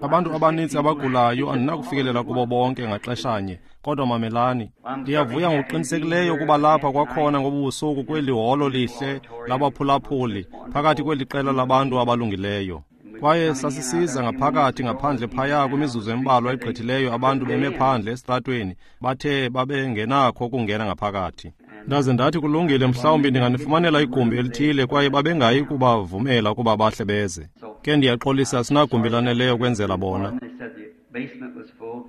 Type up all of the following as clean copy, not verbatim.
Abantu abaninzi abagulayo andinakufikelela kubo bonke ngaxeshanye, kodwa mamelani. Ndiyavuya ngokuqinisekileyo ukuba lapha kwakhona ngobu busuku kweli holo lihle labaphulaphuli phakathi kweli qela labantu abalungileyo. Kwaye sasisiza ngaphakathi ngaphandle phaya kwimizuzu embalwa egqithileyo, abantu beme phandle esitratweni, bathe babengenakho ukungena ngaphakathi. Ndaze ndathi, kulungile, mhlawumbi ndinganifumanela igumbi elithile, kwaye babengayi kubavumela ukuba bahle beze. Ke ndiyaxolisa, sinagumbi laneleyo kwenzela bona.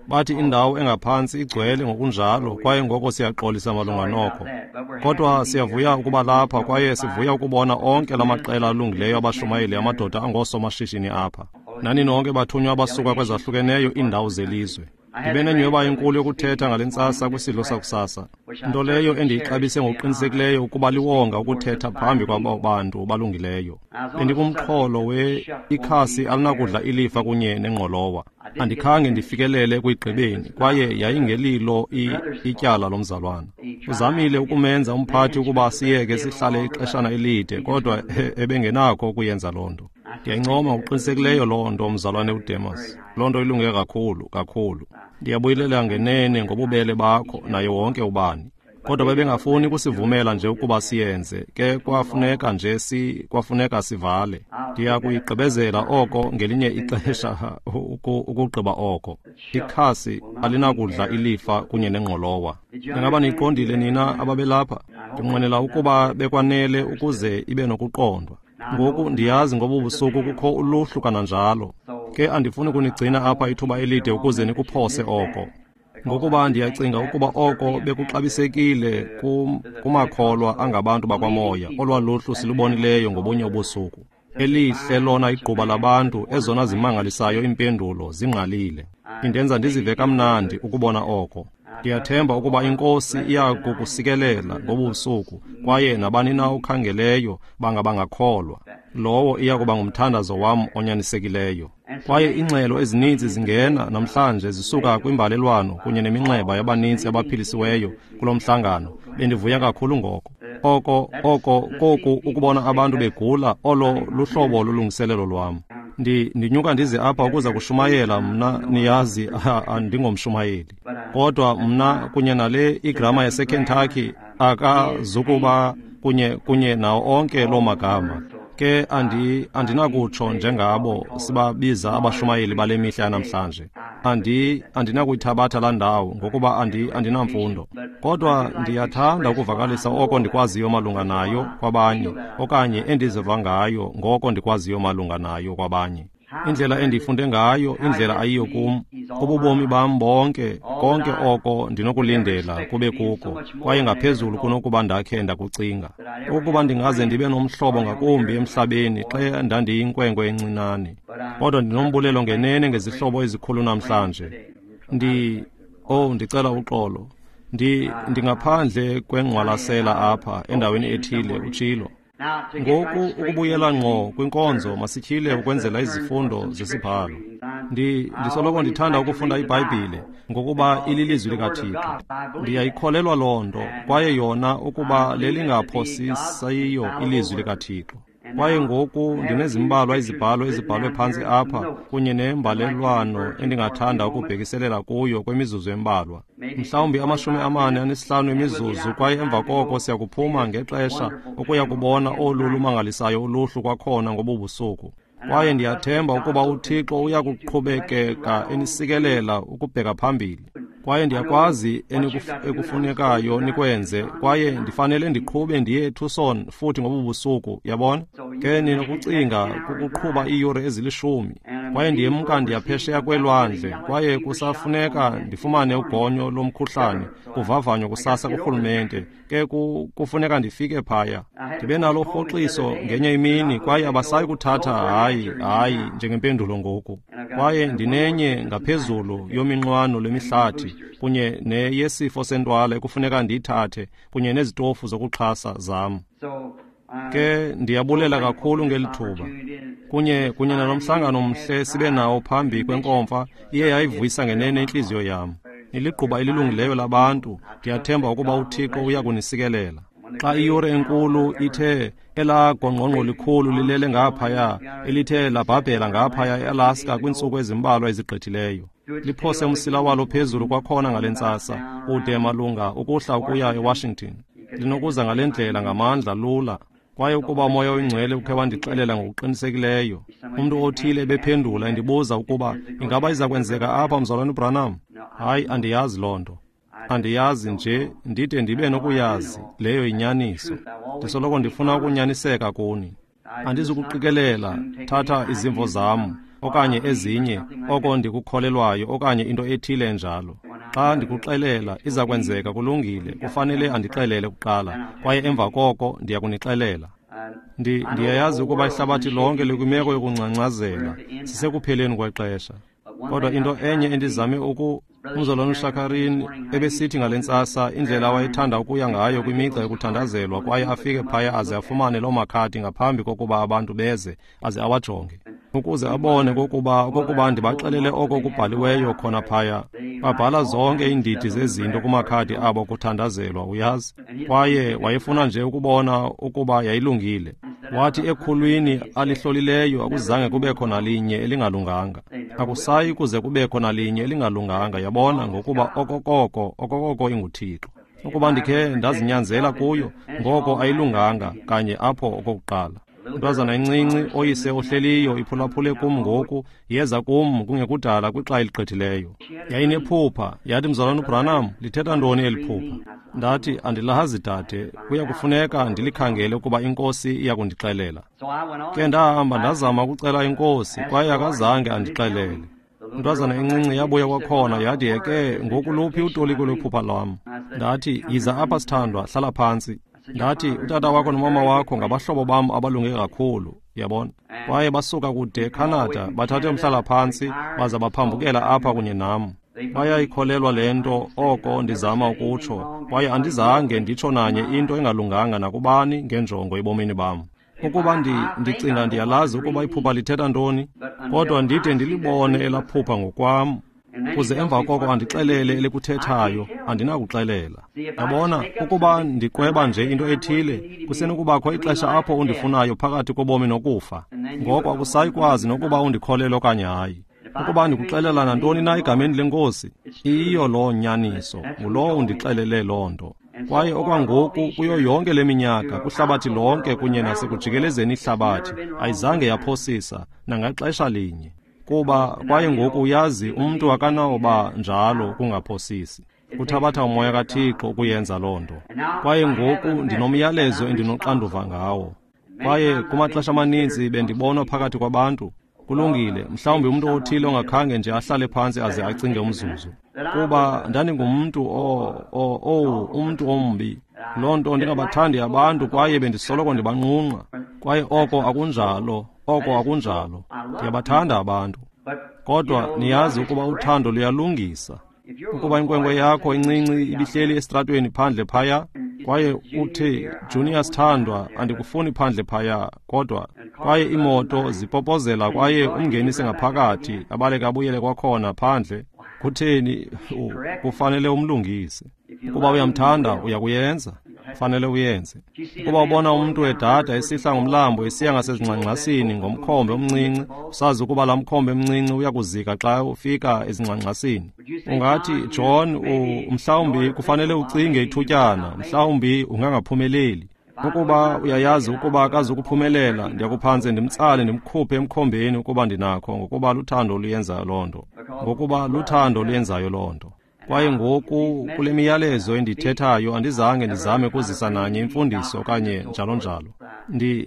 Bathi indawo engaphantsi igcwele ngokunjalo, kwaye ngoko siyaxolisa malunga noko. Kodwa siyavuya ukuba lapha, kwaye sivuya ukubona onke la maqela alungileyo abashumayeli, amadoda angoosomashishini apha. Nani nonke bathunywa abasuka kwezahlukeneyo iindawo zelizwe. Ndibe nenyhweba enkulu yokuthetha ngale ntsasa kwisidlo sakusasa, nto leyo endiyixabise ngokuqinisekileyo ukuba liwonga ukuthetha phambi kwabo bantu balungileyo. Bendikumxholo we ikhasi alinakudla ilifa kunye nengqolowa. Andikhange ndifikelele ekuyigqibeni, kwaye yayingelilo ityala lomzalwana. Uzamile ukumenza umphathi ukuba siyeke sihlale ixeshana elide, kodwa ebengenakho ukuyenza loo nto. Ndiyayincoma ngokuqinisekileyo loo nto, mzalwane uDemas. Loo nto ilunge kakhulu, kakhulu. Ndiyabuyelela ngenene ngobubele bakho naye wonke ubani. Kodwa bebengafuni kusivumela nje ukuba siyenze, ke kwafuneka nje kwafuneka sivale. Ndiya kuyigqibezela oko ngelinye ixesha, ukugqiba oko. Ikhasi alinakudla ilifa kunye nengqolowa. Ingaba niyiqondile nina ababelapha? Ndinqwenela ukuba bekwanele ukuze ibe nokuqondwa. Ngoku ndiyazi ngobu busuku kukho uluhlu kananjalo. Ke andifuni kunigcina apha ithuba elide ukuze nikuphose oko. Ngokuba ndiyacinga ukuba oko bekuxabisekile kumakholwa angabantu bakwamoya, olwa luhlu silubonileyo ngobunye ubusuku. Elihle lona igquba labantu, ezona zimangalisayo iimpendulo zingqalile. Indenza ndizive kamnandi ukubona oko. Ndiyathemba ukuba iNkosi iya kukusikelela ngobu busuku, kwaye nabani na okhangeleyo bangabangakholwa. Lowo iya kuba ngumthandazo wam onyanisekileyo. Kwaye iingxelo ezininzi zingena namhlanje zisuka kwimbalelwano kunye neminxeba yabaninzi abaphilisiweyo kulo mhlangano. Bendivuya kakhulu ngoko. Oko, oko, koku ukubona abantu begula, olo luhlobo lolungiselelo lwam. Ndinyuka ndize apha ukuza kushumayela mna, niyazi, andingomshumayeli. Kodwa mna kunye nale igrama yaseKentucky akazukuba kunye nawo onke loo magama. Ke andinakutsho njengabo sibabiza abashumayeli bale mihla yanamhlanje. Andinakuyithabatha laa ndawo ngokuba andinamfundo. Kodwa ndiyathanda ukuvakalisa oko ndikwaziyo malunga nayo kwabanye, okanye endiziva ngayo ngoko ndikwaziyo malunga nayo kwabanye. Indlela endifunde ngayo, indlela ayiyo kum, ububomi bam bonke, konke oko ndinokulindela kube kuko, kwaye ngaphezulu kunokuba ndakhe ndakucinga. Ukuba ndingaze ndibe nomhlobo ngakumbi emhlabeni xa ndandiyinkwenkwe encinane. Kodwa ndinombulelo ngenene ngezihlobo ezikhulu namhlanje. Ndicela uxolo. Ndingaphandle kwengqwalasela apha endaweni ethile, utshilo. Ngoku ukubuyela ngqo kwinkonzo, masityhile ukwenzela izifundo zesibhalo. Ndisoloko ndithanda ukufunda iBhayibhile ngokuba ililizwi likaThixo. Ndiyayikholelwa loo nto, kwaye yona ukuba lelingaphosisiyo ilizwi likaThixo. Kwaye ngoku ndinezimbalwa izibhalo ezibhalwe phantsi apha kunye nembalelwano endingathanda ukubhekiselela kuyo kwemizuzu embalwa. Mhlawumbi 45 emizuzu, kwaye emva koko siyakuphuma ngexesha ukuya kubona olu lumangalisayo uluhlu kwakhona ngobu busuku. Kwaye ndiyathemba ukuba uThixo uya kuqhubekeka enisikelela ukubheka phambili. Kwaye ndiyakwazi ekufunekayo nikwenze, kwaye ndifanele ndiqhube ndiye eTucson futhi ngobu busuku, yabona? Ke ninokucinga kukuqhuba iiyure ezilishumi. Kwaye ndiyemka ndiyaphesheya kwelwandle, kwaye kusafuneka ndifumane ugonyo lomkhuhlane kuvavanywa kusasa kurhulumente. Ke kufuneka ndifike phaya. Ndibe nalo urhoxiso ngenye imini, kwaye abasayi kuthatha hayi njengempendulo ngoku. Kwaye ndinenye ngaphezulu yominqwano lwemihlathi kunye neyesifo sentwala ekufuneka ndiyithathe kunye nezitofu zokuxhasa zam. Ke ndiyabulela kakhulu ngeli thuba. Kunye nalo mhlangano mhle sibe nawo phambi kwenkomfa, iye yayivuyisa ngenene intliziyo yam. Niligquba elilungileyo labantu, ndiyathemba ukuba uThixo uya kunisikelela. Xa iyure enkulu ithe elaa gongqongqo likhulu lilele ngaphaya, elithe labhabhela ngaphaya eAlaska kwiintsuku ezimbalwa ezigqithileyo, liphose umsila walo phezulu kwakhona ngale ntsasa, kude malunga ukuhla ukuya eWashington. Linokuza ngale ndlela ngamandla lula. Kwaye ukuba uMoya oyiNgcwele ukhe wandixelela ngokuqinisekileyo, umntu othile ebephendula endibuza ukuba ingaba iza kwenzeka apha, Mzalwana uBranham? Hayi, andiyazi loo nto. Andiyazi nje, ndide ndibe nokuyazi, leyo yinyaniso. Ndisoloko ndifuna ukunyaniseka kuni. Andizukuqikelela, thatha izimvo zam, okanye ezinye, oko ndikukholelwayo, okanye into ethile enjalo. Xa ndikuxelela, iza kwenzeka, kulungile, kufanele andixelele kuqala, kwaye emva koko ndiya kunixelela. Ndiyayazi ukuba ihlabathi lonke likwimeko yokungcangcazela, sisekupheleni kwexesha. Kodwa into enye endizame uMzalwana uShakarin ebesithi ngale ntsasa, indlela awayethanda ukuya ngayo kwimigca yokuthandazelwa, kwaye afike phaya aze afumane loo makhadi ngaphambi kokuba abantu beze, aze awajonge, ukuze abone kokuba ndibaxelele oko kubhaliweyo khona phaya. Babhala zonke iindidi zezinto kumakhadi abo kuthandazelwa, uyazi. Kwaye wayefuna nje ukubona ukuba yayilungile. Wathi ekhulwini alihlolileyo akuzange kubekho nalinye elingalunganga. Akusayi kuze kubekho nalinye elingalunganga, yabona, ngokuba okokoko inguThixo. Ukuba ndikhe ndazinyanzela kuyo, ngoko ayilunganga kanye apho okokuqala. Intwazana encinci oyise ohleliyo iphulaphule kum ngoku, yeza kum kungekudala kwixa eligqithileyo. Yayinephupha, yathi, Mzalwana uBranham, lithetha ntoni eli phupha? Ndathi, andilazi dade, kuya kufuneka ndilikhangele ukuba iNkosi iya kundixelela. Ke ndahamba ndazama ukucela iNkosi, kwaye akazange andixelele. Intwazana encinci yabuya kwakhona, yathi, yeke, ngoku luphi utoliko lwephupha lwam? Ndathi, yiza apha sithandwa, hlala phantsi. Ndathi, utata wakho nomama wakho ngabahlobo bam abalunge kakhulu, yabona. Kwaye basuka kude eCanada, bathathe umhlala-phantsi, baza baphambukela apha kunye nam. Bayayikholelwa le nto, oko ndizama ukutsho, kwaye andizange nditsho nanye into engalunganga nakubani ngenjongo ebomini bam. Ukuba ndicinga ndiyalazi ukuba iphupha lithetha ntoni, kodwa ndide ndilibone elaphupha ngokwam, kuze emva koko andixelele elikuthethayo, andinakuxelela. Yabona, ukuba ndiqweba nje into ethile, kusenokubakho ixesha apho undifunayo phakathi kobomi nokufa. Ngoko akusayi kwazi nokuba undikholelwe okanye hayi. Ukuba ndikuxelela nantoni na egameni leNkosi, iyiyo loo nyaniso, ngulowo undixelele loo nto. Kwaye okwangoku kuyo yonke le minyaka, kwihlabathi lonke kunye nasekujikelezeni ihlabathi, ayizange yaphosisa nangaxesha linye. Kuba kwaye ngoku uyazi umntu akanawoba njalo kungaphosisi. Kuthabatha uMoya kaThixo ukuyenza loo nto. Kwaye ngoku ndinomyalezo endinoxanduva ngawo. Kwaye kumaxesha amaninzi bendibonwa phakathi kwabantu. Kulungile, mhlawumbi umntu othile ongakhange nje ahlale phantsi aze acinge umzuzu. Kuba ndandingumntu umntu ombi. Loo nto ndingabathandi abantu kwaye bendisoloko ndibanqunqa. Kwaye oko akunjalo, oko akunjalo. Ndiyabathanda abantu. Kodwa niyazi ukuba uthando luyalungisa. Ukuba inkwenkwe yakho incinci ibihleli esitratweni phandle phaya, kwaye uthi, Junior sithandwa, andikufuni phandle phaya, kodwa kwaye iimoto zipopozela kwaye umngenise ngaphakathi, abaleke abuyele kwakhona phandle, kutheni kufanele umlungise. Ukuba uyamthanda, uyakuyenza. Fanele uyenze. Ukuba ubona umntu edada esihla ngomlambo esiya ngasezingxangxasini ngomkhombe omncinci, usazi ukuba laa mkhombe mncinci uyakuzika xa ufika ezingxangxasini. Ungathi, John, mhlawumbi kufanele ucinge ithutyana, mhlawumbi ungangaphumeleli. Ukuba uyayazi ukuba akazukuphumelela, ndiyakuphantse ndimtsale ndimkhuphe emkhombeni ukuba ndinakho, ngokuba luthando oluyenzayo loo nto. Ngokuba luthando oluyenzayo loo nto. Kwaye ngoku kule miyalezo endithethayo andizange ndizame kuzisa nanye imfundiso okanye njalo njalo.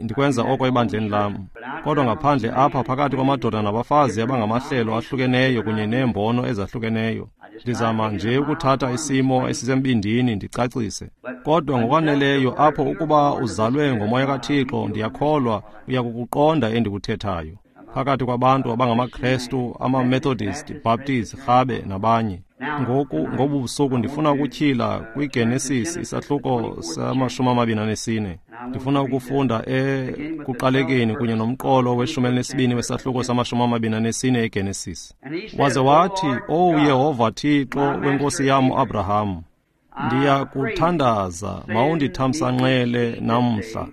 Ndikwenza oko ebandleni lam. Kodwa ngaphandle apha phakathi kwamadoda nabafazi abangamahlelo ahlukeneyo kunye neembono ezahlukeneyo, ndizama nje ukuthatha isimo esisembindini ndicacise. Kodwa ngokwaneleyo apho ukuba uzalwe ngoMoya kaThixo, ndiyakholwa uyakukuqonda endikuthethayo. Phakathi kwabantu abangamaKrestu, amaMethodist, Baptist, Rhabe nabanye. Ngoku ngobu busuku ndifuna ukutyhila kwiGenesis isahluko sama-24. Ndifuna ukufunda ekuqalekeni kunye nomqolo we-12 wesahluko sama-24 eGenesis. Waze wathi, "Owu Yehova Thixo wenkosi yam uAbraham, Ndiyakuthandaza, mawundithamsanqele namhla,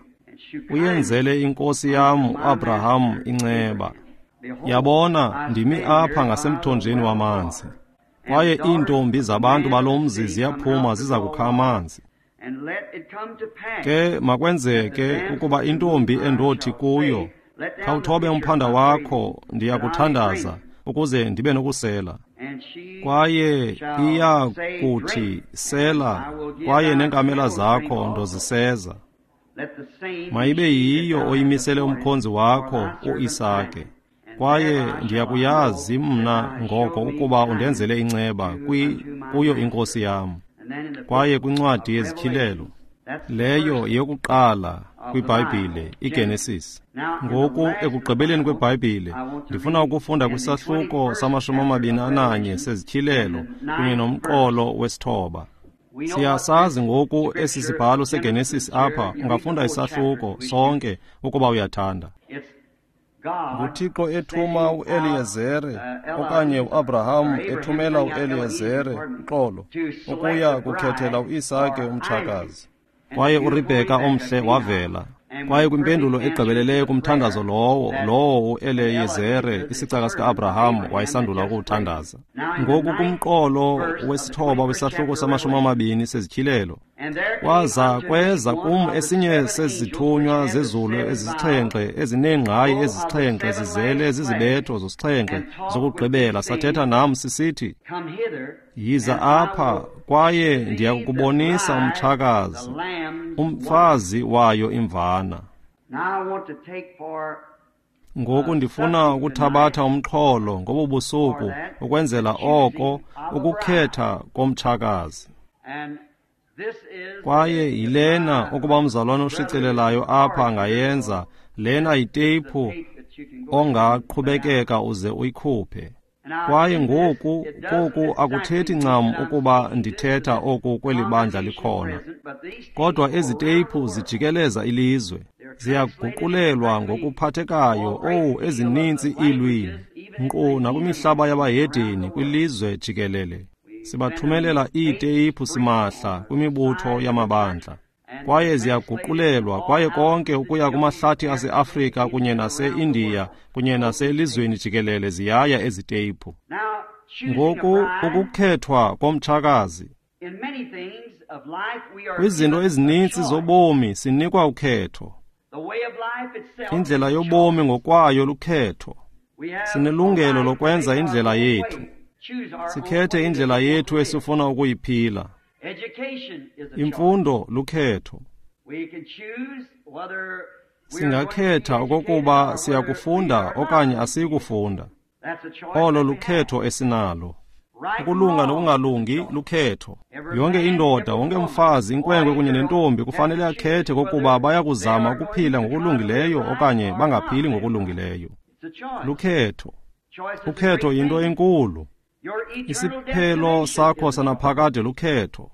uyenzele inkosi yam uAbraham inceba. Yabona, ndimi apha ngasemthonjeni wamanzi, kwaye iintombi zabantu balo mzi ziyaphuma ziza kukha amanzi. Ke makwenzeke ukuba intombi endothi kuyo, khawuthobe umphanda wakho, ndiyakuthandaza, ukuze ndibe nokusela. Kwaye iya kuthi, sela, kwaye neenkamela zakho ndoziseza. Mayibe yiyo oyimisele umkhonzi wakho uIsake. Kwaye ndiyakuyazi mna ngoko ukuba undenzele inceba kuyo inkosi yam. Kwaye kwincwadi yezityhilelo, leyo yeyokuqala kwiBhayibhile, iGenesis. Ngoku ekugqibeleni kweBhayibhile, ndifuna ukufunda kwisahluko sama-21 sezityhilelo kunye nomqolo wesithoba. Siyasazi ngoku esi sibhalo seGenesis apha, ungafunda isahluko sonke ukuba uyathanda. NguThixo ethuma uEliyezere okanye uAbraham ethumela uEliyezere, uxolo, ukuya kukhethela uIsake umtshakazi. Kwaye uRebheka omhle wavela. Kwaye kwimpendulo egqibeleleyo kumthandazo lowo uEliyezere, isicaka sika-Abraham, wayesandula ukuwuthandaza. Ngoku kumqolo wesithoba wesahluko sama-20 sezityhilelo, kwaza kweza kum esinye sezithunywa zezulu ezisixhenxe ezineengqayi ezisixhenxe zizele zizibetho zosixhenxe zokugqibela, sathetha nam sisithi, yiza apha, kwaye ndiyakukubonisa umtshakazi, umfazi wayo imvana. Ngoku ndifuna ukuthabatha umxholo ngobu busuku ukwenzela oko ukukhetha komtshakazi. Kwaye yilena ukuba umzalwane oshicilelayo apha angayenza, lena yiteyiphu ongaqhubekeka uze uyikhuphe. Kwaye ngoku koku akuthethi ncam ukuba ndithetha oku kweli bandla likhona, kodwa ezi teyiphu zijikeleza ilizwe, ziyaguqulelwa ngokuphathekayo owu ezininzi iilwimi, nkqu nakwimihlaba yabahedeni kwilizwe jikelele. Sibathumelela iiteyiphu simahla kwimibutho yamabandla, kwaye ziyaguqulelwa kwaye konke ukuya kumahlathi aseAfrika kunye nase-Indiya kunye naselizweni jikelele ziyaya ezi teyiphu. Ngoku ukukhethwa komtshakazi. Kwizinto ezininzi zobomi sinikwa ukhetho. Indlela yobomi ngokwayo lukhetho. Sinelungelo lokwenza indlela yethu. Sikhethe indlela yethu esifuna ukuyiphila. Imfundo lukhetho. Singakhetha okokuba siyakufunda okanye asiyikufunda. Olo lukhetho esinalo. Ukulunga nokungalungi lukhetho. Yonke indoda, wonke umfazi, inkwenkwe kunye nentombi kufanele akhethe kokuba bayakuzama ukuphila ngokulungileyo okanye bangaphili ngokulungileyo. Lukhetho. Ukhetho yinto enkulu. Isiphelo sakho sanaphakade lukhetho.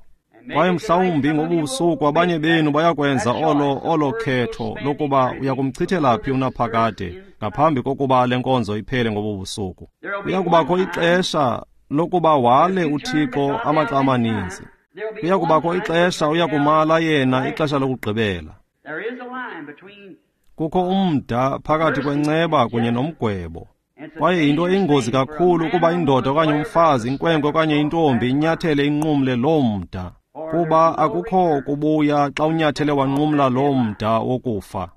Kwaye mhlawumbi ngobusuku abanye benu bayakwenza olo khetho lokuba uyakumchithela phi unaphakade ngaphambi kokuba le nkonzo iphele ngobubusuku. Kuyakubakho ixesha lokuba wale uThixo amaxa amaninzi. Kuyakubakho ixesha uyakumala yena ixesha lokugqibela. Kukho umda phakathi kwenceba kunye nomgwebo. Kwaye yinto eyingozi kakhulu ukuba indoda okanye umfazi, inkwenkwe okanye intombi inyathele inqumle loo mda, kuba akukho kubuya xa unyathele wanqumla loo mda wokufa.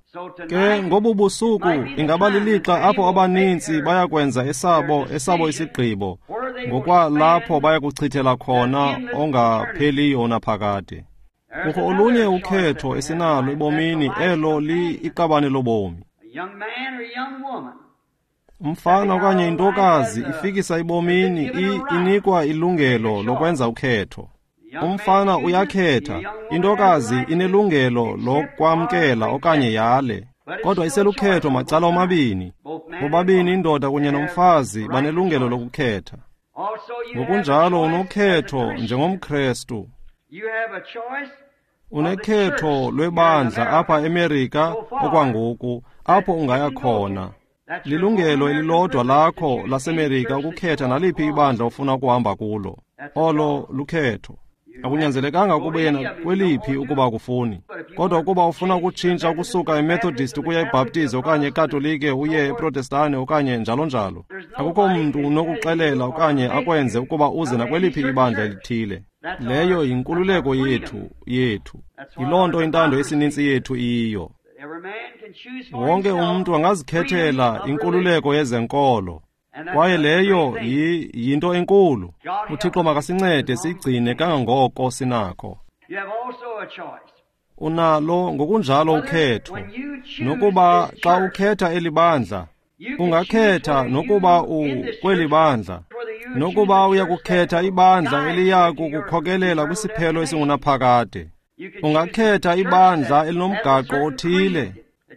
Ke ngobu busuku ingaba lilixa apho abaninzi bayakwenza esabo isigqibo ngokwalapho bayakuchithela khona ongapheliyo unaphakade. Kukho olunye ukhetho esinalo ebomini, elo liiqabane lobomi. Umfana okanye intokazi ifikisa ebomini inikwa ilungelo lokwenza ukhetho. Umfana uyakhetha, intokazi inelungelo lokwamkela okanye yale, kodwa iselukhetho macala omabini. Bobabini indoda kunye nomfazi banelungelo lokukhetha. Ngokunjalo unokhetho njengomKrestu. Unekhetho lwebandla apha eMerika okwangoku, apho ungaya khona. Lilungelo elilodwa lakho laseMerika ukukhetha naliphi ibandla ofuna ukuhamba kulo. Olo lukhetho. Akunyanzelekanga ukuba yena kweliphi ukuba akufuni. Kodwa ukuba ufuna ukutshintsha ukusuka eMethodist ukuya eBaptist okanye eKatolike uye eProtestane okanye njalo njalo, akukho mntu unokuxelela okanye akwenze ukuba uze nakweliphi ibandla elithile. Leyo yinkululeko yethu. Yiloo nto intando yesininzi yethu iyiyo. Wonke umntu angazikhethela inkululeko yezenkolo. Kwaye leyo yinto enkulu. UThixo makasincede siyigcine kangangoko sinakho. Unalo ngokunjalo ukhetho. Nokuba xa ukhetha eli bandla, ungakhetha nokuba kweli bandla, nokuba uyakukhetha ibandla eliya kukukhokelela kwisiphelo esingunaphakade. Ungakhetha ibandla elinomgaqo othile,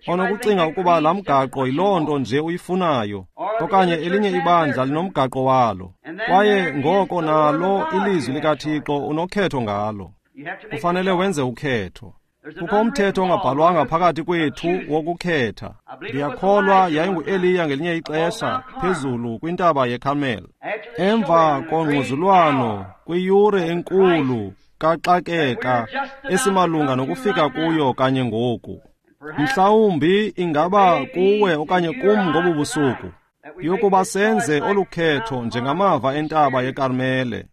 onokucinga ukuba laa mgaqo yiloo nto nje uyifunayo, okanye elinye ibandla linomgaqo walo. Kwaye ngoko nalo ilizwi likaThixo unokhetho ngalo. Kufanele wenze ukhetho. Kukho umthetho ongabhalwanga phakathi kwethu wokukhetha. Ndiyakholwa yayingu-Eliya ngelinye ixesha phezulu kwintaba yeKarmel. Emva kongquzulwano kwiyure enkulu kaxakeka esimalunga nokufika kuyo kanye ngoku. Mhlawumbi ingaba kuwe okanye kum ngobu busuku, yokuba senze olu khetho njengamava entaba yeKarmele.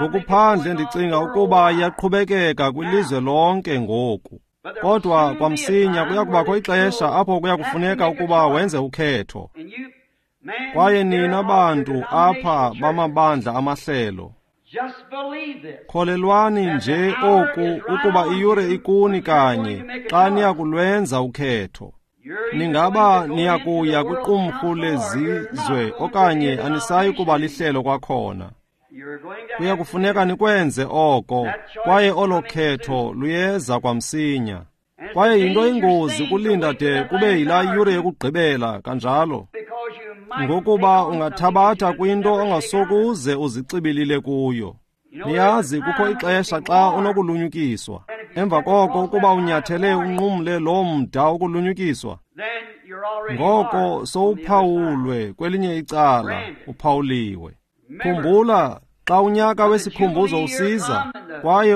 Ngokuphandle ndicinga ukuba iyaqhubekeka kwilizwe lonke ngoku. Kodwa kwamsinya kuya kubakho ixesha apho kuya kufuneka ukuba wenze ukhetho. Kwaye nina bantu apha bamabandla amahlelo, kholelwani nje oku ukuba iyure ikuni kanye xa niyakulwenza ukhetho. Ningaba niyakuya kwiqumrhu lezizwe okanye anisayi kuba lihlelo kwakhona. Kuya kufuneka nikwenze oko, kwaye olo khetho luyeza kwamsinya. Kwaye yinto ingozi ukulinda de kube yilaa yure yokugqibela kanjalo, ngokuba ungathabatha kwinto ongasokuze uzixibilile kuyo. Niyazi kukho ixesha xa unokulunyukiswa. Emva koko ukuba unyathele unqumle loo mda wokulunyukiswa, ngoko sowuphawulwe kwelinye icala, uphawuliwe. Khumbula xa unyaka wesikhumbuzo usiza, kwaye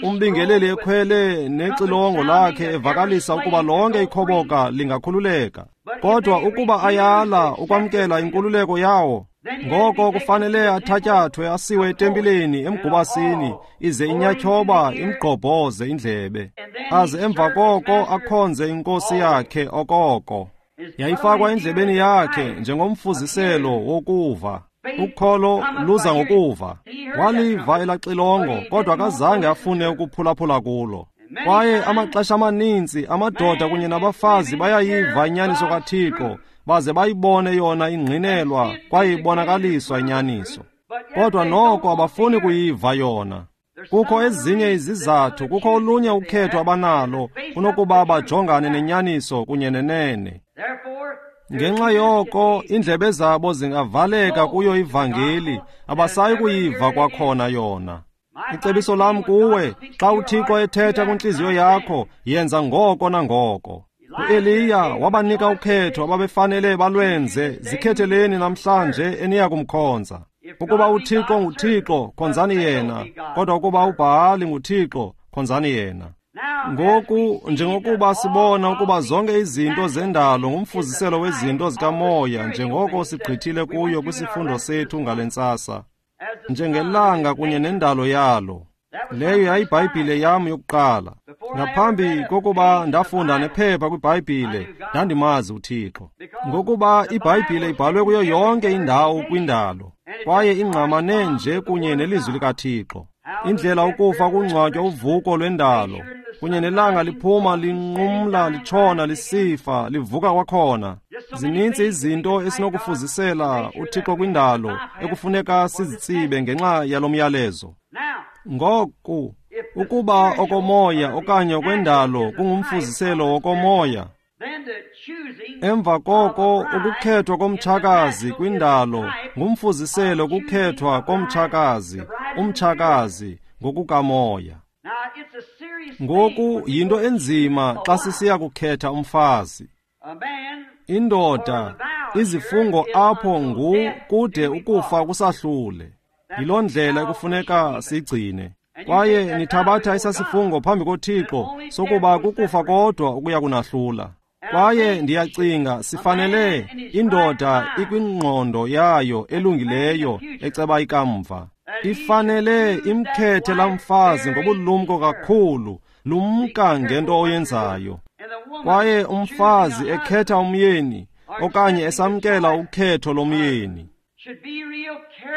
umbingeleli ekhwele nexilongo lakhe evakalisa ukuba lonke ikhoboka lingakhululeka. Kodwa ukuba ayala ukwamkela inkululeko yawo, ngoko kufanele athatyathwe asiwe etempileni emgubasini, ize inyatyhoba imgqobhoze indlebe, aze emva koko akhonze inkosi yakhe okoko. Yayifakwa endlebeni yakhe njengomfuziselo wokuva. Ukholo luza ngokuva. Waliva elaxilongo, kodwa akazange afune ukuphulaphula kulo. Kwaye amaxesha amaninzi amadoda kunye nabafazi bayayiva inyaniso kaThixo, baze bayibone yona ingqinelwa kwaye ibonakaliswa inyaniso. Kodwa noko abafuni kuyiva yona. Kukho ezinye izizathu, kukho olunye ukhetho abanalo kunokuba bajongane nenyaniso kunye nenene. Ngenxa yoko indlebe zabo zingavaleka kuyo ivangeli, abasayi kuyiva kwakhona yona. Icebiso lam kuwe, xa uThixo ethetha kwintliziyo yakho, yenza ngoko nangoko. UEliya wabanika ukhetho ababefanele balwenze, zikhetheleni namhlanje eniya kumkhonza. Ukuba uThixo nguThixo, khonzani yena, kodwa ukuba uBhahali nguThixo, khonzani yena. Ngoku njengokuba sibona ukuba zonke izinto zendalo ngumfuziselo wezinto zikamoya, njengoko sigqithile kuyo kwisifundo sethu ngale ntsasa, njengelanga kunye nendalo yalo. Leyo yayiBhayibhile yam yokuqala. Ngaphambi kokuba ndafunda nephepha kwiBhayibhile, ndandimazi uThixo, ngokuba iBhayibhile ibhalwe kuyo yonke indawo kwindalo, kwaye ingqamane nje kunye nelizwi likaThixo. Indlela ukufa kungcwatywa uvuko lwendalo, kunye nelanga liphuma linqumla litshona lisifa livuka kwakhona. Zininzi izinto esinokufuzisela uThixo kwindalo ekufuneka sizitsibe ngenxa yalo myalezo. Ngoku ukuba okomoya okanye okwendalo kungumfuziselo wokomoya, emva koko ukukhethwa komtshakazi kwindalo ngumfuziselo kukhethwa komtshakazi, umtshakazi ngokukamoya. Ngoku yinto enzima xa sisiya kukhetha umfazi. Indoda, izifungo apho ngu kude ukufa kusahlule. Yiloo ndlela ekufuneka sigcine. Kwaye nithabatha esasifungo phambi koThixo sokuba kukufa kodwa ukuya kunahlula. Kwaye ndiyacinga sifanele indoda ikwingqondo yayo elungileyo eceba ikamva, ifanele imkhethe lamfazi ngobulumko kakhulu. Lumka ngento oyenzayo. Kwaye umfazi ekhetha umyeni okanye esamkela ukhetho lomyeni,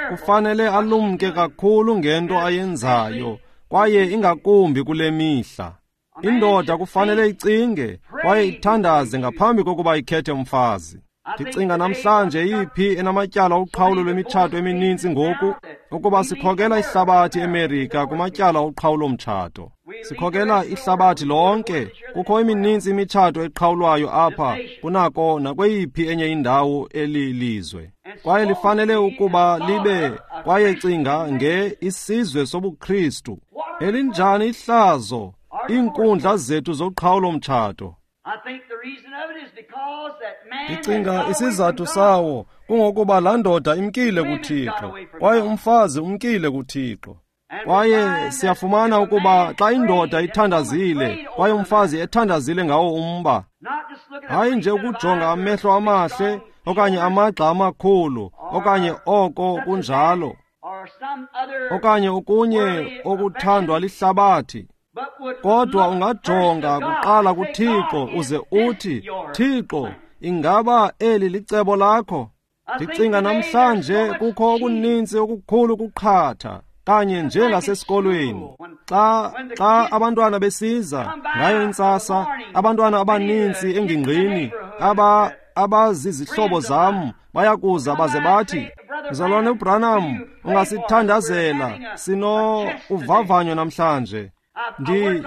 kufanele alumke kakhulu ngento ayenzayo, kwaye ingakumbi kule mihla. Indoda kufanele icinge kwaye ithandaze ngaphambi kokuba ikhethe umfazi. Ndicinga namhlanje iphi enamatyala oqhawulo lwemitshato emininzi ngoku, ukuba sikhokela ihlabathi eMerika kumatyala oqhawulo-mtshato. Sikhokela ihlabathi lonke. Kukho emininzi imitshato eqhawulwayo apha kunako nakweyiphi enye indawo elilizwe. Kwaye lifanele ukuba libe, kwaye cinga nge isizwe sobuKristu. Elinjani ihlazo iinkundla zethu zoqhawulo-mtshato. Ndicinga isizathu sawo kungokuba laa ndoda imkile kuThixo, kwaye umfazi umkile kuThixo. Kwaye siyafumana ukuba xa indoda ithandazile kwaye umfazi ethandazile ngawo umba, hayi nje ukujonga amehlo amahle okanye amagxa amakhulu okanye oko kunjalo, okanye okunye okuthandwa lihlabathi, kodwa ungajonga kuqala kuThixo uze uthi, Thixo, ingaba eli licebo lakho? Ndicinga namhlanje kukho okuninzi okukhulu kuqhatha, kanye njengasesikolweni. Xa abantwana besiza ngayo intsasa, abantwana abaninzi engingqini abazizihlobo zam bayakuza baze bathi, Mzalwane uBranham, ungasithandazela, sino uvavanyo namhlanje.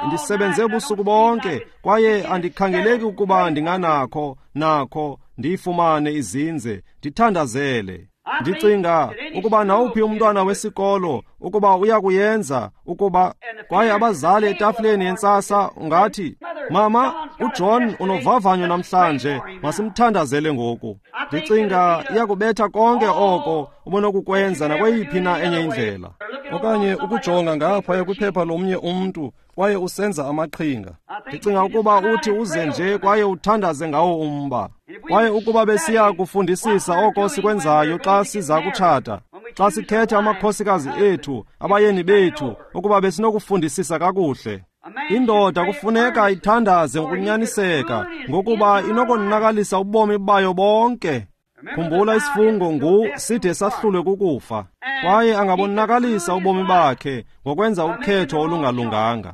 Ndisebenze ubusuku bonke kwaye andikhangeleki ukuba ndinganakho nakho ndiyifumane izinze, ndithandazele. Ndicinga ukuba nawuphi umntwana wesikolo ukuba uyakuyenza ukuba, kwaye abazali etafileni yentsasa ungathi, Mama, uJohn unovavanyo namhlanje, masimthandazele ngoku. Ndicinga iyakubetha konke oko ubunokukwenza nakweyiphi na enye indlela. Okanye ukujonga ngaphaya kwiphepha lomnye umntu kwaye usenza amaqhinga. Ndicinga ukuba uthi uze nje kwaye uthandaze ngawo umba. Kwaye ukuba besiya kufundisisa oko sikwenzayo xa siza kutshata, xa sikhetha amakhosikazi ethu, abayeni bethu, ukuba besinokufundisisa kakuhle. Indoda kufuneka ithandaze ngokunyaniseka, ngokuba inokonakalisa ubomi bayo bonke. Khumbula isifungo ngu side sahlulwe kukufa, kwaye angabonakalisa ubomi bakhe ngokwenza ukhetho olungalunganga.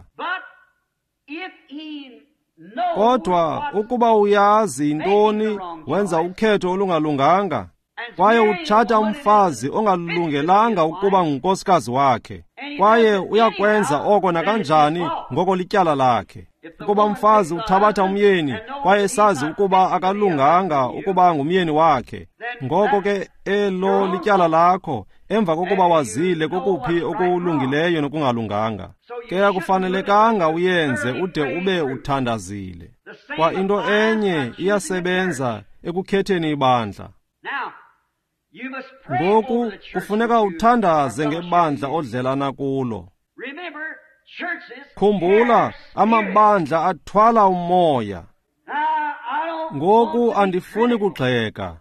Kodwa ukuba uyazi intoni, wenza ukhetho olungalunganga, kwaye utshata umfazi ongalungelanga ukuba ngunkosikazi wakhe, kwaye uyakwenza oko nakanjani ngoko lityala lakhe. Ukuba umfazi uthabatha umyeni kwaye esazi ukuba akalunganga ukuba ngumyeni wakhe, ngoko ke elo lityala lakho emva kokuba wazile kokuphi okulungileyo nokungalunganga. Ke akufanelekanga uyenze ude ube uthandazile. Kwa into enye iyasebenza ekukhetheni ibandla. Ngoku kufuneka uthandaze ngebandla odlelana kulo. Khumbula, amabandla athwala umoya. Ngoku andifuni kugxeka,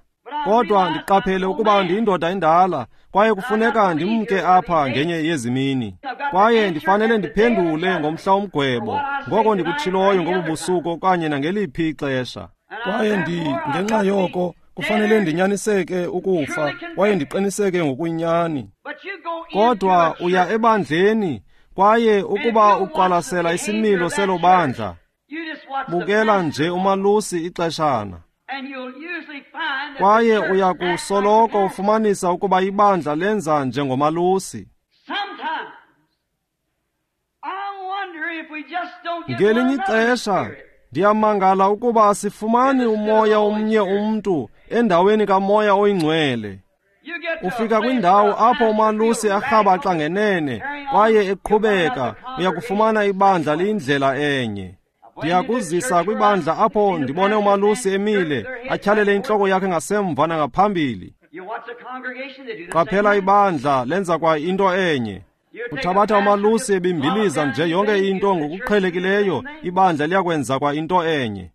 kodwa ndiqaphele ukuba ndiyindoda endala kwaye kufuneka ndimke apha ngenye yezimini, kwaye ndifanele ndiphendule ngomhla womgwebo ngoko ndikutshiloyo ngobu busuku okanye nangeliphi ixesha. Kwaye ngenxa yoko kufanele ndinyaniseke ukufa kwaye ndiqiniseke ngokuyinyani. Kodwa uya ebandleni kwaye ukuba uqwalasela isimilo selo bandla, bukela nje umalusi ixeshana, kwaye uya kusoloko ufumanisa ukuba ibandla lenza njengomalusi. Ngelinye ixesha ndiyamangala ukuba asifumani umoya omnye umntu endaweni kamoya oyingcwele. Ufika kwindawo apho umalusi arhabaxa ngenene kwaye eqhubeka, uyakufumana ibandla liyindlela enye. Ndiyakuzisa kwibandla apho ndibone umalusi emile atyhalele intloko yakhe ngasemva nangaphambili. Qaphela ibandla lenza kwa into enye. Uthabatha umalusi ebimbiliza nje yonke into ngokuqhelekileyo, ibandla liyakwenza kwa into enye.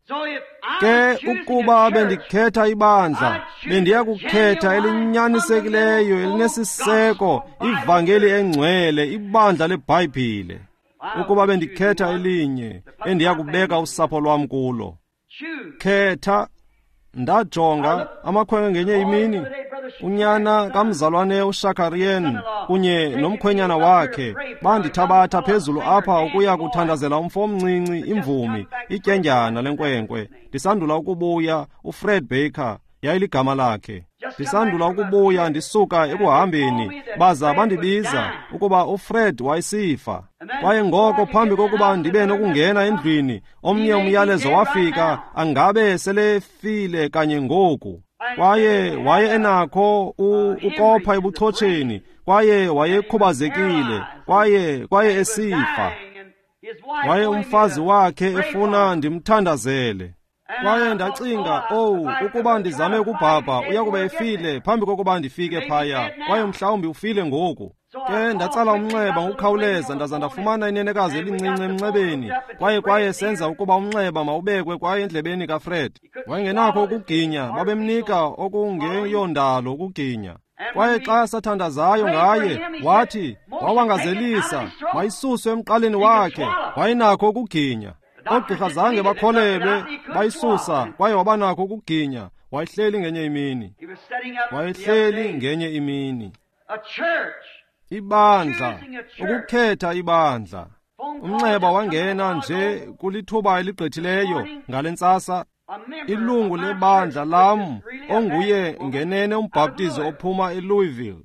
Ke ukuba bendikhetha ibandla, bendiya kukhetha elinyanisekileyo, elinesiseko, ivangeli engcwele, ibandla leBhayibhile. Ukuba bendikhetha elinye, endiya kubeka usapho lwam kulo. Khetha. Ndajonga amakhwenkwe ngenye imini, unyana kamzalwane uShakarien kunye nomkhwenyana wakhe bandithabatha phezulu apha ukuya kuthandazela umfo omncinci, imvumi, ityendyana lenkwenkwe. Ndisandula ukubuya, uFred Baker yayiligama lakhe. Ndisandula ukubuya ndisuka ekuhambeni, baza bandibiza ukuba uFred wayesifa. Kwaye ngoko phambi kokuba ndibe nokungena endlwini, omnye umyalezo wafika, angabe selefile kanye ngoku. Kwaye waye enakho ukopha ebuchotsheni, kwaye wayekhubazekile, kwaye esifa. Waye umfazi wakhe efuna ndimthandazele. Kwaye ndacinga, owu, ukuba ndizame ukubhabha, uya kuba efile phambi kokuba ndifike phaya, kwaye mhlawumbi ufile ngoku. Ke ndatsala umnxeba ngokukhawuleza, ndaza ndafumana inenekazi elincinci emnxebeni, kwaye senza ukuba umnxeba mawubekwe kwaye endlebeni kaFred. Wayengenakho ukuginya, babemnika okungeyondalo ukuginya. Kwaye xa sathandazayo ngaye, wathi wawangazelisa, mayisuswe emqaleni wakhe, wayenakho ukuginya. Oogqirha zange bakholelwe, bayisusa, kwaye wabanakho ukuginya. Wayehleli ngenye imini. Wayehleli ngenye imini. Ibandla, ukukhetha ibandla. Umnxeba wangena nje kulithuba eligqithileyo ngale ntsasa. Ilungu lebandla lam, onguye ngenene umbhaptizi ophuma eLouisville,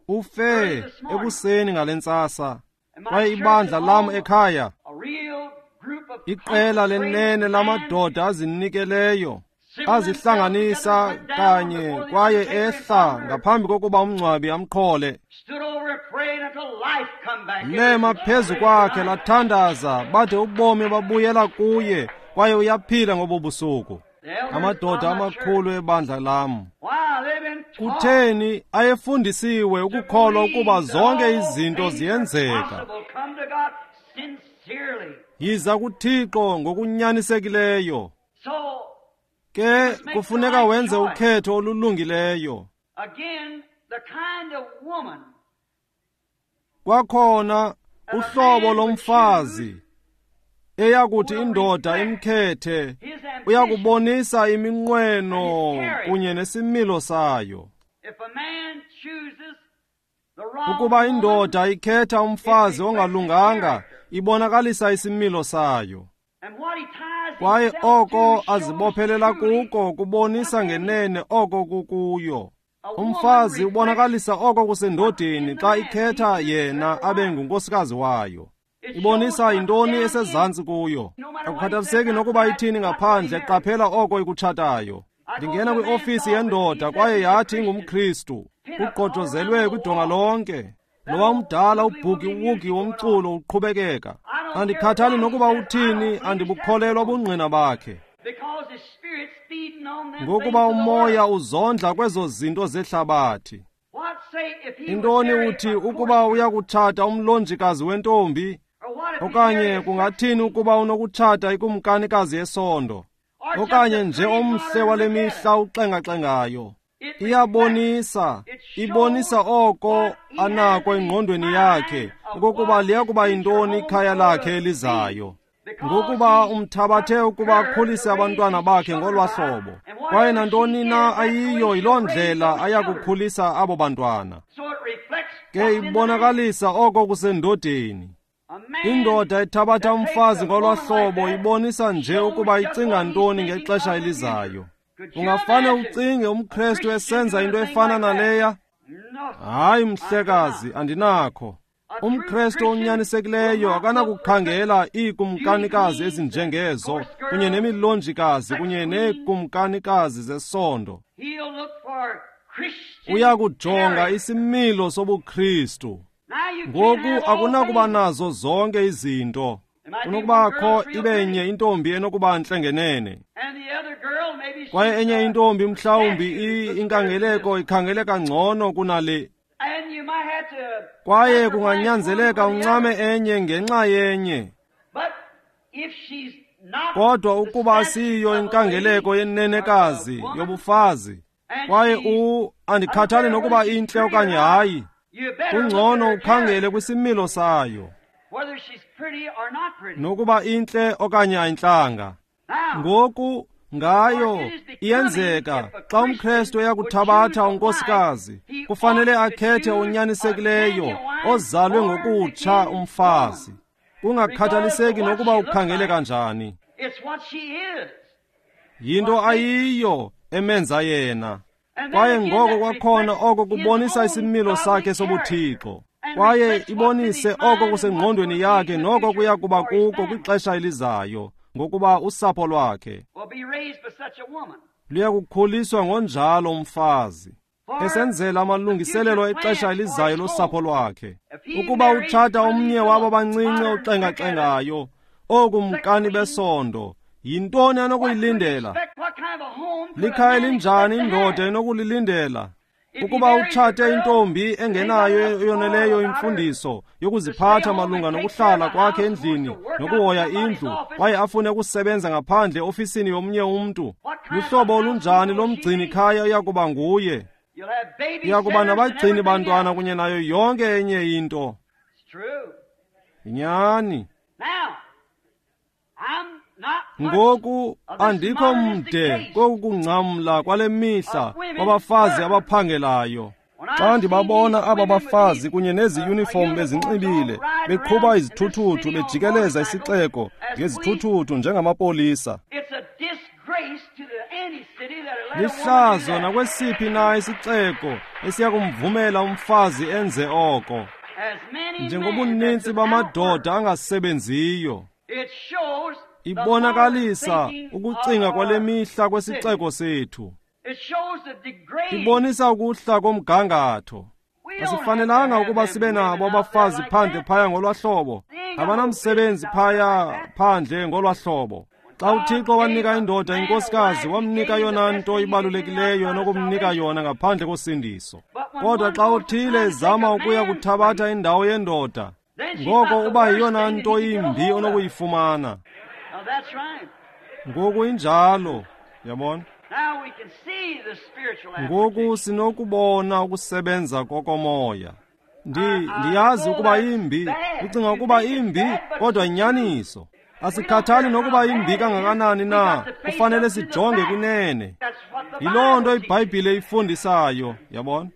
ufe ekuseni ngale ntsasa. Kwaye ibandla lam ekhaya, iqela lenene lamadoda azinikeleyo, azihlanganisa kanye kwaye ehla ngaphambi kokuba umngcwabi amqhole. Lema phezu kwakhe lathandaza bade ubomi babuyela kuye, kwaye uyaphila ngobo busuku. Amadoda amakhulu ebandla lam, kutheni ayefundisiwe ukukholwa ukuba zonke izinto ziyenzeka. Yiza kuThixo ngokunyanisekileyo. Ke kufuneka wenze ukhetho olulungileyo. Kwakhona uhlobo lomfazi eyakuthi indoda imkhethe uyakubonisa iminqweno kunye nesimilo sayo. Ukuba indoda ikhetha umfazi ongalunganga, ibonakalisa isimilo sayo. Kwaye oko azibophelela kuko kubonisa ngenene oko kukuyo. Umfazi ubonakalisa oko kusendodeni xa ikhetha yena abe ngunkosikazi wayo. Ibonisa yintoni esezantsi kuyo. Akukhathaliseki nokuba ithini ngaphandle, qaphela oko ikutshatayo. Ndingena kwiofisi yendoda kwaye yathi ingumKristu. Kugqojozelwe kwidonga lonke. Lowa umdala ubhuki-wuki womculo uqhubekeka. Andikhathali nokuba uthini, andibukholelwa ubungqina bakhe. Ngokuba umoya uzondla kwezo zinto zehlabathi. Intoni uthi ukuba uyakutshata umlonjikazi wentombi? Okanye kungathini ukuba unokutshata ikumkanikazi yesondo? Okanye nje omhle wale mihla uxengaxengayo? Iyabonisa, ibonisa oko anako engqondweni yakhe, okokuba liyakuba yintoni ikhaya lakhe elizayo. Ngokuba umthabathe ukuba akhulise abantwana bakhe ngolwa hlobo, kwaye nantoni na ayiyo yiloo ndlela ayakukhulisa abo bantwana. Ke ibonakalisa oko kusendodeni. Indoda ethabatha umfazi ngolwa hlobo ibonisa nje ukuba icinga ntoni ngexesha elizayo. Ungafane ucinge umKrestu esenza into efana naleya? Hayi mhlekazi, andinakho. UmKrestu onyanisekileyo akanakukhangela iikumkanikazi ezinjengezo kunye nemilonjikazi kunye neekumkanikazi zesondo. Uyakujonga isimilo sobuKristu. Ngoku akunakuba nazo zonke izinto. Kunokubakho ibe nye intombi enokuba ntle ngenene, kwaye enye intombi mhlawumbi inkangeleko ikhangeleka ngcono kunale. Kwaye kunganyanzeleka uncame enye ngenxa yenye. Kodwa ukuba asiyiyo inkangeleko yenenekazi yobufazi, kwaye andikhathali nokuba intle okanye hayi, kungcono ukhangele kwisimilo sayo, nokuba intle okanye ayintlanga. Ngoku ngayo iyenzeka xa umKrestu eyakuthabatha unkosikazi, kufanele akhethe onyanisekileyo ozalwe ngokutsha umfazi, kungakhathaliseki nokuba ukhangele kanjani. Yinto ayiyo emenza yena. Kwaye ngoko kwakhona oko kubonisa isimilo sakhe sobuthixo, kwaye ibonise oko kusengqondweni yakhe noko kuya kuba kuko kwixesha elizayo, ngokuba usapho lwakhe luya kukhuliswa ngonjalo umfazi, esenzela amalungiselelo exesha elizayo losapho lwakhe. Ukuba utshata omnye wabo bancinci oxengaxengayo, ookumkani besondo, yintoni anokuyilindela? Likhaya elinjani indoda enokulilindela? Ukuba utshate intombi engenayo eyoneleyo imfundiso yokuziphatha malunga nokuhlala kwakhe endlini nokuhoya indlu, kwaye afune ukusebenza ngaphandle ofisini yomnye umntu, luhlobo olunjani lomgcini khaya uyakuba nguye? Uyakuba nabagcini bantwana kunye nayo yonke enye into. Nyani. Ngoku andikho mde kokungcamla kwale mihla kwabafazi abaphangelayo. Xa ndibabona aba bafazi kunye nezi uniform bezinxibile, beqhuba izithuthuthu bejikeleza isixeko ngezithuthuthu njengamapolisa, lihlazo nakwesiphi na isixeko esiyakumvumela umfazi enze oko. Njengobuninzi bamadoda angasebenziyo, ibonakalisa ukucinga kwale mihla kwesixeko sethu. Ibonisa ukuhla komgangatho. Asifanelanga ukuba sibe nabo abafazi phandle phaya ngolwahlobo. Abanamsebenzi phaya phandle ngolwahlobo. Xa uThixo wanika indoda inkosikazi, wamnika yona nto ibalulekileyo enokumnika yona ngaphandle kosindiso. Kodwa xa uthile ezama ukuya kuthabatha indawo yendoda, ngoko uba yiyona nto imbi onokuyifumana. Ngoku injalo, yabona. Ngoku sinokubona ukusebenza kokomoya. Ndiyazi ukuba imbi, ucinga ukuba imbi, kodwa inyaniso. Asikhathali nokuba imbi kangakanani na, kufanele sijonge kunene. Yiloo nto iBhayibhile ifundisayo, yabona.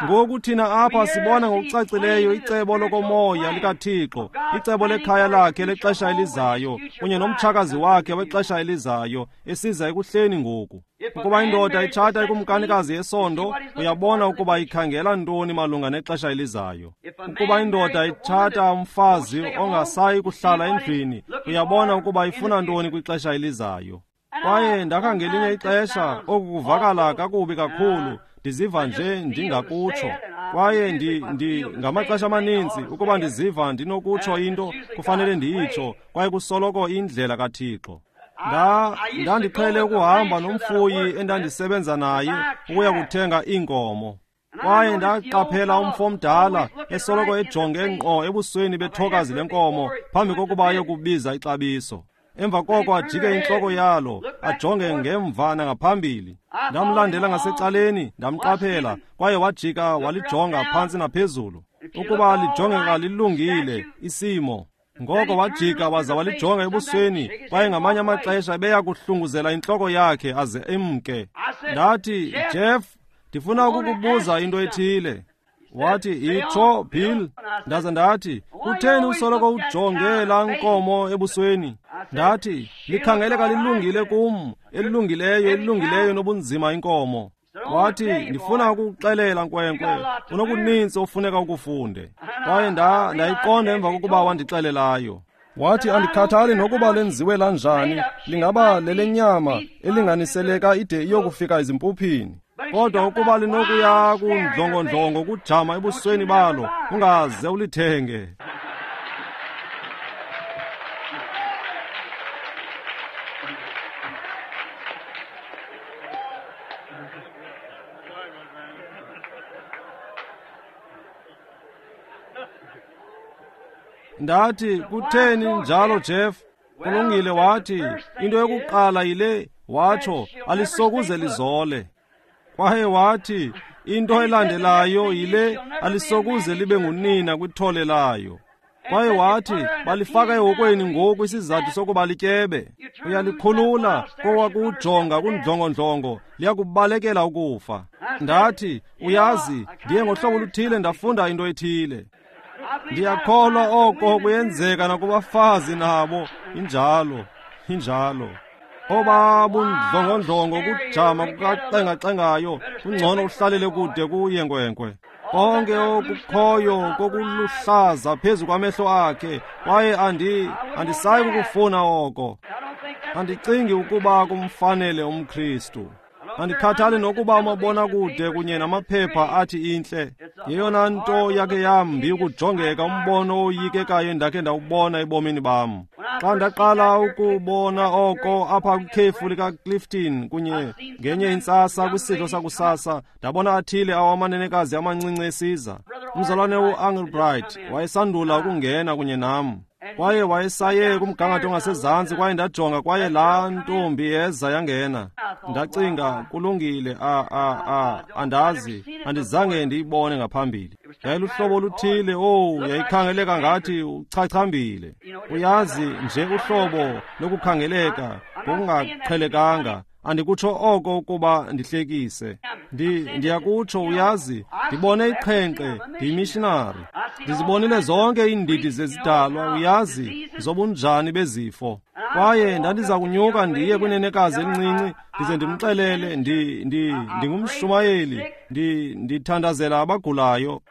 Ngoku thina apha sibona ngokucacileyo icebo lokomoya likaThixo, icebo lekhaya lakhe lexesha elizayo, kunye nomtshakazi wakhe wexesha elizayo, esiza ekuhleni ngoku. Ukuba indoda itshata ikumkanikazi yesondo, uyabona ukuba ikhangela ntoni malunga nexesha elizayo. Ukuba indoda itshata umfazi ongasayi kuhlala endlwini, uyabona ukuba ifuna ntoni kwixesha elizayo. Kwaye ndakha ngelinye ixesha oku kuvakala kakubi kakhulu, ndiziva nje ndingakutsho. Kwaye ngamaxesha amaninzi ukuba ndiziva ndinokutsho into, kufanele ndiyitsho, kwaye kusoloko indlela kaThixo. Ndandiqhele ukuhamba nomfuyi endandisebenza naye ukuya kuthenga iinkomo. Kwaye ndaqaphela umfo omdala esoloko ejonge ngqo ebusweni bethokazi lenkomo phambi kokuba ayokubiza ixabiso. Emva koko ajike intloko yalo, ajonge ngemva nangaphambili. Ndamlandela ngasecaleni, ndamqaphela, kwaye wajika walijonga phantsi naphezulu, ukuba lijongeka lilungile isimo. Ngoko wajika waza walijonga ebusweni, kwaye ngamanye amaxesha ebeya kuhlunguzela intloko yakhe aze emke. Ndathi, Jeff, ndifuna ukukubuza into ethile. Wathi, itsho, Bill. Ndaza ndathi, kutheni usoloko ujonge laa nkomo ebusweni? Ndathi, likhangeleka lilungile kum, elilungileyo, elilungileyo nobunzima inkomo. Wathi, ndifuna ukukuxelela nkwenkwe, unokuninzi ofuneka ukufunde. Kwaye ndayiqonda emva kokuba wandixelelayo. Wathi, andikhathali nokuba lenziwe lanjani, lingaba lelenyama elinganiseleka ide iyokufika ezimpuphini. Kodwa ukuba linokuya kundlongondlongo kujama ebusweni balo, ungaze ulithenge. Ndathi, kutheni njalo, Jeff? Kulungile, wathi, into yokuqala yile, watsho, alisokuze lizole. Kwaye wathi, into elandelayo yile, alisokuze libe ngunina kwithole layo. Kwaye wathi, balifaka ehokweni ngoku isizathu sokuba lityebe. Uyalikhulula kowakujonga kundlongondlongo, liyakubalekela ukufa. Ndathi, uyazi, ndiye ngohlobo oluthile ndafunda into ethile. Ndiyakholwa oko kuyenzeka nakubafazi nabo. Injalo, injalo. Obabundlongondlongo kujama kukaxengaxengayo, kungcono uhlalele kude kuye nkwenkwe. Konke okukhoyo kokuluhlaza phezu kwamehlo akhe, kwaye andisayi kukufuna oko. Andicingi ukuba kumfanele umKristu. Andikhathali nokuba umabonakude kunye namaphepha athi intle. Yeyona nto yakhe yambi ukujongeka umbono oyikekayo endakhe ndawubona ebomini bam. Xa ndaqala ukubona oko apha kwikhefu likaClifton kunye ngenye intsasa kwisidlo sakusasa, ndabona athile awamanenekazi amancinci esiza. Umzalwane uAngelbright wayesandula ukungena kunye nam. Kwaye wayesaye kumgangatho ongasezantsi, kwaye ndajonga, kwaye laa ntombi yeza yangena. Ndacinga, kulungile, andazi, andizange ndiyibone ngaphambili. Yayiluhlobo oluthile, owu, yayikhangeleka ngathi uchachambile. Uyazi nje uhlobo lokukhangeleka ngokungaqhelekanga. Andikutsho oko ukuba ndihlekise. Ndiyakutsho, uyazi, ndibone iqhenqe, ndiyimishinari. Ndizibonile zonke iindidi zezidalwa, uyazi, zobunjani bezifo. Kwaye ndandiza kunyuka ndiye kwinenekazi elincinci, ndize ndimxelele, ndingumshumayeli, ndithandazela abagulayo.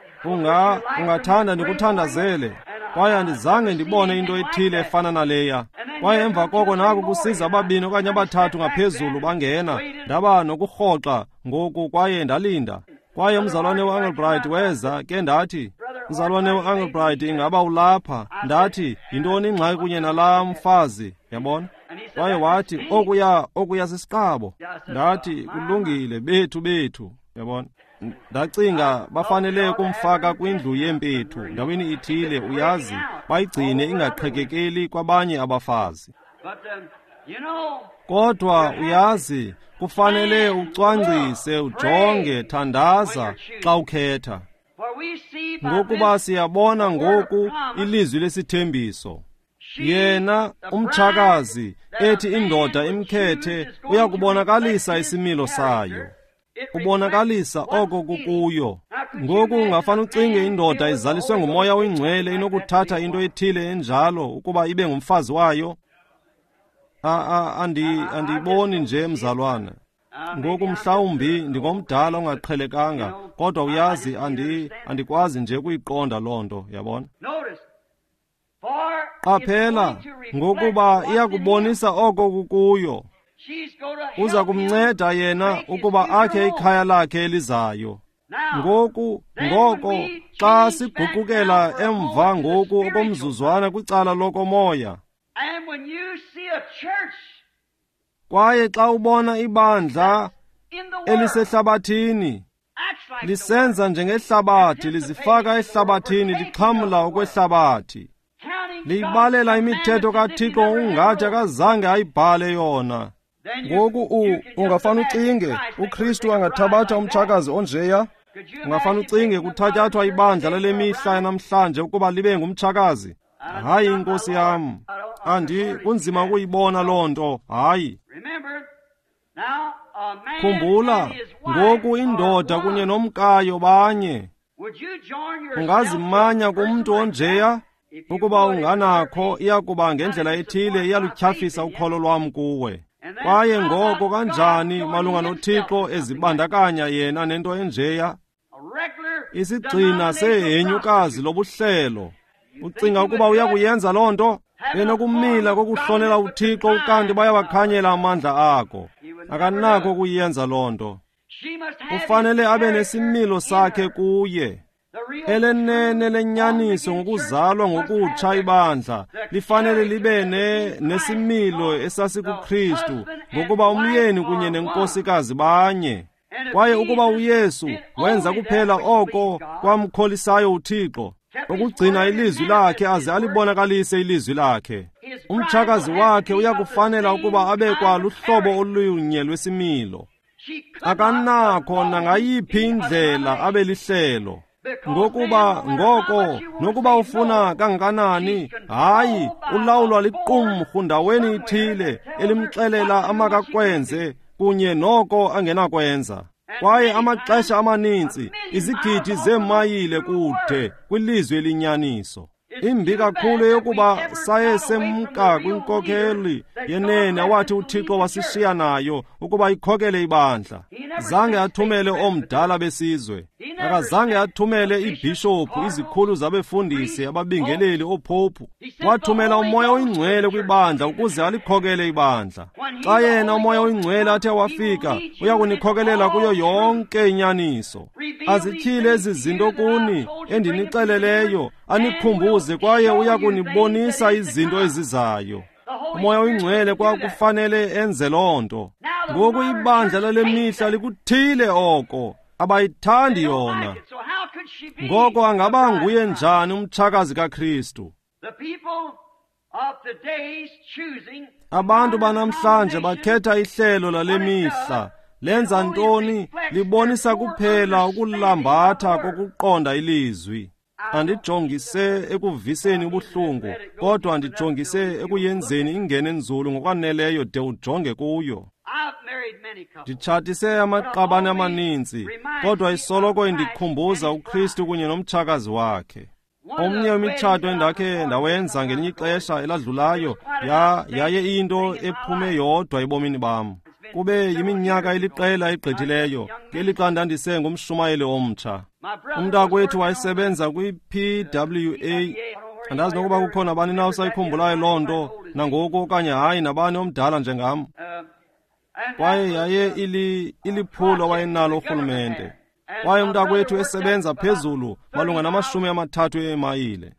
Ungathanda ndikuthandazele. Kwaye andizange ndibone into ethile efana naleya. Kwaye emva koko naku kusiza ababini okanye abathathu ngaphezulu bangena. Ndaba nokurhoxa ngoku kwaye ndalinda. Kwaye umzalwane uAngelbright weza, ke ndathi, mzalwane uAngelbright, ingaba ulapha? Ndathi, yintoni ingxaki kunye nalaa mfazi? Yabona? Kwaye wathi, okuya sisiqabo. Ndathi, kulungile, bethu. Yabona? Ndacinga bafanele kumfaka kwindlu yempethu ndaweni ithile, uyazi, bayigcine ingaqhekekeli kwabanye abafazi. Kodwa uyazi, kufanele ucwangcise, ujonge, thandaza xa ukhetha. Ngokuba siyabona ngoku ilizwi lesithembiso. Yena umtshakazi ethi indoda imkhethe uyakubonakalisa isimilo sayo. Ubonakalisa oko kukuyo. Ngoku ungafana ucinge indoda izaliswe ngumoya oyingcwele inokuthatha into ethile enjalo ukuba ibe ngumfazi wayo? Andiyiboni nje, mzalwana. Ngoku mhlawumbi ndingomdala ongaqhelekanga, kodwa uyazi, andikwazi nje ukuyiqonda loo nto, yabona? Qaphela, ngokuba iyakubonisa oko kukuyo. Uza kumnceda yena ukuba akhe ikhaya lakhe elizayo. Ngoku, ngoko, xa siguqukela emva ngoku okomzuzwana kwicala lokomoya. Kwaye xa ubona ibandla elisehlabathini, lisenza njengehlabathi, lizifaka ehlabathini, lixhamla okwehlabathi. Liyibalela imithetho kaThixo ungathi akazange ayibhale yona. Ngoku ungafana ucinge uKristu angathabatha umtshakazi onjeya? Ungafana ucinge kuthatyathwa ibandla lale mihla yanamhlanje ukuba libe ngumtshakazi? Hayi, inkosi yam, kunzima ukuyibona loo nto. Hayi. Khumbula, ngoku indoda kunye nomkayo banye. Ungazimanya kumntu onjeya? Ukuba unganakho, iyakuba ngendlela ethile iyalutyhafisa ukholo lwam kuwe. Kwaye ngoko kanjani malunga noThixo ezibandakanya yena nento enjeya? Isigxina sehenyukazi lobuhlelo. Ucinga ukuba uyakuyenza loo nto? Benokumila kokuhlonela uThixo ukanti bayawakhanyela amandla akho. Akanakho ukuyenza loo nto. Ufanele abe nesimilo sakhe kuye. Elenene lenyaniso ngokuzalwa ngokutsha ibandla lifanele libe nesimilo esasikuKristu, ngokuba umyeni kunye nenkosikazi banye. Kwaye ukuba uYesu wenza kuphela oko kwamkholisayo uThixo, Ukugcina ilizwi lakhe aze alibonakalise ilizwi lakhe. Umtshakazi wakhe uyakufanela ukuba abe kwaluhlobo olunye lwesimilo. Akanakho nangayiphi indlela abe lihlelo. Ngokuba ngoko nokuba ufuna kangakanani, hayi, ulawulwa liqumrhu ndaweni ithile elimxelela amakakwenze kunye noko angenakwenza. Kwaye amaxesha amaninzi izigidi zeemayile kude kwilizwi elinyaniso. Imbi kakhulu eyokuba saye semka kwinkokheli yenene awathi uThixo wasishiya nayo ukuba ikhokele ibandla. Zange athumele omdala besizwe, akazange athumele iibhishophu, izikhulu zabefundisi, ababingeleli, oophophu. Wathumela uMoya oyiNgcwele kwibandla ukuze alikhokele ibandla. Xa yena uMoya oyiNgcwele athe wafika, uya kunikhokelela kuyo yonke inyaniso. Azityhile ezi zinto kuni endinixeleleyo, anikhumbuze, kwaye uya kunibonisa izinto ezizayo. uMoya oyiNgcwele kwakufanele enze loo nto. Ngoku ibandla lale mihla likuthile oko, abayithandi yona. Ngoko angaba nguye njani umtshakazi kaKristu? Abantu banamhlanje bakhetha ihlelo lale mihla. Lenza ntoni? Libonisa kuphela ukulambatha kokuqonda ilizwi. Andijongise ekuviseni ubuhlungu, kodwa ndijongise ekuyenzeni ingene nzulu ngokwaneleyo de ujonge kuyo. Nditshatise amaqabane amaninzi, kodwa isoloko indikhumbuza uKristu kunye nomtshakazi wakhe. Omnye wemitshato endakhe ndawenza ngelinye ixesha eladlulayo yaye iyinto ephume yodwa ebomini bam. Kube yiminyaka eliqela egqithileyo, ngelixa ndandise ngumshumayeli omtsha. Umntakwethu wayesebenza kwi-PWA. Andazi nokuba kukho nabani na usayikhumbulayo loo nto nangoku okanye hayi, nabani omdala njengam. Kwaye yaye iliphulo awayenalo urhulumente. Kwaye umntakwethu esebenza phezulu malunga nama-30 eemayile.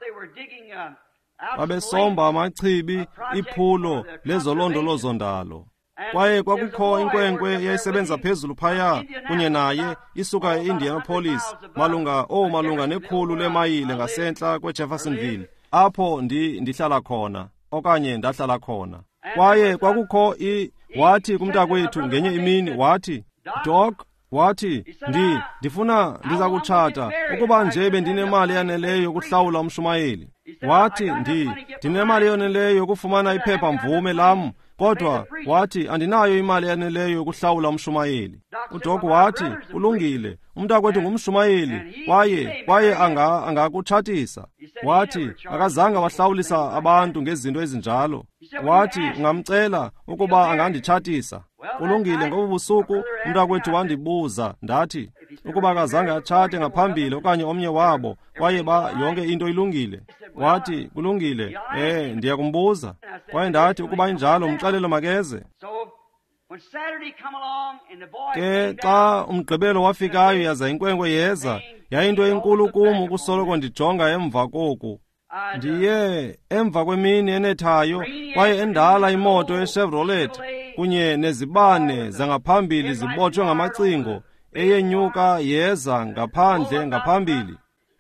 Babesomba amachibi, iphulo lezolondolozondalo. Kwaye kwakukho inkwenkwe eyayisebenza phezulu phaya kunye naye isuka e-Indianapolis malunga 100 leemayile ngasentla kweJeffersonville, apho ndihlala khona okanye ndahlala khona. Kwaye kwakukho wathi kumntakwethu ngenye imini, wathi, Doc, wathi, ndifuna ndiza kutshata ukuba nje bendinemali yaneleyo yokuhlawula umshumayeli. Wathi, ndinemali yoneleyo yokufumana iphepha mvume lam, kodwa wathi andinayo imali yaneleyo yokuhlawula umshumayeli. UDoc wathi, kulungile, umntakwethu ngumshumayeli kwaye angakutshatisa. Wathi akazange wahlawulisa abantu ngezinto ezinjalo. Wathi ungamcela ukuba anganditshatisa. Kulungile, ngobu busuku umntakwethu wandibuza, ndathi ukuba akazange atshate ngaphambili okanye omnye wabo, kwaye yonke into ilungile. Wathi kulungile, ndiyakumbuza. Kwaye ndathi ukuba injalo umxelele makeze. Ke xa umgqibelo wafikayo yaza inkwenkwe yeza, yayinto enkulu kum ukusoloko ndijonga emva koku. Ndiye emva kwemini enethayo kwaye endala imoto eChevrolet kunye nezibane zangaphambili zibotshwe ngamacingo, eyenyuka yeza ngaphandle ngaphambili.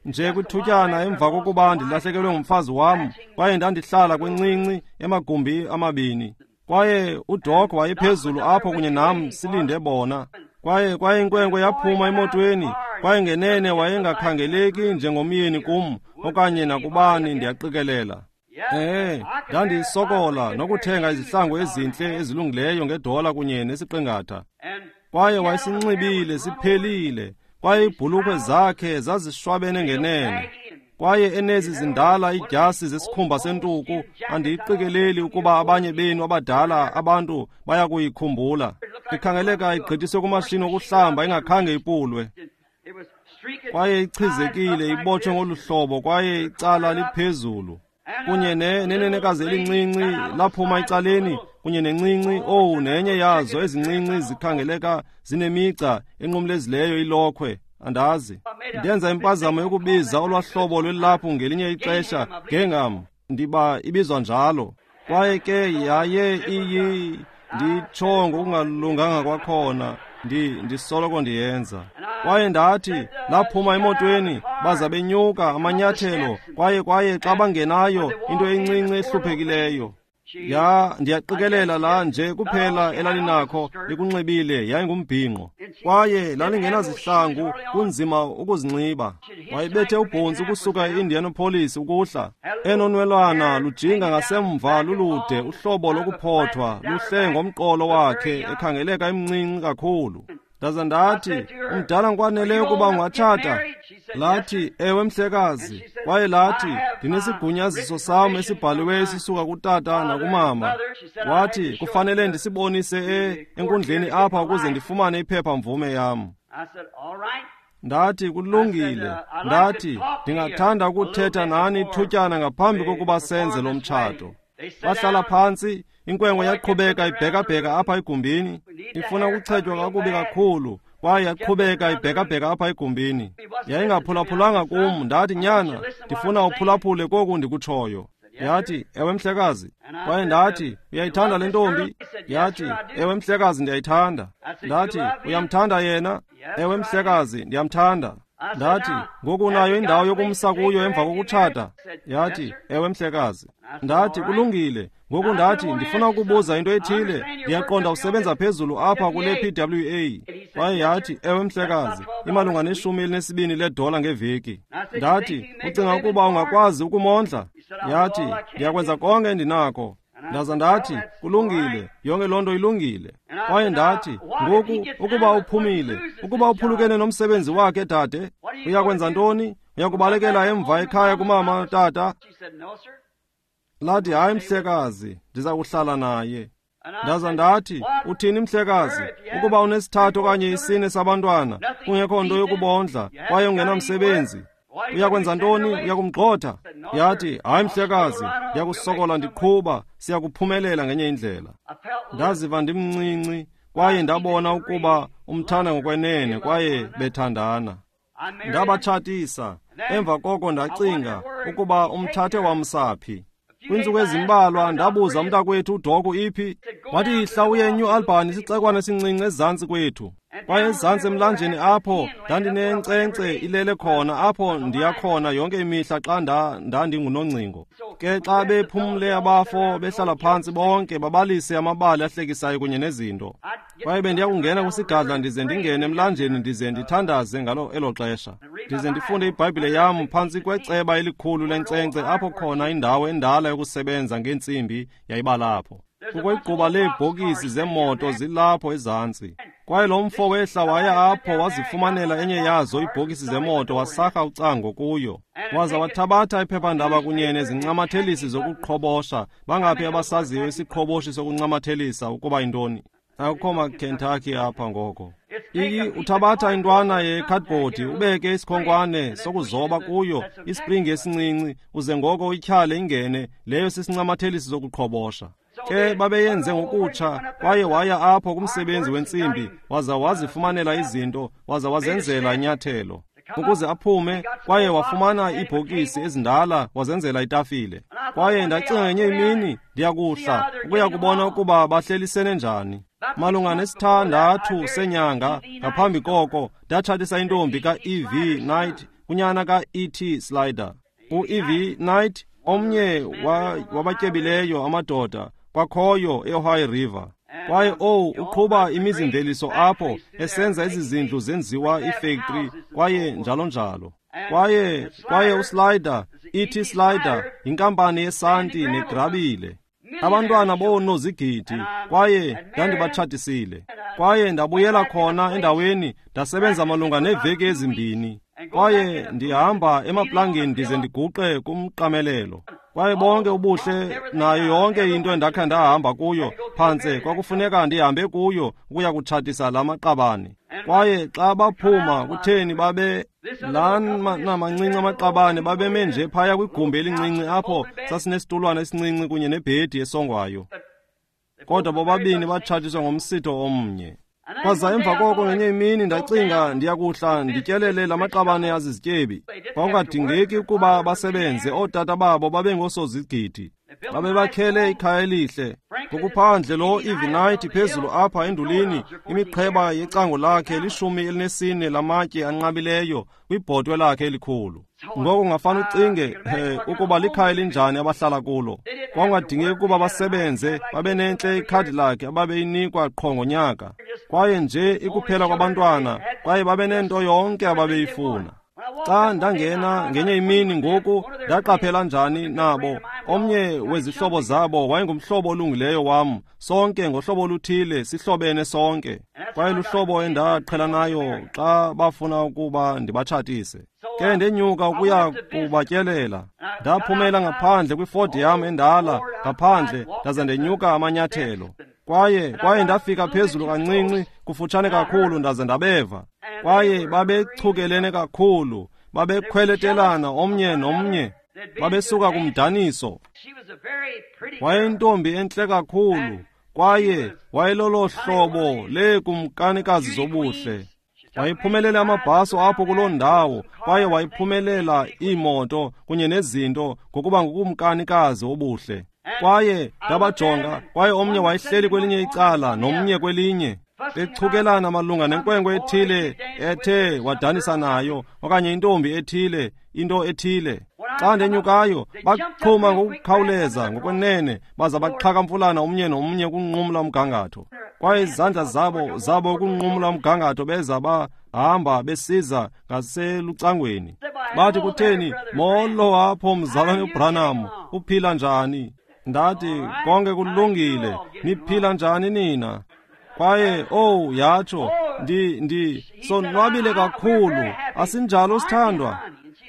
Nje kwithutyana emva kokuba ndilahlekelwe ngumfazi wam, kwaye ndandihlala kwincinci emagumbi amabini. Kwaye uDoc wayephezulu apho kunye nam silinde bona. Kwaye inkwenkwe yaphuma emotweni, kwaye ngenene wayengakhangeleki njengomyeni kum okanye nakubani, ndiyaqikelela. Ndandisokola nokuthenga izihlangu ezintle ezilungileyo ngedola kunye nesiqingatha. Kwaye wayesinxibile siphelile, kwaye iibhulukhwe zakhe zazishwabene ngenene. Kwaye enezi zindala idyasi zesikhumba sentuku, andiyiqikeleli ukuba abanye benu abadala abantu bayakuyikhumbula. Ikhangeleka igqithiswe kumashini wokuhlamba ingakhange ipulwe. Kwaye ichizekile, ibotshwe ngolu hlobo, kwaye icala liphezulu. Kunye nenenekazi elincinci laphuma ecaleni, kunye nencinci, nenye yazo ezincinci zikhangeleka zinemigca enqumlezileyo ilokhwe. Andazi. Ndenza impazamo yokubiza olwahlobo lwelaphu ngelinye ixesha ngengam, ndiba ibizwa njalo. Kwaye ke yaye nditsho ngokungalunganga kwakhona. Ndisoloko ndiyenza. Kwaye ndathi, laphuma emotweni, baza benyuka amanyathelo, kwaye xa bangenayo into encinci ehluphekileyo. Ya, ndiyaqikelela la nje kuphela elalinakho likunxibile yayingumbhinqo. Kwaye lalingenazihlangu, kunzima ukuzinxiba. Wayebethe ubhontsi ukusuka e-Indianapolis ukuhla. Enonwelwana lujinga ngasemva lulude, uhlobo lokuphothwa, luhle ngomqolo wakhe, ekhangeleka emncinci kakhulu. Ndaza ndathi, umdala ngokwaneleyo ukuba ungatshata? Lathi, ewe mhlekazi. Kwaye lathi, ndinesigunyaziso sam esibhaliweyo esisuka kutata nakumama. Wathi, kufanele ndisibonise enkundleni apha ukuze ndifumane iphepha-mvume yam. Ndathi, kulungile. Ndathi, ndingathanda ukuthetha nani ithutyana ngaphambi kokuba senze lo mtshato. Bahlala phantsi, inkwenkwe yaqhubeka ibhekabheka apha egumbini, ifuna ukuchetywa kakubi kakhulu, kwaye yaqhubeka ibhekabheka apha egumbini. Yayingaphulaphulanga kum. Ndathi, nyana, ndifuna uphulaphule koku ndikutshoyo. Yathi, ewe mhlekazi. Kwaye ndathi, uyayithanda le ntombi? Yathi, ewe mhlekazi, ndiyayithanda. Ndathi, uyamthanda yena? Ewe mhlekazi, ndiyamthanda. Ndathi, ngoku unayo indawo yokumsa kuyo emva kokutshata? Yathi, ewe mhlekazi. Ndathi, kulungile. Ngoku ndathi, ndifuna ukubuza into ethile. Ndiyaqonda usebenza phezulu apha kule PWA. Kwaye yathi, ewe mhlekazi, imalunga ne-12 ledola ngeveki. Ndathi, ucinga ukuba ungakwazi ukumondla? Yathi, ndiyakwenza konke endinako. Ndaza ndathi, kulungile, yonke loo nto ilungile. Kwaye ndathi, ngoku ukuba uphumile, ukuba uphulukene nomsebenzi wakhe, dade, uyakwenza ntoni? Uyakubalekela emva ekhaya kumama, tata? Lathi, hayi mhlekazi, ndiza kuhlala naye. Ndaza ndathi, uthini mhlekazi, ukuba unesithathu okanye isine sabantwana, kungekho nto yokubondla, kwaye ungenamsebenzi, uyakwenza ntoni? Uyakumgxotha? Yathi, hayi mhlekazi, ndiyakusokola ndiqhuba, siyakuphumelela ngenye indlela. Ndaziva ndimncinci, kwaye ndabona ukuba umthanda ngokwenene, kwaye bethandana. Ndabatshatisa. Emva koko ndacinga ukuba umthathe wamsaphi. Kwiintsuku ezimbalwa ndabuza umntakwethu uDoku iphi. Wathi, yihla uye eNew Albany, isixekwana esincinci ezantsi kwethu. Kwaye ezantsi emlanjeni apho ndandinenkcenkce ilele khona, apho ndiya khona yonke imihla xa ndandingunongcingo. Ke xa bephumle abafo behlala phantsi bonke babalise amabali ahlekisayo kunye nezinto. Kwaye bendiya kungena kwisigadla ndize ndingene emlanjeni ndize ndithandaze ngalo elo xesha. Ndize ndifunde iBhayibhile yam phantsi kweceba elikhulu lenkcenkce apho khona indawo endala yokusebenza ngeentsimbi yayibalapho. Kukho igquba leebhokisi zemoto zilapho ezantsi. Kwaye lo mfo wehla waya apho wazifumanela enye yazo iibhokisi zemoto, wasarha ucango kuyo. Waza wathabatha iphephandaba kunye nezincamathelisi zokuqhobosha. Bangaphi abasaziyo isiqhoboshi sokuncamathelisa ukuba yintoni? Akukho maKentucky apha ngoko. Uthabatha intwana yekhadibhodi, ubeke isikhonkwane sokuzoba kuyo, isipringi esincinci, uze ngoko uyityhale ingene, leyo sisincamathelisi sokuqhobosha. Ke babeyenze ngokutsha, kwaye waya apho kumsebenzi wentsimbi, waza wazifumanela izinto, waza wazenzela inyathelo ukuze aphume, kwaye wafumana iibhokisi ezindala, wazenzela itafile. Kwaye ndacinga ngenye imini ndiyakuhla ukuya kubona ukuba bahlelisene njani. Malunga ne-6 senyanga ngaphambi koko, ndatshatisa intombi ka-E.V. Knight kunyana ka-E.T. Slider. U-E.V. Knight, omnye wabatyebileyo amadoda kwakhoyo e-Ohio River. Kwaye uqhuba imizimveliso apho, esenza ezi zindlu zenziwa ifactory, kwaye njalo njalo. Kwaye uSlider, E.T. Slider, yinkampani yesanti negrabile. Abantwana boonozigidi, kwaye ndandibatshatisile. Kwaye ndabuyela khona endaweni, ndasebenza malunga neeveki ezimbini. Kwaye ndihamba emaplangeni ndize ndiguqe kumqamelelo. Kwaye bonke ubuhle nayo yonke into endakha ndahamba kuyo, phantse kwakufuneka ndihambe kuyo ukuya kutshatisa la maqabane. Kwaye xa baphuma, kutheni babe laa namancinci amaqabane babeme nje phaya kwigumbi elincinci apho sasinesitulwana esincinci kunye nebhedi esongwayo. Kodwa bobabini batshatiswa ngomsitho omnye. Kwaza emva koko ngenye imini ndacinga ndiyakuhla ndityelele la maqabane azizityebi. Kwakungadingeki ukuba basebenze, ootata babo babe ngoosozigidi. Babebakhele ikhaya elihle. Ngokuphandle lo Ivinite phezulu apha endulini, imiqheba yecango lakhe 14 lamatye anqabileyo kwibhotwe lakhe elikhulu. Ngoko ungafana ucinge ukuba likhaya elinjani abahlala kulo. Kwakungadingeki ukuba basebenze, babenentle ikhadi lakhe ababeyinikwa qho ngonyaka. Kwaye nje ikuphela kwabantwana, kwaye babenento yonke ababeyifuna. Xa ndangena ngenye imini ngoku, ndaqaphela njani nabo. Omnye wezihlobo zabo wayengumhlobo olungileyo wam. Sonke ngohlobo oluthile sihlobene sonke. Kwaye luhlobo endaqhelanayo xa bafuna ukuba ndibatshatise. Ke ndenyuka ukuya kubatyelela. Ndaphumela ngaphandle kwiford yam endala ngaphandle, ndaza ndenyuka amanyathelo. Kwaye ndafika phezulu kancinci, kufutshane kakhulu, ndaze ndabeva. Kwaye babechukelene kakhulu, babekhweletelana omnye nomnye, babesuka kumdaniso. Wayeyintombi entle kakhulu, kwaye wayelolo hlobo leekumkanikazi zobuhle. Wayephumelele amabhaso apho kuloo ndawo, kwaye wayephumelela iimoto kunye nezinto ngokuba ngukumkanikazi obuhle. Kwaye ndabajonga, kwaye omnye wayehleli kwelinye icala nomnye kwelinye, bechukelana malunga nenkwenkwe ethile ethe wadanisa nayo, okanye intombi ethile, into ethile. Xa ndenyukayo, baxhuma ngokukhawuleza ngokwenene, baza baxhakamfulana omnye nomnye ukunqumla umgangatho. Kwaye izandla zabo ukunqumla umgangatho beza bahamba besiza ngaselucangweni. Bathi, kutheni, molo apho mzalwane uBranham, uphila njani? Ndathi, konke kulungile, niphila njani nina? Kwaye, oh, yatsho, ndi sonwabile kakhulu, asinjalo sithandwa?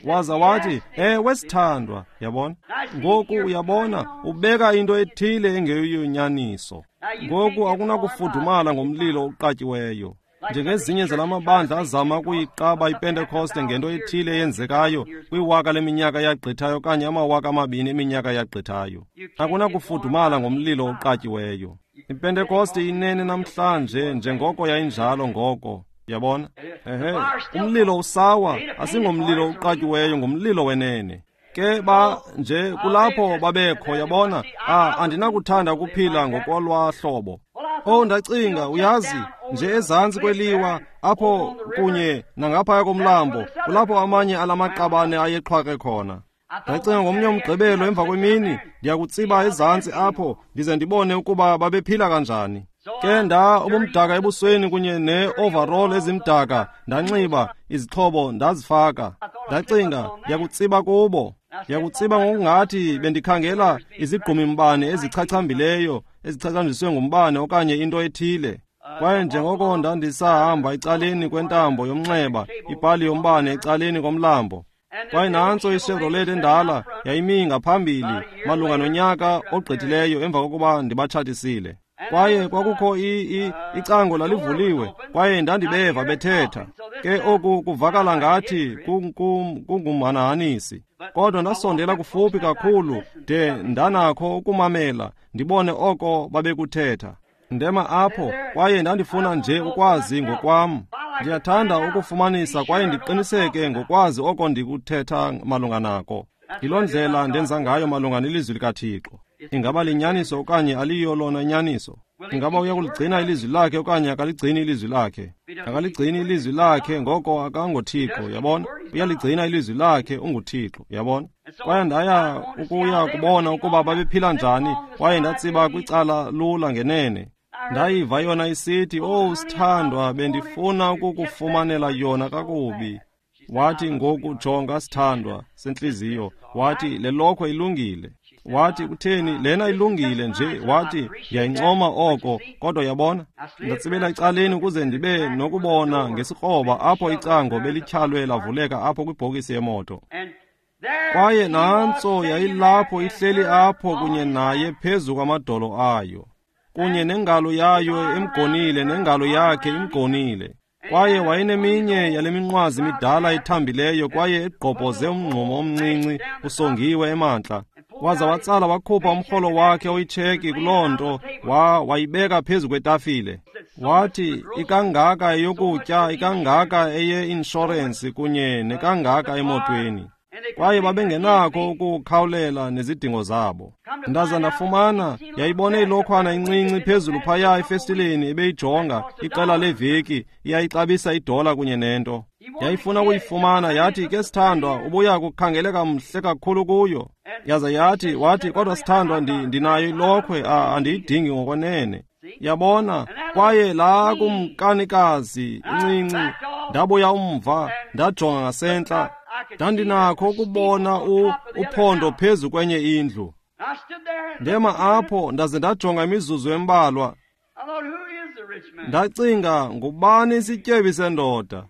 Waza wathi, ewe sithandwa, yabona. Ngoku uyabona, ubeka into ethile engeyonyaniso. Ngoku akunakufudumala ngomlilo oqatyiweyo. Njengezinye zalamabandla azama ukuyiqaba iPentekoste ngento ethile eyenzekayo kwiwaka leminyaka yagqithayo okanye amawaka amabini eminyaka yagqithayo. Akunakufudumala ngomlilo oqatyiweyo. IPentekoste inene namhlanje njengoko yayinjalo ngoko. Yabona? Ehe, umlilo usawa, asingomlilo uqatyiweyo, ngumlilo wenene. Ke ba nje kulapho babekho, yabona. Andinakuthanda ukuphila ngokolwa hlobo. Oh, ndacinga, uyazi, nje ezantsi kweliwa apho kunye nangaphaya komlambo, kulapho amanye alamaqabane ayexhwake khona. Ndacinga ngomnye umgqibelo emva kwemini, ndiyakutsiba ezantsi apho ndize ndibone ukuba babephila kanjani. Ke nda ubumdaka ebusweni kunye ne-overall ezimdaka, ndanxiba izixhobo ndazifaka. Ndacinga, ndiyakutsiba kubo. Ndiyakutsiba ngokungathi bendikhangela izigqumimbane ezichachambileyo, ezichachanjiswe ngumbane okanye into ethile. Kwaye njengoko ndandisahamba ecaleni kwentambo yomnxeba, ipali yombane ecaleni komlambo. Kwaye nantso iChevrolet endala yayimi ngaphambili malunga nonyaka ogqithileyo emva kokuba ndibatshatisile. Kwaye kwakukho icango lalivuliwe, kwaye ndandibeva bethetha. Ke oku kuvakala ngathi kungumhanahanisi. Kodwa ndasondela kufuphi kakhulu de ndanakho ukumamela, ndibone oko babekuthetha. Ndema apho, kwaye ndandifuna nje ukwazi ngokwam. Ndiyathanda ukufumanisa kwaye ndiqiniseke ngokwazi oko ndikuthetha malunga nako. Yiloo ndlela ndenza ngayo malunga nelizwi likaThixo. Ingaba linyaniso okanye aliyo lona inyaniso? Ingaba uyakuligcina ilizwi lakhe okanye akaligcini ilizwi lakhe? Akaligcini ilizwi lakhe, ngoko akangoThixo, yabona? Uyaligcina ilizwi lakhe, unguThixo, yabona? Kwaye ndaya ukuya kubona ukuba babephila njani, kwaye ndatsiba kwicala lula ngenene. Ndayiva yona isithi, "Oh sithandwa, bendifuna ukukufumanela yona kakubi." Wathi, ngoku jonga sithandwa sentliziyo. Wathi, le lokhwe ilungile. Wathi, kutheni lena ilungile nje? Wathi, ndiyayincoma oko, kodwa yabona, ndatsibela ecaleni ukuze ndibe nokubona ngesikroba apho icango belityhalwe lavuleka apho kwibhokisi yemoto. Kwaye nantso yayilapho ihleli apho kunye naye phezu kwamadolo ayo, kunye nengalo yayo imgonile nengalo yakhe imgonile. Kwaye wayeneminye yale minqwazi midala ithambileyo kwaye egqobhoze umngxumo omncinci usongiwe emantla. Waza watsala wakhupha umrholo wakhe oyitsheki kuloo nto, wayibeka phezu kwetafile. Wathi, ikangaka eyokutya, ikangaka eye-inshorensi kunye nekangaka emotweni. Kwaye babengenakho ukukhawulela nezidingo zabo. Ndaza ndafumana, yayibone ilokhwana incinci phezulu phaya efestileni ebeyijonga iqela leveki, iyayixabisa idola kunye nento. Yayifuna ukuyifumana, yathi, ke sithandwa, ubuya kukhangeleka mhle kakhulu kuyo. Yaza yathi, wathi, kodwa sithandwa, ndinayo ilokhwe, andiyidingi ngokwenene. Yabona, kwaye laa kumkanikazi incinci, ndabuya umva, ndajonga ngasentla, ndandinakho ukubona uphondo phezu kwenye indlu. Ndema apho, ndaze ndajonga imizuzu embalwa. Ndacinga, ngubani isityebi sendoda?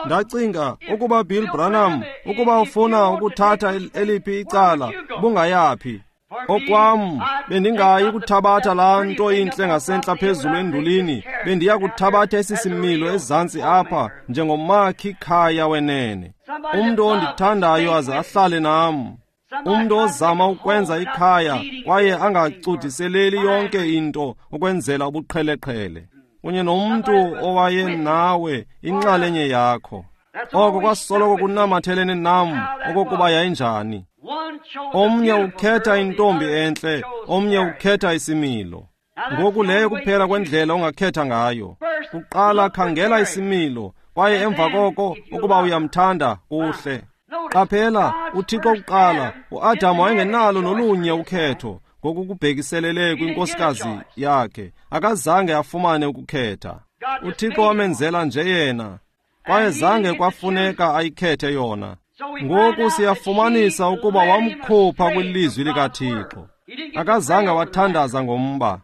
Ndacinga, ukuba Bill Branham, ukuba ufuna ukuthatha eliphi icala, bungayaphi? Okwam, bendingayi kuthabatha laa nto intle ngasentla phezulu endulini, bendiya kuthabatha esi similo ezantsi apha njengomakhi khaya wenene. Umntu ondithandayo aze ahlale nam. Umntu ozama ukwenza ikhaya kwaye angacudiseleli yonke into ukwenzela ubuqheleqhele. Kunye nomntu owayenawe inxalenye yakho. Oko kwasoloko kunamathelene nam okokuba yayinjani. Omnye ukhetha intombi entle, omnye ukhetha isimilo. Ngoku leyo kuphela kwendlela ongakhetha ngayo. Kuqala khangela isimilo, kwaye emva koko ukuba uyamthanda kuhle. Qaphela, uThixo kuqala, uAdam wayengenalo nolunye ukhetho ngokukubhekiselele kwinkosikazi yakhe. Akazange afumane ukukhetha. uThixo wamenzela nje yena, kwaye zange kwafuneka ayikhethe yona. Ngoku siyafumanisa ukuba wamkhupha kwilizwi likaThixo. Akazange wathandaza ngomba.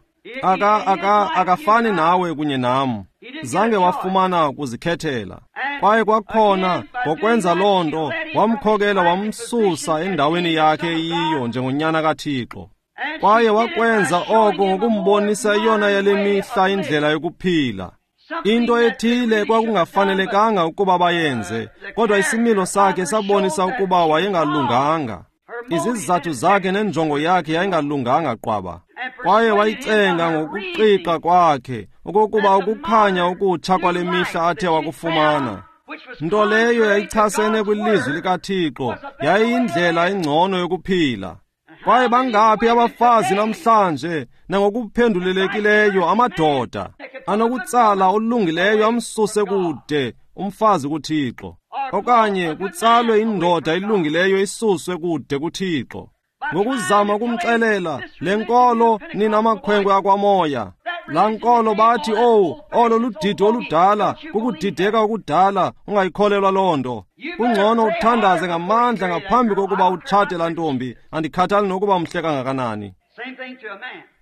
Akafani nawe kunye nam. Zange wafumana kuzikhethela. Kwaye kwakhona ngokwenza loo nto wamkhokela wamsusa endaweni yakhe eyiyo njengonyana kaThixo. Kwaye wakwenza oko ngokumbonisa eyona yale mihla indlela yokuphila. Into ethile kwakungafanelekanga ukuba bayenze, kodwa isimilo sakhe sabonisa ukuba wayengalunganga. Izizathu zakhe nenjongo yakhe yayingalunganga qwaba. Kwaye wayicenga ngokuqiqa kwakhe okokuba ukukhanya okutsha kwale mihla athe wakufumana, nto leyo yayichasene kwilizwi likaThixo, yayiyindlela engcono yokuphila. Kwaye bangaphi abafazi namhlanje, nangokuphendulelekileyo amadoda anokutsala olungileyo amsuse kude umfazi kuThixo, okanye kutsalwe indoda elungileyo isuswe kude kuThixo, ngokuzama ukumxelela le nkolo nina makhwenkwe akwamoya. Laa nkolo bathi, owu, olo ludidi oludala, kukudideka okudala, ungayikholelwa loo nto. Kungcono uthandaze ngamandla ngaphambi kokuba utshate laa ntombi, andikhathali nokuba mhle kangakanani.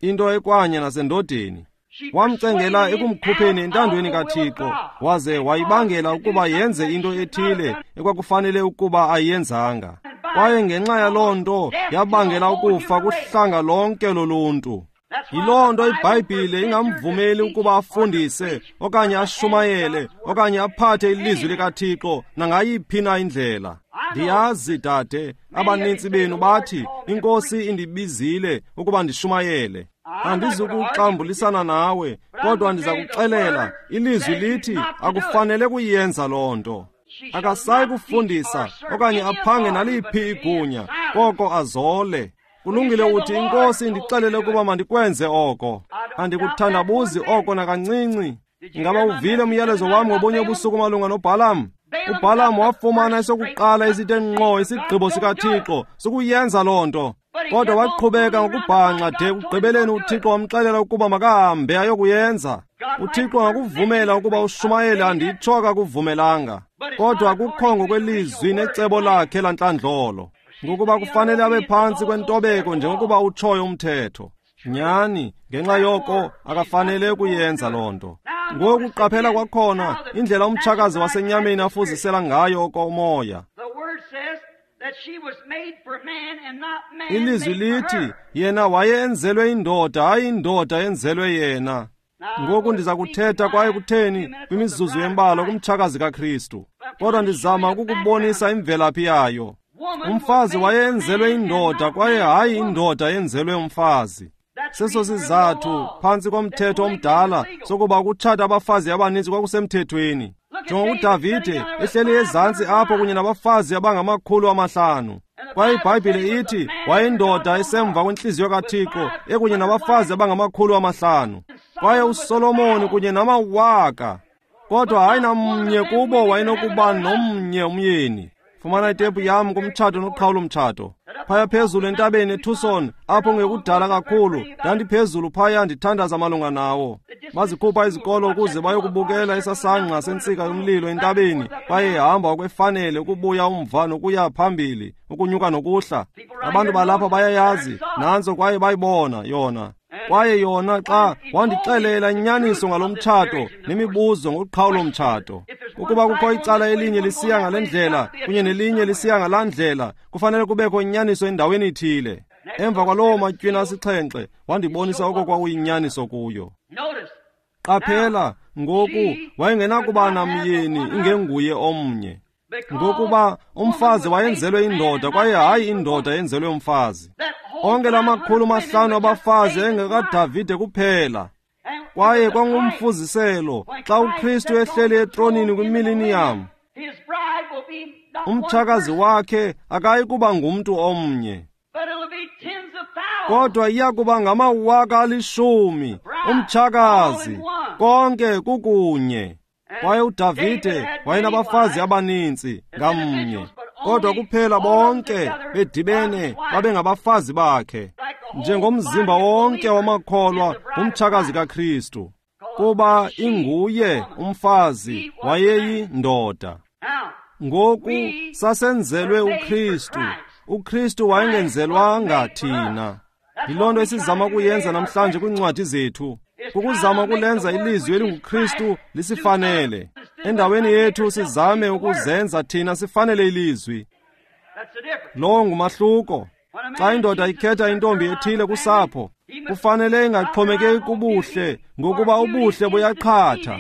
Into ekwanye nasendodeni. Wamcengela ekumkhupheni entandweni kaThixo, waze wayibangela ukuba yenze into ethile ekwakufanele ukuba ayiyenzanga. Kwaye ngenxa yaloo nto yabangela ukufa kuhlanga lonke loluntu. Yiloo nto iBhayibhile ingamvumeli ukuba afundise okanye ashumayele okanye aphathe ilizwi likaThixo nangayiphi na indlela. Ndiyazi, dade, abanintsi benu bathi, iNkosi indibizile ukuba ndishumayele. Andizukuxambulisana nawe, kodwa ndiza kuxelela, ilizwi lithi akufanele kuyenza loo nto. Akasayi kufundisa okanye aphange naliphi igunya, koko azole. Kulungile uthi, iNkosi indixelele ukuba mandikwenze oko. Andikuthandabuzi oko nakancinci. Ingaba uvile umyalezo wam ngobunye ubusuku malunga noBhalam? uBhalam wafumana esokuqala esithe ngqo isigqibo sikaThixo sokuyenza loo nto. Kodwa waqhubeka ngokubhanxa de ekugqibeleni uThixo wamxelela ukuba makahambe ayokuyenza. uThixo angakuvumela ukuba ushumayele, anditsho akakuvumelanga, kodwa akukho ngokwelizwi necebo lakhe lantlandlolo, ngokuba kufanele abe phantsi kwentobeko njengokuba utshoyo umthetho. Nyani, ngenxa yoko akafanele ukuyenza loo nto. Ngoku qaphela kwakhona indlela umtshakazi wasenyameni afuzisela ngayo okomoya. Ilizwi lithi yena wayenzelwe indoda, hayi indoda yenzelwe yena. Ngoku ndiza kuthetha kwaye kutheni kwimizuzu embalwa kumtshakazi kaKristu, kodwa ndizama ukukubonisa imvelaphi yayo. Umfazi wayenzelwe indoda kwaye hayi indoda yenzelwe umfazi. Seso sizathu phantsi komthetho omdala sokuba ukutshata abafazi abaninzi kwakusemthethweni. Jonga uDavide ehleli ezantsi apho kunye nabafazi abangama500. Kwaye iBhayibhile ithi wayeyindoda esemva kwentliziyo kaThixo, ekunye nabafazi abangama-500. Kwaye uSolomoni kunye namawaka, kodwa hayi namnye kubo wayenokuba nomnye umyeni. Fumana itepu yam kumtshato noqhawulo-mtshato. Phaya phezulu entabeni eTucson, apho ngekudala kakhulu, ndandiphezulu phaya ndithandaza malunga nawo. Bazikhupha izikolo ukuze bayokubukela isasangqa sentsika yomlilo entabeni, kwaye ihamba okwefanele ukubuya umva nokuya phambili, ukunyuka nokuhla. Abantu balapha bayayazi, nantso kwaye bayibona yona. Kwaye yona xa wandixelela inyaniso ngalo mtshato nemibuzo ngoqhawulo-mtshato. Ukuba kukho icala elinye lisiya ngale ndlela kunye nelinye lisiya ngalaa ndlela, kufanele kubekho inyaniso endaweni ithile. Emva kwalowo matywina 7 wandibonisa oko kwakuyinyaniso kuyo. Qaphela, ngoku wayengenakuba namyeni ingenguye omnye, ngokuba umfazi wayenzelwe indoda kwaye hayi indoda yenzelwe umfazi. Onke la 500 abafazi engekaDavide kuphela. Kwaye kwangumfuziselo xa uKristu ehleli etronini kwimiliniyam, umtshakazi wakhe akayi kuba ngumntu omnye, kodwa iya kuba ngamawaka 10,000 umtshakazi, konke kukunye. Kwaye uDavide wayenabafazi abaninzi ngamnye, kodwa kuphela bonke bedibene babengabafazi bakhe, njengomzimba wonke wamakholwa ngumtshakazi kaKristu, kuba inguye umfazi wayeyindoda. Ngoku sasenzelwe uKristu, uKristu wayengenzelwanga thina. Yiloo nto esizama ukuyenza namhlanje kwiincwadi zethu, kukuzama ukulenza ilizwi elinguKristu lisifanele. Endaweni yethu sizame ukuzenza thina sifanele ilizwi. Lowo ngumahluko. Xa indoda ikhetha intombi ethile kusapho, kufanele ingaxhomekeki kubuhle, ngokuba ubuhle buyaqhatha.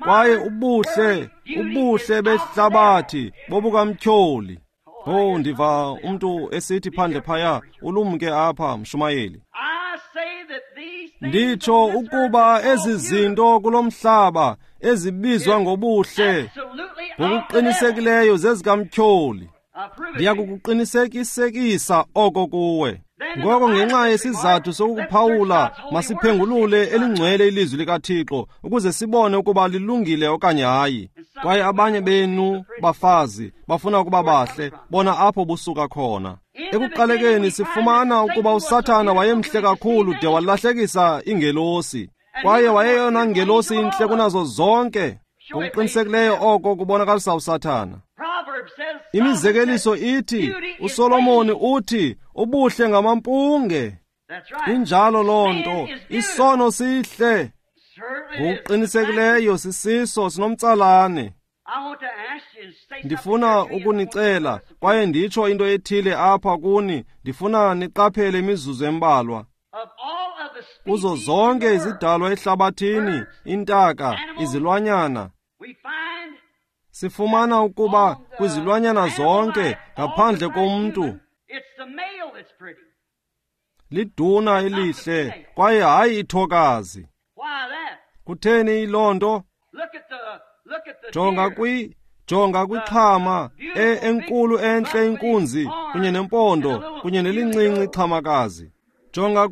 Kwaye ubuhle behlabathi bobukamtyholi. Oh, ndiva umntu esithi phandle phaya, ulumke apha, mshumayeli. Nditsho ukuba ezi zinto kulo mhlaba ezibizwa ngobuhle ngokuqinisekileyo zezikamtyholi. Ndiyakukuqinisekisekisa oko kuwe. Ngoko ngenxa yesizathu sokuphawula, masiphengulule elingcwele ilizwi likaThixo ukuze sibone ukuba lilungile okanye hayi. Kwaye abanye benu bafazi bafuna ukuba bahle, bona apho busuka khona. Ekuqalekeni sifumana ukuba uSathana wayemhle kakhulu de walahlekisa ingelosi, kwaye wayeyona ngelosi intle kunazo zonke. Ngokuqinisekileyo oko kubonakalisa uSathana. Imizekeliso ithi, uSolomoni uthi, ubuhle ngamampunge. Injalo loo nto, isono sihle. Ngokuqinisekileyo sisiso sinomtsalane. Ndifuna ukunicela kwaye nditsho into ethile apha kuni, ndifuna niqaphele imizuzu embalwa. Kuzo zonke izidalwa ehlabathini, intaka, izilwanyana, sifumana ukuba kwizilwanyana zonke ngaphandle komntu liduna elihle kwaye hayi ithokazi. Kutheni yiloo nto? Jonga kwixhama enkulu entle inkunzi kunye nempondo kunye nelincinci ixhamakazi. Jonga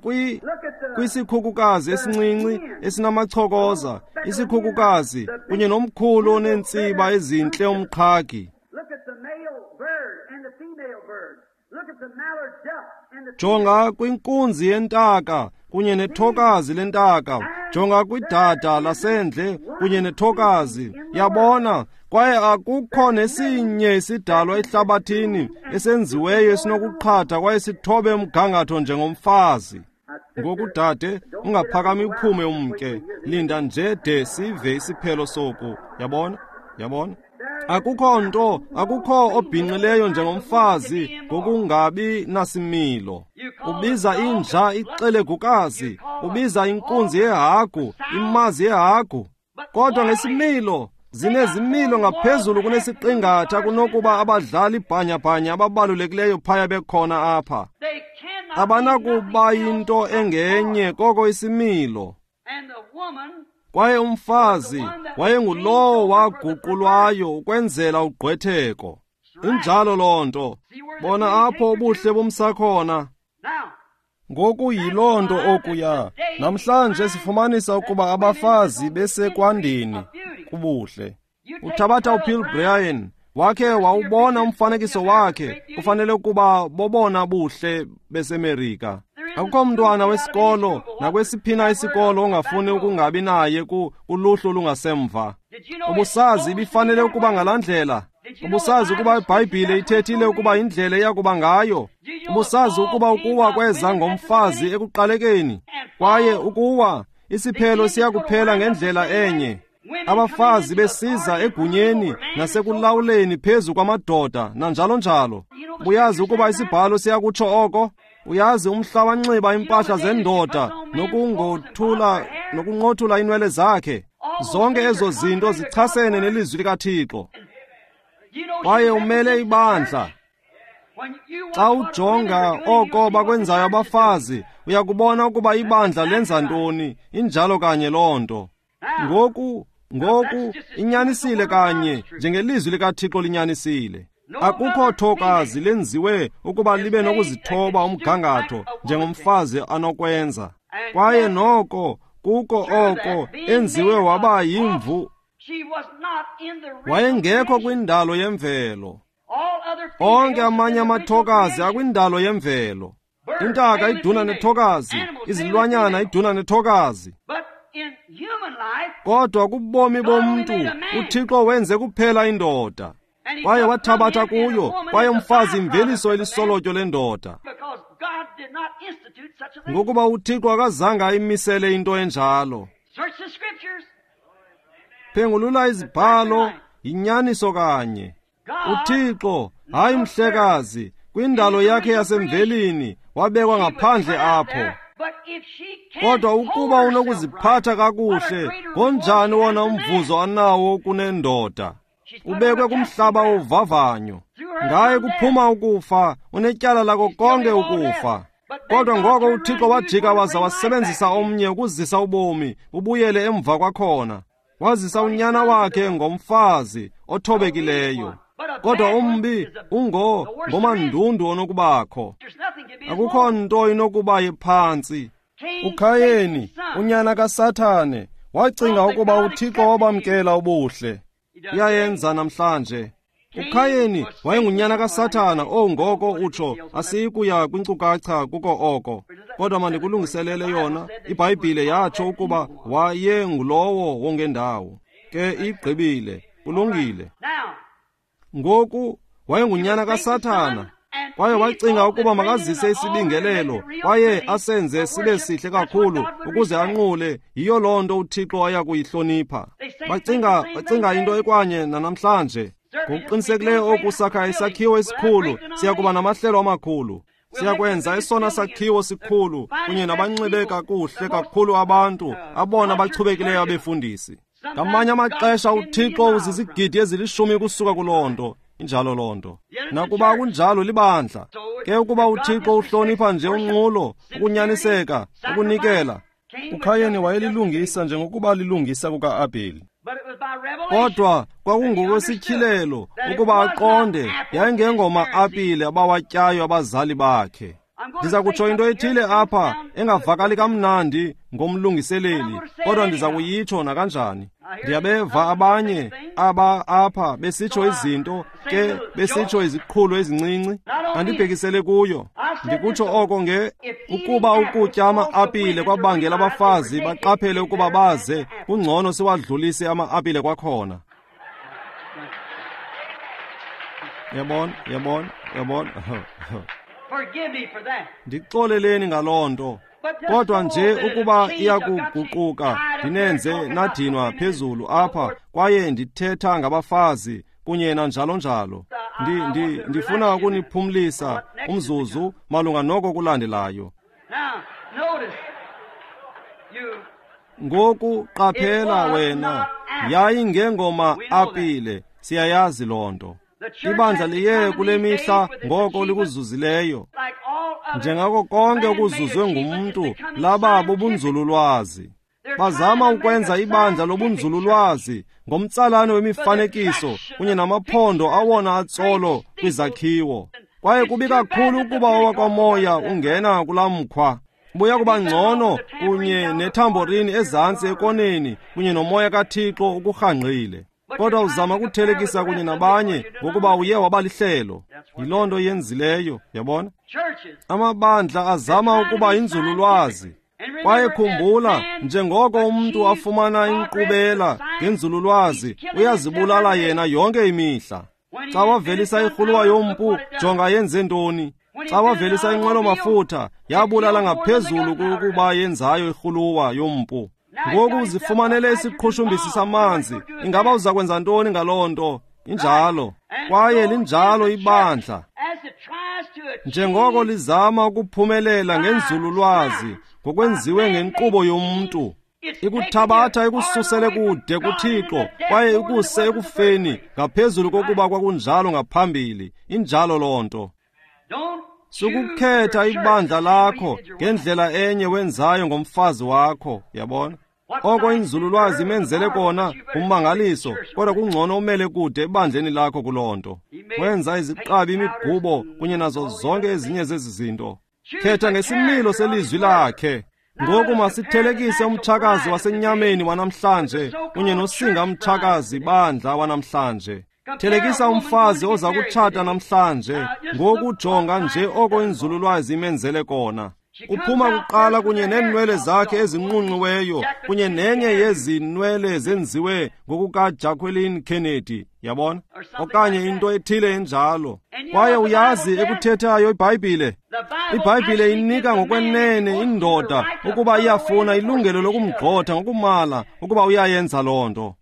kwisikhukukazi esincinci esinamachokoza, isikhukukazi kunye nomkhulu oneentsiba ezintle umqhagi. Jonga kwinkunzi yentaka kunye nethokazi lentaka. Jonga kwidada lasendle kunye nethokazi. Yabona, kwaye akukho nesinye isidalwa ehlabathini esenziweyo esinokuqhatha kwaye sithobe umgangatho njengomfazi. Ngoku dade, ungaphakami uphume umke. Linda nje de sive isiphelo soku. Yabona? Yabona? Akukho nto, akukho obhinqileyo njengomfazi ngokungabi nasimilo. Ubiza inja ixelegukazi, ubiza inkunzi yehagu, imazi yehagu. Kodwa ngesimilo, zinezimilo ngaphezulu kunesiqingatha kunokuba abadlali bhanyabhanya ababalulekileyo phaya bekhona apha. Abanakuba yinto engenye koko isimilo. Kwaye umfazi wayengulowo waguqulwayo ukwenzela ugqwetheko. Injalo loo nto. Bona apho ubuhle bumsakhona. Ngoku yiloo nto okuya. Namhlanje sifumanisa ukuba abafazi besekwandeni kubuhle. Uthabatha uPhil Bryan, wakhe wawubona umfanekiso wakhe, kufanele ukuba bobona buhle beseMerika. Akukho mntwana wesikolo nakwesiphina isikolo ongafuni ukungabi naye kuluhlu olungasemva. Ubusazi ibifanele ukuba ngalaa ndlela? Ubusazi ukuba iBhayibhile ithethile ukuba indlela eyakuba ngayo? Ubusazi ukuba ukuwa kweza ngomfazi ekuqalekeni? Kwaye ukuwa, isiphelo siyakuphela ngendlela enye. Abafazi besiza egunyeni nasekulawuleni phezu kwamadoda nanjalo njalo. Uyazi ukuba isibhalo siyakutsho oko? Uyazi umhla wanxiba impahla zendoda nokunqothula inwele zakhe. Zonke ezo zinto zichasene nelizwi likaThixo. Kwaye umele ibandla. Xa ujonga oko bakwenzayo abafazi, uyakubona ukuba ibandla lenza ntoni. Injalo kanye loo nto. Ngoku inyanisile kanye njengelizwi likaThixo linyanisile. Akukho thokazi lenziwe ukuba libe nokuzithoba umgangatho njengomfazi anokwenza. Kwaye noko kuko oko enziwe waba yimvu. Wayengekho kwindalo yemvelo. Onke amanye amathokazi akwindalo yemvelo. Intaka iduna nethokazi, izilwanyana iduna nethokazi. Kodwa kubomi bomntu uThixo wenze kuphela indoda. Kwaye wathabatha kuyo, kwaye umfazi imveliso elisolotyo lendoda. Ngokuba uThixo akazange ayimisele into enjalo. Phengulula izibhalo, yinyaniso kanye. uThixo, hayi mhlekazi, kwindalo yakhe yasemvelini wabekwa ngaphandle apho. Kodwa ukuba unokuziphatha kakuhle, ngonjani wona umvuzo anawo kunendoda? Ubekwe kumhlaba wovavanyo. Ngaye kuphuma ukufa, unetyala lako konke ukufa. Kodwa ngoko uThixo wajika waza wasebenzisa omnye ukuzisa ubomi bubuyele emva kwakhona. Wazisa unyana wakhe ngomfazi othobekileyo. Kodwa umbi ngomandundu onokubakho. Akukho nto inokuba iphantsi. uKhayeni, unyana kaSathane, wacinga ukuba uThixo wabamkela ubuhle. Uyayenza namhlanje. uKhayeni wayengunyana kaSathana. Ngoko utsho, asiyikuya kwinkcukacha kuko oko. Kodwa mandikulungiselele yona. iBhayibhile yatsho ukuba wayengulowo wongendawo. Ke igqibile. Kulungile. Ngoku wayengunyana kaSathana. Kwaye wacinga ukuba makazise isibingelelo kwaye asenze sibe sihle kakhulu ukuze anqule. Yiyo loo nto uThixo aya kuyihlonipha. Bacinga into ekwanye nanamhlanje. Ngokuqinisekileyo oku sakha isakhiwo esikhulu, siyakuba namahlelo amakhulu. Siyakwenza esona sakhiwo sikhulu kunye nabanxibe kakuhle kakhulu abantu, abona bachubekileyo abefundisi. Ngamanye amaxesha uThixo uzizigidi ezilishumi kusuka kuloo nto. Injalo loo nto. Nakuba kunjalo libandla. Ke ukuba uThixo uhlonipha nje unqulo, ukunyaniseka, ukunikela. uKhayeni wayelilungisa njengokuba lilungisa kuka-Abheli. Kodwa kwakungokwesityhilelo ukuba aqonde yayingengoma-apile abawatyayo abazali bakhe. Ndiza kutsho into ethile apha engavakali kamnandi ngomlungiseleli, kodwa ndiza kuyitsho nakanjani. Ndiyabeva abanye aba apha besitsho izinto, ke besitsho iziqhulo ezincinci. Andibhekisele kuyo. Ndikutsho oko nge ukuba ukutya ama-apile kwabangela abafazi baqaphele ukuba baze, kungcono siwadlulise ama-apile kwakhona. Yabona, yabona, yabona. Ndixoleleni ngaloo nto. Kodwa nje ukuba iyakuguquka, ndinenze nadinwa phezulu apha, kwaye ndithetha ngabafazi kunye nanjalo njalo. Ndifuna ukuniphumlisa umzuzu malunga noko kulandelayo. Ngoku qaphela wena, yayingengoma apile, siyayazi loo nto. Ibandla liye kule mihla ngoko likuzuzileyo. Njengako konke okuzuzwe ngumntu, laba bubunzululwazi. Bazama ukwenza ibandla lobunzululwazi ngomtsalane wemifanekiso kunye namaphondo awona atsolo kwizakhiwo. Kwaye kubi kakhulu ukuba owakwamoya ungena kulaa mkhwa. Buya kuba ngcono kunye nethamborini ezantsi ekoneni kunye nomoya kaThixo ukurhangqile. Kodwa uzama ukuthelekisa kunye nabanye ngokuba uye waba lihlelo. Yiloo nto yenzileyo, yabona? Amabandla azama ukuba inzululwazi. Kwaye khumbula, njengoko umntu afumana inkqubela ngenzululwazi, uyazibulala yena yonke imihla. Xa wavelisa irhuluwa yompu, jonga yenze ntoni. Xa wavelisa inqwelo-mafutha, yabulala ngaphezulu kukuba yenzayo irhuluwa yompu. Ngoku uzifumanele isiqhushumbisi samanzi. Ingaba uza kwenza ntoni ngaloo nto? Injalo. Kwaye linjalo ibandla. Njengoko lizama ukuphumelela ngenzululwazi ngokwenziwe ngenkqubo yomntu, ikuthabatha ikususele kude kuThixo kwaye ikuse ekufeni ngaphezulu kokuba kwakunjalo ngaphambili. Injalo loo nto. Sukukhetha ibandla lakho ngendlela enye wenzayo ngomfazi wakho, yabona? Oko inzululwazi imenzele kona ummangaliso, kodwa kungcono umele kude ebandleni lakho kuloo nto. Wenza iziqabi, imigubo kunye nazo zonke ezinye zezi zinto. Khetha ngesimilo selizwi lakhe. Ngoku masithelekise umtshakazi wasenyameni wanamhlanje kunye nosinga mtshakazi bandla wanamhlanje. Thelekisa umfazi oza kutshata namhlanje ngokujonga nje oko inzululwazi imenzele kona. Uphuma kuqala kunye neenwele zakhe ezinqunqiweyo kunye nenye yezinwele zenziwe ngokukaJacqueline Kennedy, yabona? Okanye into ethile enjalo. Kwaye uyazi ekuthethayo iBhayibhile? IBhayibhile inika ngokwenene indoda ukuba iyafuna ilungelo lokumgxotha ngokumala ukuba uyayenza loo nto.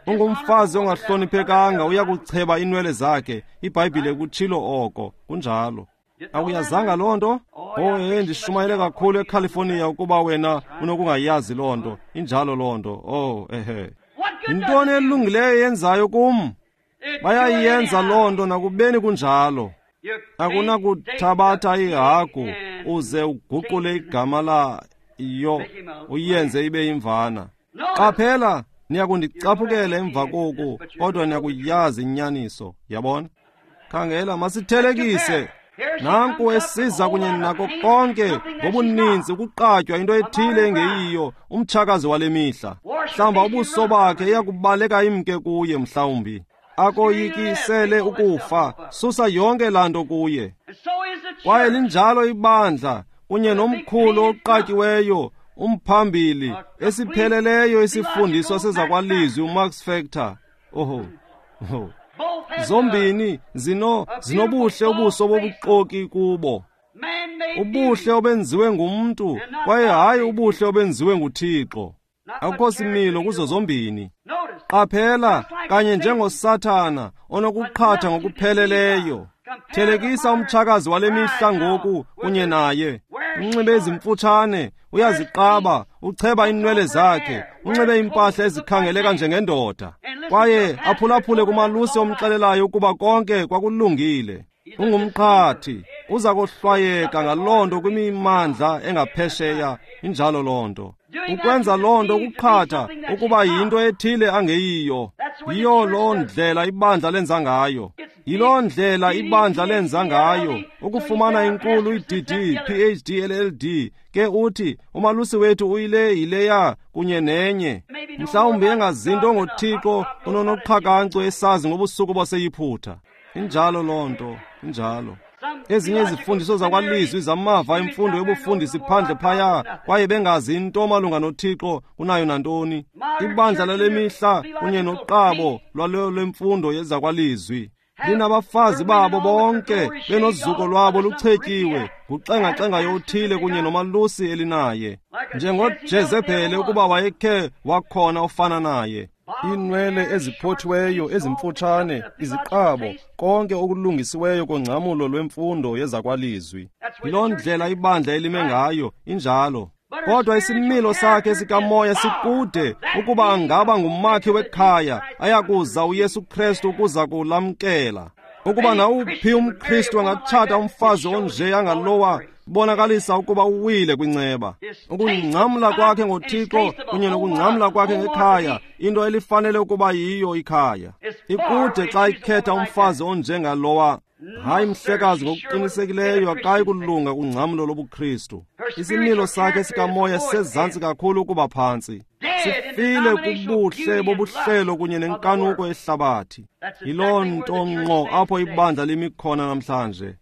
Ungumfazi ongahloniphekanga uyakucheba inwele zakhe. iBhayibhile kutshilo oko, kunjalo. Awuyazanga loo nto? Oh, ndishumayele kakhulu eCalifornia ukuba wena unokungayazi loo nto. Injalo loo nto. Oh, ehe. Yintoni elungileyo yenzayo kum? Bayayenza loo nto nakubeni kunjalo. Akunakuthabatha ihagu uze uguqule igama layo uyenze ibe yimvana. Qaphela, niyakundicaphukela emva koku, kodwa niyakuyazi inyaniso, yabona? Khangela, masithelekise. Nanku esiza kunye nako konke ngobuninzi ukuqatywa into ethile engeyiyo umtshakazi wale mihla. Hlamba ubuso bakhe iyakubaleka imke kuye mhlawumbi. Akoyikisele ukufa, susa yonke laa nto kuye. Kwaye linjalo ibandla kunye nomkhulu oqatyiweyo umphambili esipheleleyo isifundiswa sezakwalizwi uMax Factor. Oho. Oho. Zombini zinobuhle ubuso bobuxoki kubo. Ubuhle obenziwe ngumntu kwaye hayi ubuhle obenziwe nguThixo. Akukho similo kuzo zombini. Qaphela, kanye njengoSathana onokuqhatha ngokupheleleyo. Thelekisa umtshakazi wale mihla ngoku kunye naye. Unxibe ezimfutshane, uyaziqaba, ucheba iinwele zakhe, unxibe impahla ezikhangeleka njengendoda. Kwaye aphulaphule kumalusi omxelelayo ukuba konke kwakulungile. Ungumqhathi, uza kohlwayeka ngaloo nto kwimimandla engaphesheya. Injalo loo nto. Ukwenza loo nto ukuqhatha ukuba yinto ethile angeyiyo. Yiyo loo ndlela ibandla lenza ngayo. Yiloo ndlela ibandla lenza ngayo ukufumana inkulu i-DD, PhD, LLD. Ke uthi umalusi wethu uyile yileya kunye nenye. Mhlawumbi engazinto ngoThixo unonoqhakancu esazi ngobusuku baseyiphutha. Injalo loo nto, injalo. Ezinye izifundiso zakwalizwi zamava emfundo yobufundisi phandle phaya kwaye bengazi into malunga noThixo kunayo nantoni. Ibandla lale mihla kunye noqabo lwalo lwemfundo yezakwalizwi linabafazi babo bonke benozuko lwabo luchetyiwe nguxengaxengayo othile kunye nomalusi elinaye, njengoJezebhele ukuba wayekhe wakhona ofana naye. Iinwele eziphothiweyo ezimfutshane, iziqabo, konke okulungisiweyo kongcamulo lwemfundo yezakwalizwi. Yiloo ndlela ibandla elime ngayo, injalo. Kodwa isimilo sakhe sikamoya sikude ukuba angaba ngumakhi wekhaya ayakuza uYesu Kristu ukuza kulamkela. Ukuba nawuphi umKristu angatshata umfazi onje angalowa Kubonakalisa ukuba uwile kwinceba. Ukungcamla kwakhe ngoThixo kunye nokungcamla kwakhe ngekhaya, into elifanele ukuba yiyo ikhaya. Ikude xa ikhetha umfazi onjengalowa. Hayi mhlekazi, ngokuqinisekileyo akayi kulunga kungcamlo lobuKristu. Isimilo sakhe sikamoya sisezantsi kakhulu ukuba phantsi. Sifile kubuhle bobuhlelo kunye nenkanuko ehlabathi. Yiloo nto ngqo apho ibandla limi khona namhlanje.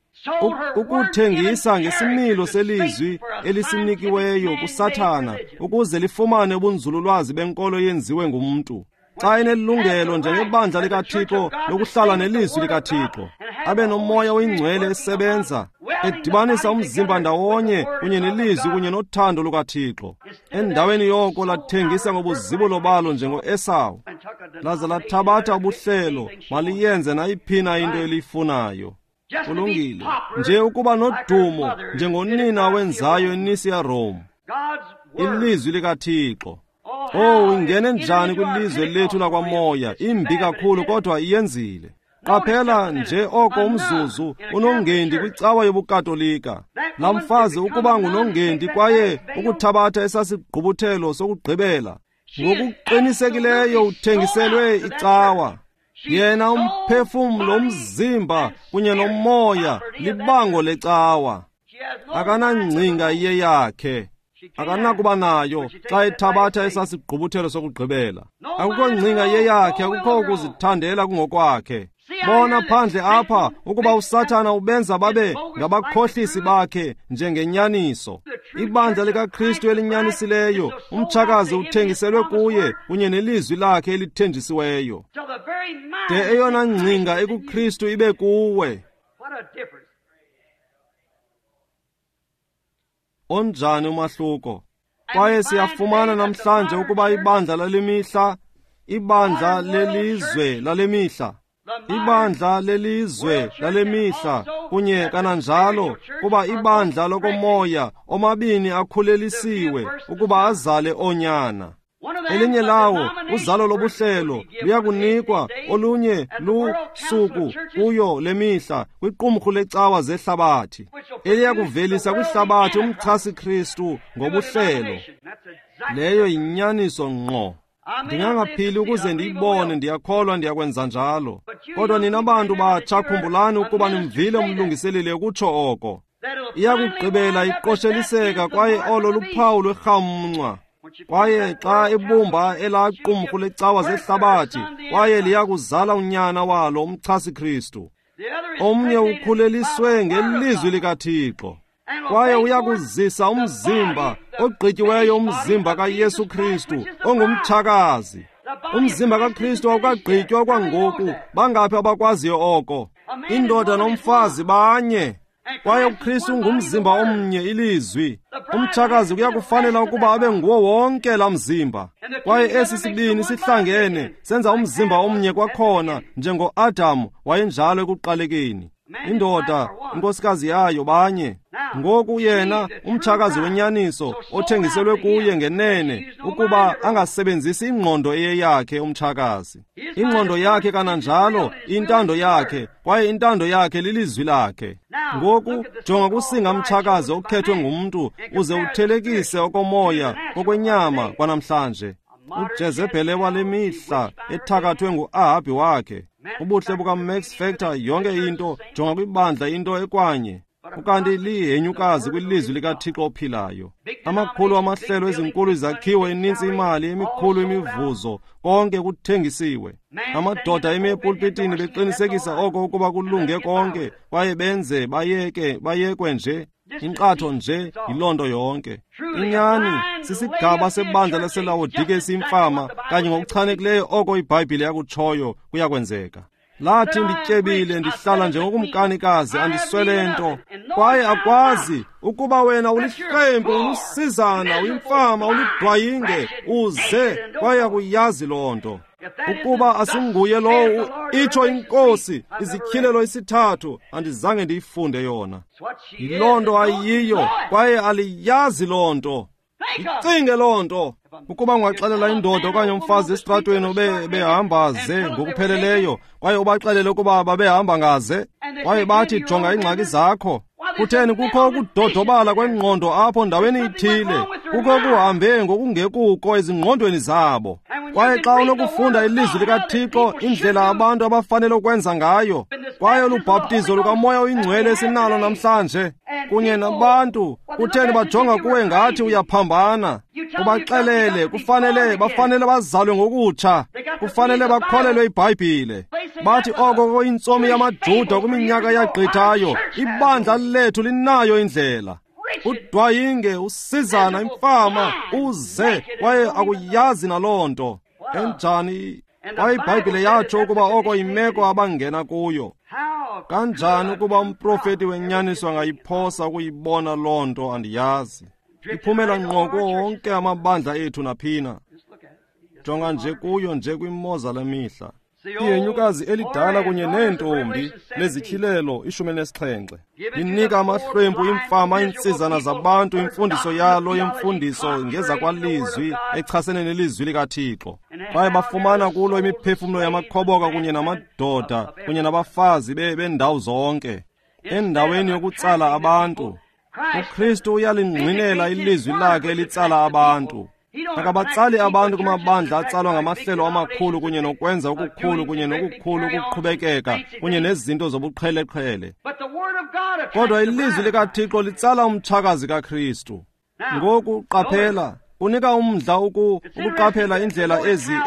Ukuthengisa ngesimilo selizwi elisinikiweyo kuSathana ukuze lifumane ubunzululwazi benkolo yenziwe ngumntu. Xa enelungelo njengebandla likaThixo lokuhlala nelizwi likaThixo, abe nomoya oyingcwele esebenza, edibanisa umzimba ndawonye kunye nelizwi kunye nothando lukaThixo. Endaweni yoko lathengisa ngobuzibulo balo njengoEsawu, laza lathabatha ubuhlelo, maliyenze nayiphina into eliyifunayo. Kulungile nje ukuba nodumo njengonina wenzayo eNisia Rome. Ilizwi likaThixo. Oh, ingene njani kwilizwe lethu lakwamoya? Imbi kakhulu, kodwa iyenzile. Qaphela nje oko umzuzu unongendi kwicawa yobuKatolika. Laa mfazi ukuba ngunongendi kwaye ukuthabatha esasigqubuthelo sokugqibela, ngokuqinisekileyo uthengiselwe icawa. Yena umphefumlo, umzimba kunye nomoya libango lecawa. Akanangcinga iye yakhe. Akanakuba nayo xa ethabatha esasigqubuthelo sokugqibela. Akukho ngcinga yeyakhe, akukho kuzithandela kungokwakhe. Bona phandle apha ukuba uSathana ubenza babe ngabakhohlisi bakhe njengenyaniso. Ibandla likaKristu elinyanisileyo, umtshakazi uthengiselwe kuye kunye nelizwi lakhe elithenjisiweyo. De eyona ngcinga ekuKristu ibe kuwe. Onjani umahluko? Kwaye siyafumana namhlanje ukuba ibandla lalemihla, ibandla lelizwe lalemihla, ibandla lelizwe lalemihla kunye kananjalo kuba ibandla lokomoya omabini akhulelisiwe ukuba azale oonyana. Elinye lawo uzalo lobuhlelo luyakunikwa olunye lusuku kuyo lemihla kwiqumrhu lecawa zehlabathi, eliyakuvelisa kwihlabathi umchasi-Kristu ngobuhlelo. Leyo yinyaniso ngqo. Ndingangaphili ukuze ndiyibone, ndiyakholwa ndiyakwenza njalo. Kodwa nina bantu batsha, khumbulani ukuba nimvile umlungiseleli ukutsho oko. Iyakugqibela iqosheliseka, kwaye olo luphawu lwerhamncwa. Kwaye xa ibumba elaa qumrhu lecawa zehlabathi, kwaye liyakuzala unyana walo umchasi-Kristu. Omnye ukhuleliswe ngelizwi likaThixo, kwaye uyakuzisa umzimba ogqityiweyo, umzimba kaYesu Kristu ongumtshakazi. Umzimba kaKristu awukagqitywa kwangoku. Bangaphi abakwaziyo oko? Indoda nomfazi banye, kwaye uKristu ngumzimba omnye, ilizwi. Umtshakazi kuyakufanela ukuba abe nguwo wonke laa mzimba. Kwaye esi sibini sihlangene senza umzimba omnye kwakhona, njengoAdamu wayenjalo ekuqalekeni. Indoda, inkosikazi yayo, banye. Ngoku yena umtshakazi wenyaniso othengiselwe kuye ngenene ukuba angasebenzisi ingqondo eyeyakhe umtshakazi. Ingqondo yakhe kananjalo intando yakhe, kwaye intando yakhe lilizwi lakhe. Ngoku jonga kusinga mtshakazi okhethwe ngumntu uze uthelekise okomoya kokwenyama kwanamhlanje. uJezebhele wale mihla ethakathwe nguAhabhi wakhe. Ubuhle bukaMax Factor, yonke into, jonga kwibandla into ekwanye. Ukanti lihenyukazi kwilizwi likaThixo ophilayo. Amakhulu amahlelo, ezinkulu izakhiwo, inintsi imali, emikhulu imivuzo, konke kuthengisiwe. Amadoda emi epulpitini beqinisekisa oko ukuba kulunge konke, kwaye benze bayeke bayekwe nje. Inkqatho nje yiloo nto yonke. Inyani sisigaba sebandla laseLawodike esimfama, kanye ngokuchanekileyo oko iBhayibhile yakutshoyo kuyakwenzeka. Lathi, ndityebile, ndihlala njengokumkanikazi, andiswele nto. Kwaye akwazi ukuba wena ulihlwempu, ulusizana, uyimfama, ulidwayinge, uze, kwaye akuyazi loo nto. Ukuba asinguye lowo itsho iNkosi, izityhilelo isithathu, andizange ndiyifunde yona. Yiloo nto ayiyo, kwaye aliyazi loo nto. Icinge loo nto. Ukuba ungaxelela indoda okanye umfazi esitratweni behamba ze ngokupheleleyo, kwaye ubaxelele ukuba babehamba ngaze, kwaye bathi, jonga iingxaki zakho. Kutheni kukho ukudodobala kwengqondo apho ndaweni ithile, kukho kuhambe ngokungekuko ezingqondweni zabo. Kwaye xa unokufunda ilizwi likaThixo, indlela abantu abafanele ukwenza ngayo, kwaye olubhaptizo lukaMoya oyiNgcwele esinalo namhlanje kunye nabantu, kutheni bajonga kuwe ngathi uyaphambana. Ubaxelele kufanele bafanele bazalwe ngokutsha, kufanele bakholelwe iBhayibhile. Bathi oko kuyintsomi yamaJuda kwiminyaka yagqithayo, ibandla lethu linayo indlela. Udwayinge, usizana, imfama, uze, kwaye akuyazi naloo nto. Enjani? Kwaye iBhayibhile yatsho ukuba oko yimeko abangena kuyo. Kanjani ukuba umprofeti wenyaniso angayiphosa ukuyibona loo nto? Andiyazi. Iphumela ngqo kuwo wonke amabandla ethu naphina. Jonga nje kuyo nje kwimoza lemihla. Ihenyukazi elidala kunye neentombi lezityhilelo 17 linika amahlwempu, imfama, iintsizana zabantu imfundiso yalo yemfundiso ngezakwalizwi echasene nelizwi likaThixo. Kwaye bafumana kulo imiphefumlo yamakhoboka kunye namadoda kunye nabafazi bendawo zonke. Endaweni yokutsala abantu, uKristu uyalingqinela ilizwi lakhe elitsala abantu. Akabatsali abantu kumabandla atsalwa ngamahlelo amakhulu kunye nokwenza okukhulu kunye nokukhulu ukuqhubekeka kunye nezinto zobuqheleqhele. Kodwa ilizwi likaThixo litsala umtshakazi kaKristu. Ngoku qaphela, kunika umdla ukuqaphela indlela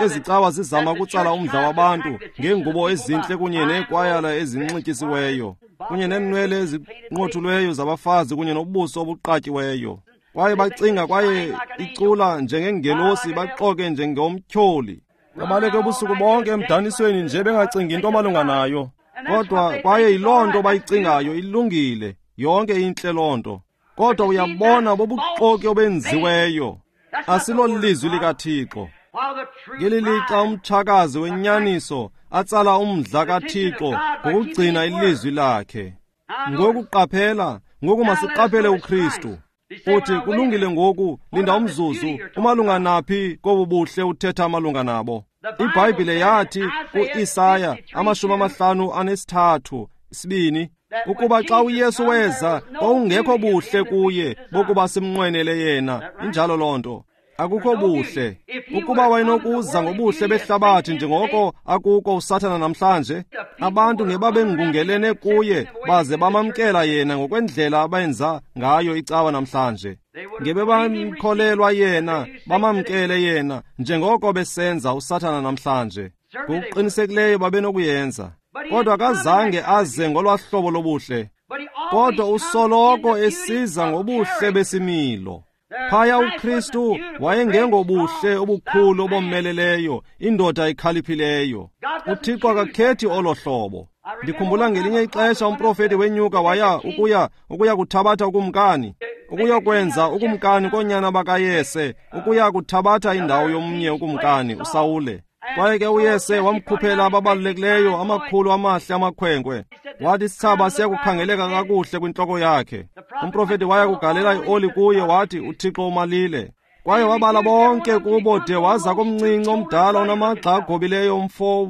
ezicawa zizama ukutsala umdla wabantu ngeengubo ezintle kunye neekwayala ezinxityisiweyo kunye neenwele ezinqothulweyo zabafazi kunye nobuso obuqatyiweyo. Kwaye bacinga kwaye icula njengengelosi, baxoke njengomtyholi. Babaleke ubusuku bonke emdanisweni nje bengacingi into malunga nayo. Kodwa kwaye yiloo nto bayicingayo ilungile, yonke intle loo nto. Kodwa uyabona bobuxoki obenziweyo. Asilo lizwi likaThixo. Ngeli lixa umtshakazi wenyaniso atsala umdla kaThixo ngokugcina ilizwi lakhe. Ngoku qaphela, ngoku masiqaphele uKristu. Uthi kulungile ngoku, linda umzuzu, umalunga naphi kobu buhle uthetha malunga nabo? IBhayibhile yathi kuIsaya 53:2 ukuba xa uYesu weza kwawungekho buhle kuye bokuba simnqwenele yena. Injalo loo nto. Akukho buhle. Ukuba wayenokuza ngobuhle behlabathi njengoko akuko uSathana namhlanje, abantu ngebabengungelene kuye baze bamamkela yena ngokwendlela abenza ngayo icawa namhlanje. Ngebebamkholelwa yena, bamamkele yena njengoko besenza uSathana namhlanje. Ngokuqinisekileyo babenokuyenza. Kodwa akazange aze ngolwa hlobo lobuhle. Kodwa usoloko esiza ngobuhle besimilo. Phaya uKristu wayengengobuhle obukhulu obomeleleyo, indoda ekhaliphileyo. uThixo akakhethi olo hlobo. Ndikhumbula ngelinye ixesha umprofeti wenyuka waya ukuya kuthabatha ukumkani, ukuyokwenza ukumkani koonyana bakaYese, ukuya kuthabatha indawo yomnye ukumkani, uSawule. Kwaye ke uYese wamkhuphela ababalulekileyo amakhulu amahle amakhwenkwe. Wathi isithsaba siyakukhangeleka kakuhle kwintloko yakhe. Umprofeti waya kugalela ioli kuye, wathi uThixo umalile. Kwaye wabala bonke kubo de waza komncinci omdala onamagxa agobileyo, umfo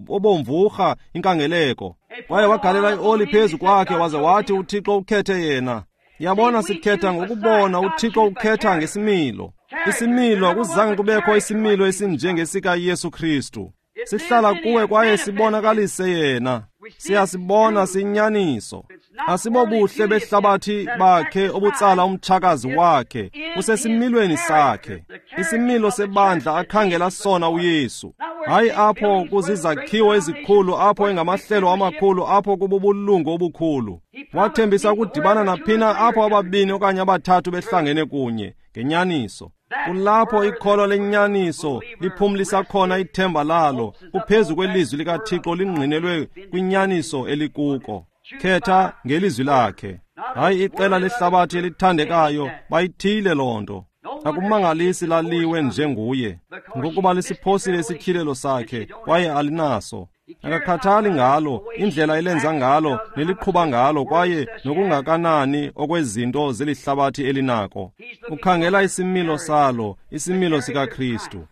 obomvurha inkangeleko. Kwaye wagalela ioli phezu kwakhe waze wathi uThixo ukhethe yena. Yabona, sikhetha ngokubona, uThixo ukhetha ngesimilo. Isimilo, akuzange kubekho isimilo esinjengesikaYesu Kristu. Sihlala kuwe kwaye sibonakalise yena. Siyasibona sinyaniso. Asibobuhle behlabathi bakhe obutsala umtshakazi wakhe, usesimilweni sakhe. Isimilo sebandla akhangela sona uYesu. Hayi apho kuzizakhiwo ezikhulu, apho engamahlelo amakhulu, apho kububulungu obukhulu. Wathembisa ukudibana naphina apho ababini okanye abathathu behlangene kunye ngenyaniso. Kulapho ikholo lenyaniso liphumlisa khona ithemba lalo, kuphezu kwelizwi likaThixo lingqinelwe kwinyaniso elikuko. Khetha ngelizwi lakhe. Hayi iqela lehlabathi elithandekayo, bayithile loo nto. Akumangalisi laliwe njenguye, ngokuba lisiphosile isityhilelo sakhe kwaye alinaso. Akakhathali ngalo, indlela elenza ngalo neliqhuba ngalo, kwaye nokungakanani okwezinto zelihlabathi elinako. Ukhangela isimilo salo, isimilo sikaKristu.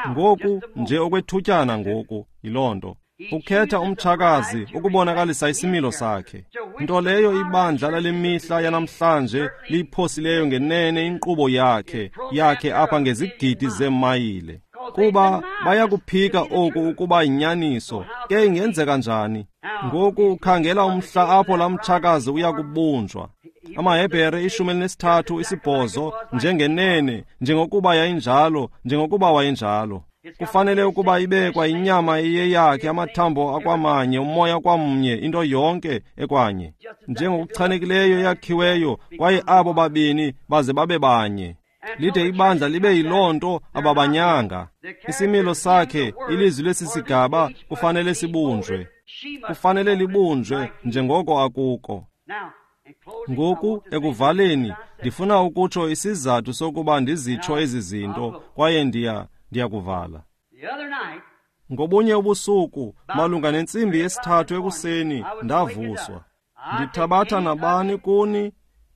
Ngoku nje okwethutyana ngoku yiloo nto. Ukhetha umtshakazi ukubonakalisa isimilo sakhe. Nto leyo ibandla lale mihla yanamhlanje liyiphosileyo ngenene inkqubo yakhe apha ngezigidi zeemayile. Kuba bayakuphika oku ukuba yinyaniso, ke ingenzeka njani? Ngoku ukhangela umhla apho laa mtshakazi uya kubunjwa. AmaHebhere 13 8, njengenene, njengokuba yayinjalo, njengokuba wayenjalo. Kufanele ukuba ibe kwayinyama iyeyakhe, amathambo akwamanye, umoya kwamnye, into yonke ekwanye, njengokuchanekileyo eyakhiweyo, kwaye abo babini baze babe banye. Lide ibandla libe yiloo nto ababanyanga. Isimilo sakhe, ilizwi lesi sigaba, kufanele sibunjwe. Kufanele libunjwe njengoko akuko. Ngoku ekuvaleni, ndifuna ukutsho isizathu sokuba ndizitsho ezi zinto, kwaye ndiyakuvala. Ngobunye ubusuku, malunga nentsimbi yesithathu ekuseni, ndavuswa. Ndithabatha nabani kuni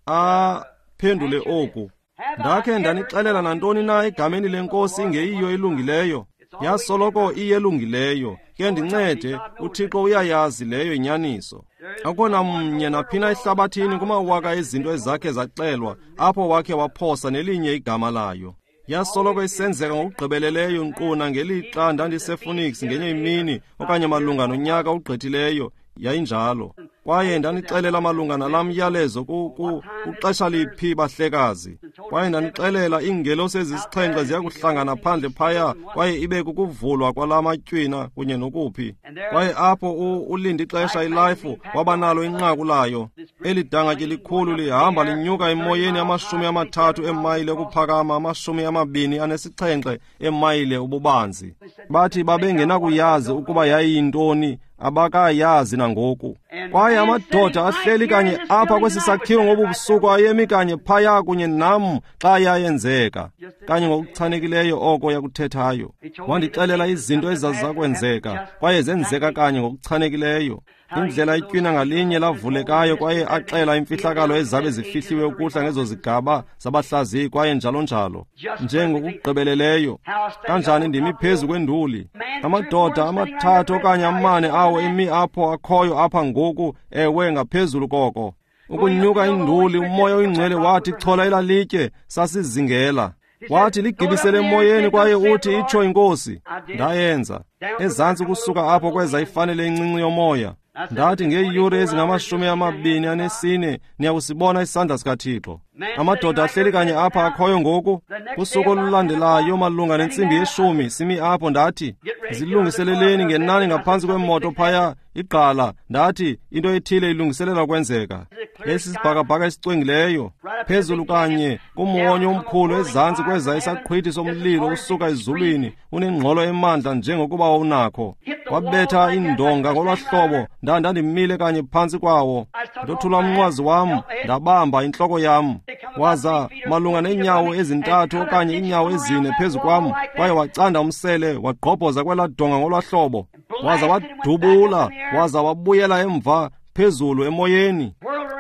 aphendule oku. Ndakhe ndanixelela nantoni na egameni lenkosi ingeyiyo elungileyo? Yasoloko iyelungileyo. Ke ndincede, uThixo uyayazi leyo inyaniso. Akukho namnye naphina ehlabathini kumawaka ezinto ezakhe zaxelwa apho wakhe waphosa nelinye igama layo. Yasoloko isenzeka ngokugqibeleleyo nkqu nangelixa ndandisePhoenix ngenye imini okanye malunga nonyaka ogqithileyo, yayinjalo. Kwaye ndanixelela malunga nalaa myalezo kuxesha liphi bahlekazi. Kwaye ndanixelela iingelosi ezisixhenxe ziya kuhlangana phandle phaya, kwaye ibe kukuvulwa kwalaa matywina kunye nokuphi. Kwaye apho ulinde ixesha iLife wabanalo inqaku layo. Eli dangatye likhulu lihamba linyuka emoyeni 30 eemayile ukuphakama, 27 eemayile ububanzi. Bathi babengenakuyazi ukuba yayiyintoni, abakayazi nangoku. Kwaye amadoda ahleli kanye apha kwesi sakhiwo ngobu busuku ayemi kanye phaya kunye nam xa yayenzeka, kanye ngokuchanekileyo oko yakuthethayo. Wandixelela izinto ezazizakwenzeka, kwaye zenzeka kanye ngokuchanekileyo. Indlela itywina ngalinye lavulekayo, kwaye axela imfihlakalo ezabe zifihliwe ukuhla ngezo zigaba zabahlaziyi, kwaye njalo njalo, njengokugqibeleleyo. Kanjani ndimi phezu kwenduli, amadoda 3 okanye 4 awo emi apho akhoyo apha ngoku, ewe ngaphezulu koko. Ukunyuka induli, umoya oyingcwele wathi chola elalitye, sasizingela. Wathi ligibisele emoyeni, kwaye uthi itsho inkosi. Ndayenza. Ezantsi kusuka apho kweza ifanele encinci yomoya. Ndathi ngeeyure ezingama-24 niyakusibona isandla sikaThixo. Amadoda ahleli kanye apha akhoyo ngoku. Kusuku olulandelayo malunga nentsimbi yeshumi simi apho, ndathi zilungiseleleni ngenani ngaphantsi kwemoto phaya igqala. Ndathi into ethile ilungiselela ukwenzeka. Yayisisibhakabhaka esicwengileyo phezulu kanye kumwonyo omkhulu, ezantsi kweza isaqhwithi somlilo usuka ezulwini unengxolo emandla njengokuba wawunakho. Wabetha indonga ngolwaa hlobo, ndandimile kanye phantsi kwawo. Ndothula umnqwazi wam, ndabamba intloko yam. Waza malunga neenyawo 3 okanye iinyawo 4 phezu kwam, kwaye wacanda umsele wagqobhoza kwelaa donga ngolwaa hlobo. Waza wadubula, waza wabuyela emva phezulu emoyeni.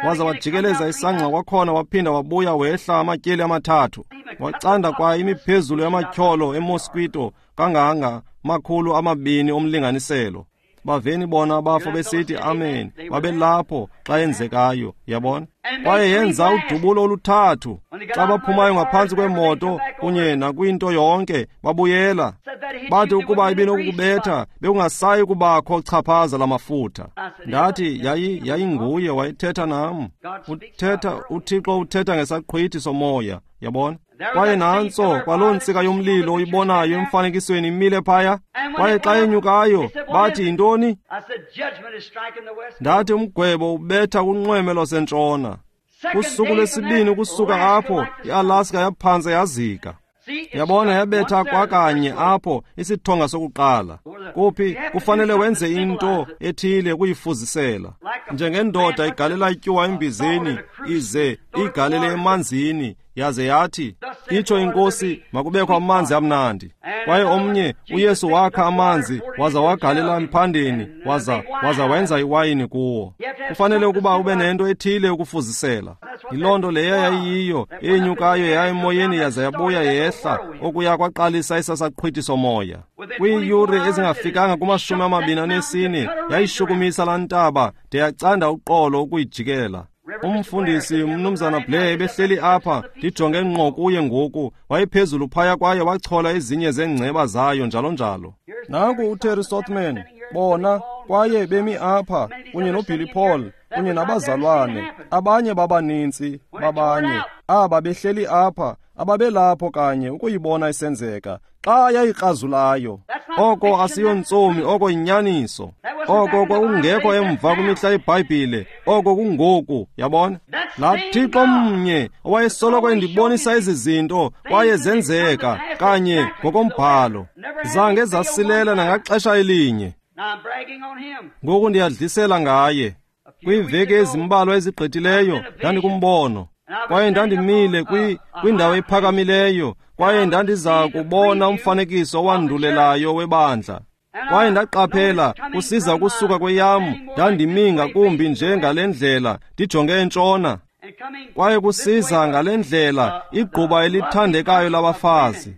Waza wajikeleza isangqa kwakhona, waphinda wabuya wehla amatyeli 3. Wacanda kwa imiphezulu yamatyholo emosquito kanganga 200 omlinganiselo. Baveni bona abafo besithi amen, babelapho xa yenzekayo, yabona. Kwaye yenza udubulo oluthathu. Xa baphumayo ngaphantsi kwemoto kunye nakwinto yonke, babuyela. Bathi ukuba ibinokukubetha, bekungasayi kubakho chaphaza lamafutha. Ndathi yayinguye wayethetha nam. UThixo uthetha ngesaqhwithi somoya, yabona. Kwaye nantso kwaloo ntsika yomlilo oyibonayo emfanekisweni imile phaya. Kwaye xa yenyukayo bathi yintoni? Ndathi umgwebo ubetha kunxweme lwasentshona. Kusuku lwesibini ukusuka apho, iAlaska yaphantse yazika. Yabona, yabetha kwakanye apho isithonga sokuqala. Kuphi kufanele wenze into ethile ukuyifuzisela. Njengendoda igalela ityuwa embizeni, ize igalele emanzini, yaze yathi itsho inkosi makubekho amanzi amnandi. Kwaye omnye uYesu wakha amanzi waza wagalela emphandeni, waza wenza iwayini kuwo. Kufanele ukuba ube nento ethile ukufuzisela. Yiloo nto leya yayiyiyo, enyukayo yaya emoyeni yaza yabuya yehla, okuya kwaqalisa isasaqhwithi somoya. Kwiiyure ezingafikanga kuma-24 yayishukumisa laa ntaba de yacanda uqolo ukuyijikela. Umfundisi umnumzana Blair ebehleli apha, ndijonge ngqo kuye ngoku, wayephezulu phaya kwaye wachola ezinye zeengceba zayo njalo njalo. Nanku uTerry Sothman, bona, kwaye bemi apha kunye noBilly Paul kunye nabazalwane, abanye babanintsi babanye, aba behleli apha, ababelapho kanye ukuyibona isenzeka xa yayikrazulayo. Oko asiyontsomi, oko yinyaniso. Oko kwakungekho emva kwimihla yeBhayibhile, oko kungoku, yabona. Laa Thixo mnye owayesoloko endibonisa ezi zinto kwaye zenzeka kanye ngokombhalo, zange zasilela nangaxesha elinye. Ngoku ndiyadlisela ngaye. Kwiiveki ezimbalwa ezigqithileyo ndandikumbono, kwaye ndandimile kwindawo ephakamileyo, kwaye ndandiza kubona umfanekiso owandulelayo webandla. Kwaye ndaqaphela kusiza ukusuka kweyam, ndandimi ngakumbi nje ngale ndlela, ndijonge entshona. Kwaye kusiza ngale ndlela igquba elithandekayo labafazi,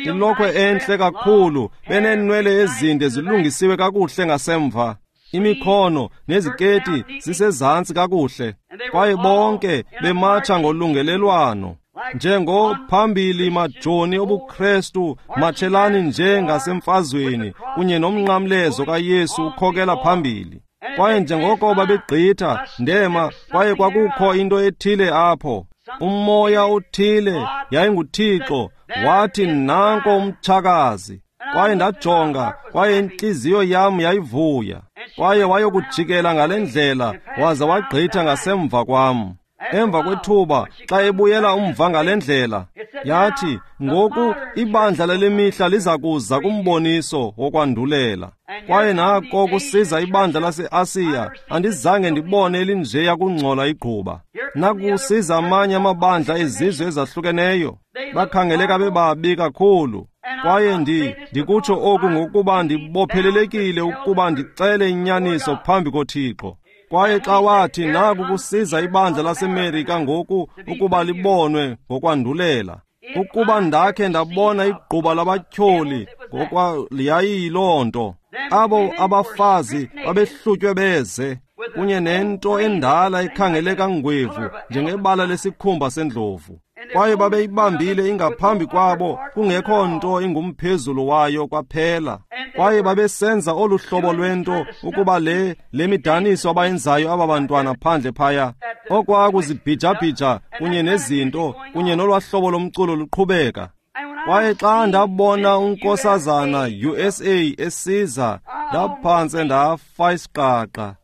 ilokhwe entle kakhulu, beneenwele ezinde zilungisiwe kakuhle ngasemva, imikhono neziketi zisezantsi kakuhle, kwaye bonke bematsha ngolungelelwano njengophambili majoni obuKrestu, matshelani nje ngasemfazweni kunye nomnqamlezo kaYesu ukhokela phambili. Kwaye njengoko babegqitha, ndema, kwaye kwakukho into ethile apho, umoya othile, yayinguThixo, wathi nanko umtshakazi. Kwaye ndajonga, kwaye intliziyo yam yayivuya. Kwaye wayokujikela ngale ndlela, waza wagqitha ngasemva kwam. Emva kwethuba, xa ebuyela umva ngale ndlela, yathi, ngoku ibandla lale mihla liza kuza kumboniso wokwandulela. Kwaye nako kusiza ibandla laseAsiya, andizange ndibone elinjeya kungcola igquba. Nakusiza amanye amabandla ezizwe ezahlukeneyo, bakhangeleka bebabi kakhulu. Kwaye ndikutsho oku ngokuba ndibophelelekile ukuba ndixele inyaniso phambi koThixo. Kwaye xa wathi naku kusiza ibandla laseMerika ngoku ukuba libonwe ngokwandulela, ukuba ndakhe ndabona igquba labatyholi yayiyiloo nto. Abo abafazi babehlutywe beze kunye nento endala ekhangeleka ngwevu njengebala lesikhumba sendlovu. Kwaye babeyibambile ingaphambi kwabo, kungekho nto ingumphezulu wayo kwaphela. Kwaye babesenza olu hlobo lwento ukuba le midaniso abayenzayo aba bantwana phandle phaya, okwakuzibhijabhija kunye nezinto kunye nolwahlobo lomculo luqhubeka. Kwaye xa ndabona unkosazana USA esiza, ndaphantse ndafa isiqaqa.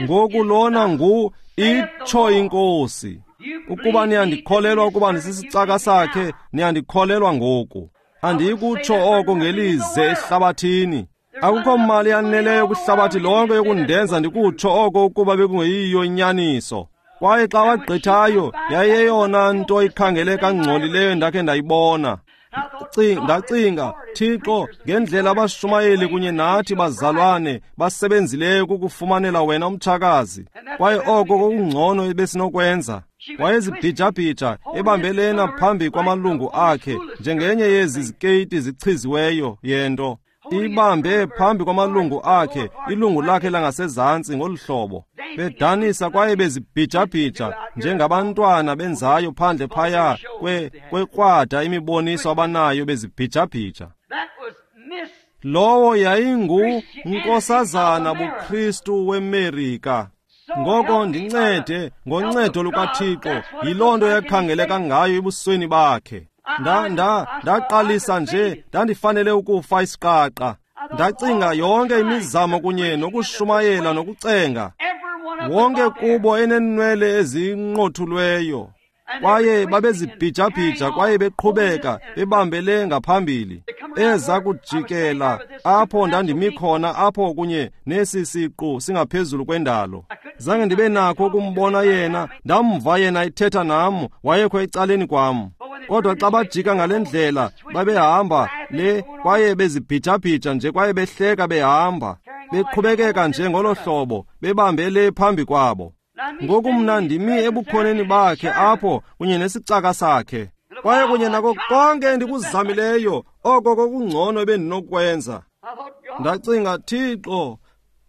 Ngoku lona ngu itsho iNkosi. Ukuba niyandikholelwa ukuba ndisisicaka sakhe, niyandikholelwa ngoku. Andiyikutsho oko ngelize ehlabathini. Akukho mali yaneleyo kwihlabathi lonke yokundenza ndikutsho oko ukuba bekungeyiyo inyaniso. Kwaye xa wagqithayo, yayeyona nto ikhangeleka ngcolileyo endakhe ndayibona. Ndacinga, Thixo, ngendlela abashumayeli kunye nathi bazalwane basebenzileyo kukufumanela wena umtshakazi. Kwaye oko kokungcono ebesinokwenza. Wayezibhijabhija ebambelena phambi kwamalungu akhe njengenye yezi zikeyiti zichiziweyo yento. Ibambe phambi kwamalungu akhe, ilungu lakhe langasezantsi ngolu hlobo, bedanisa kwaye bezibhijabhija njengabantwana benzayo phandle phaya kwekrwada imiboniso abanayo bezibhijabhija. Lowo yayingu nkosazana buKristu weMerika. Ngoko ndincede ngoncedo lukaThixo, yiloo nto yakhangeleka ngayo ebusweni bakhe. Ndaqalisa nje, ndandifanele ukufa isiqaqa. Ndacinga yonke imizamo kunye nokushumayela nokucenga, wonke kubo enenwele ezinqothulweyo. Kwaye babezibhijabhija kwaye beqhubeka bebambele ngaphambili. Eza kujikela apho ndandimi khona apho kunye nesi siqu singaphezulu kwendalo. Zange ndibe nakho ukumbona yena, ndamva yena ethetha nam, wayekho ecaleni kwam. Kodwa xa bajika ngale ndlela, babehamba le kwaye bezibhijabhija nje kwaye behleka behamba, beqhubekeka nje ngolo hlobo, bebambele phambi kwabo. Ngoku mna ndimi ebukhoneni bakhe apho kunye nesicaka sakhe. Kwaye kunye nako konke endikuzamileyo, oko kokungcono ebendinokwenza. Ndacinga, Thixo,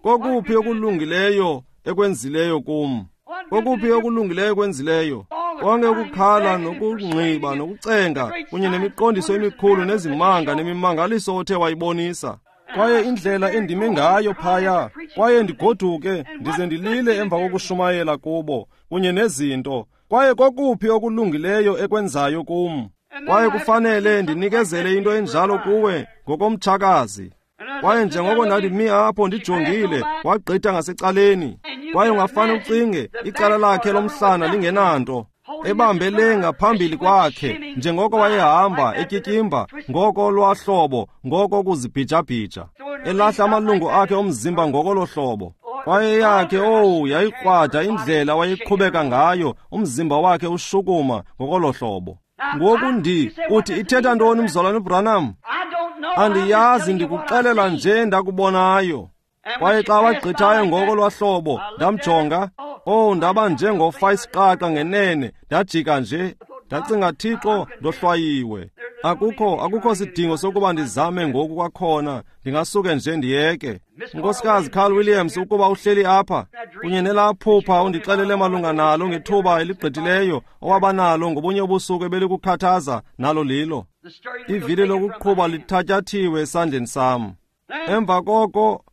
kokuphi okulungileyo ekwenzileyo kum? Kokuphi okulungileyo ekwenzileyo? Konke ukukhala nokungqiba nokucenga kunye nemiqondiso emikhulu nezimanga nemimangaliso othe wayibonisa. Kwaye indlela endime ngayo phaya, kwaye ndigoduke ndize ndilile emva kokushumayela kubo kunye nezinto. Kwaye kokuphi okulungileyo ekwenzayo kum? Kwaye kufanele ndinikezele into enjalo kuwe ngokomtshakazi. Kwaye njengoko ndandimi apho ndijongile, wagqitha ngasecaleni. Kwaye ungafane ucinge icala lakhe lomhlana lingenanto, ebambele ngaphambili kwakhe njengoko wayehamba etyityimba ngoko lwahlobo, ngoko kuzibhijabhija, elahla amalungu akhe omzimba ngoko lohlobo. Kwaye eyakhe, owu, yayikrwada indlela wayeqhubeka ngayo, umzimba wakhe ushukuma ngokolohlobo. Ngoku uthi ithetha ntoni, mzalwane uBranham? Andiyazi, ndikuxelela nje ndakubonayo. Kwaye xa wagqithayo ngoko lwahlobo, ndamjonga, oh, ndaba njengofa isiqaqa ngenene, ndajika nje. Ndacinga, Thixo, ndohlwayiwe. Akukho sidingo sokuba ndizame ngoku kwakhona, ndingasuke nje ndiyeke. Unkosikazi Carl Williams, ukuba uhleli apha, kunye nelaa phupha undixelele malunga nalo ngethuba eligqithileyo owabanalo ngobunye ubusuku ebelikukhathaza, nalo lilo. Ivili lokuqhuba lithatyathiwe esandleni sam. Emva koko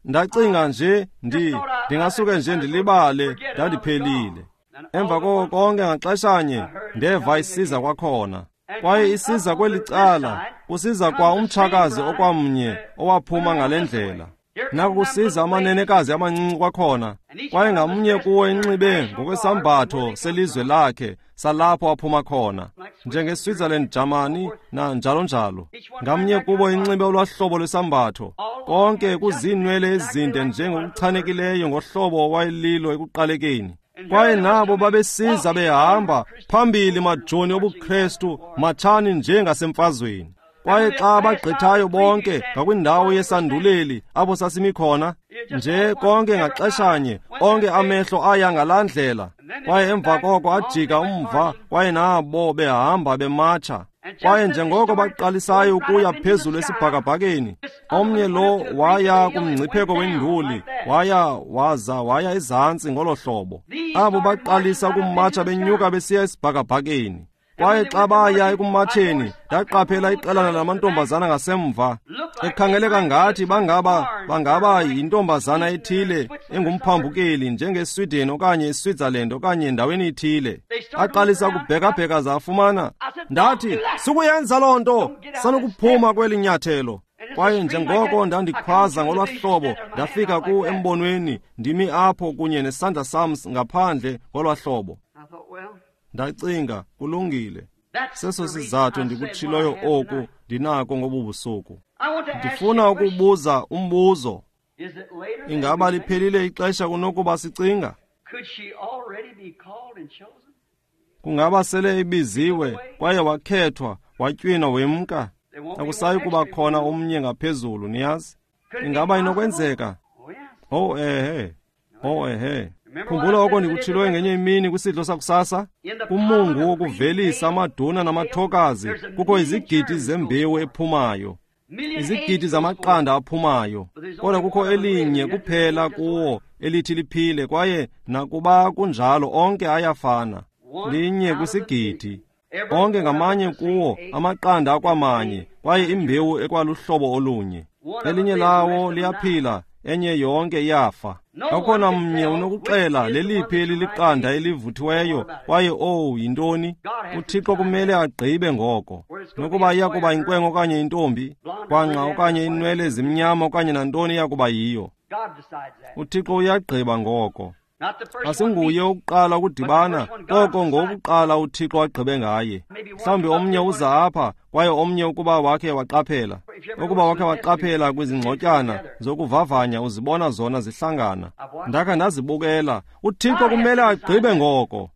ndacinga nje, ndingasuke nje ndilibale, ndandiphelile. Emva koko konke ngaxeshanye ndeva isiza kwakhona. Kwaye isiza kweli cala, kusiza kwa umtshakazi okwamnye owaphuma ngale ndlela. Naku kusiza amanenekazi amancinci kwakhona, kwaye ngamnye kuwo enxibe ngokwesambatho selizwe lakhe salapho aphuma khona, njengeSwitzerland, Germany na njalo njalo. Ngamnye kubo inxibe olwahlobo lwesambatho, konke kuziinwele ezinde njengokuchanekileyo ngohlobo owayelilo ekuqalekeni. Kwaye nabo babesiza behamba phambili, majoni obuKrestu, matshani njengasemfazweni. Kwaye xa bagqithayo bonke ngakwindawo yesanduleli apho sasimi khona, nje konke ngaxeshanye, onke amehlo aya ngalaa ndlela. Kwaye emva koko ajika umva, kwaye nabo behamba bematsha. Kwaye njengoko baqalisayo ukuya phezulu esibhakabhakeni, omnye lo waya kumngcipheko wenduli, waya waza waya ezantsi ngolo hlobo. Abo baqalisa ukumatsha benyuka besiya esibhakabhakeni. Kwaye xa baya ekumatsheni, ndaqaphela iqelana lamantombazana ngasemva, ekhangeleka ngathi bangaba yintombazana ethile engumphambukeli njengeSweden okanye iSwitzerland okanye endaweni ethile. Aqalisa ukubhekabheka zafumana. Ndathi, sukuyenza loo nto, sanukuphuma kweli nyathelo. Kwaye njengoko ndandikhwaza ngolwahlobo, ndafika ku embonweni, ndimi apho kunye nesandla sam ngaphandle ngolwahlobo. Ndacinga, kulungile. Seso sizathu ndikutshiloyo oku ndinako ngobu busuku. Ndifuna ukubuza umbuzo. Ingaba liphelile ixesha kunokuba sicinga? Kungaba sele ibiziwe kwaye wakhethwa, watywinwa wemka? Akusayi kuba khona omnye ngaphezulu, niyazi? Ingaba inokwenzeka? Oh ehe. Oh ehe. Khumbula oko ndikutshiloyo ngenye imini kwisidlo sakusasa? Kumungu wokuvelisa amaduna namathokazi kukho izigidi zembewu ephumayo, izigidi zamaqanda aphumayo, kodwa kukho elinye kuphela kuwo elithi liphile, kwaye nakuba kunjalo onke ayafana. Linye kwisigidi. Onke ngamanye kuwo amaqanda akwamanye, kwaye imbewu ekwaluhlobo olunye. Elinye lawo liyaphila, enye yonke iyafa. Akukho mnye unokuxela leliphi eliliqanda elivuthiweyo, kwaye owu yintoni? UThixo kumele agqibe ngoko, nokuba iya kuba inkwenkwe okanye intombi, kwangqa okanye inwele ezimnyama okanye nantoni iya kuba yiyo. UThixo uyagqiba ngoko. Asinguye ukuqala ukudibana, koko ngowokuqala uThixo agqibe ngaye. Mhlawumbi omnye uza apha, kwaye omnye ukuba wakhe waqaphela. Ukuba wakhe waqaphela kwizingxotyana zokuvavanya, uzibona zona zihlangana. Ndakha ndazibukela. uThixo kumele agqibe ngoko.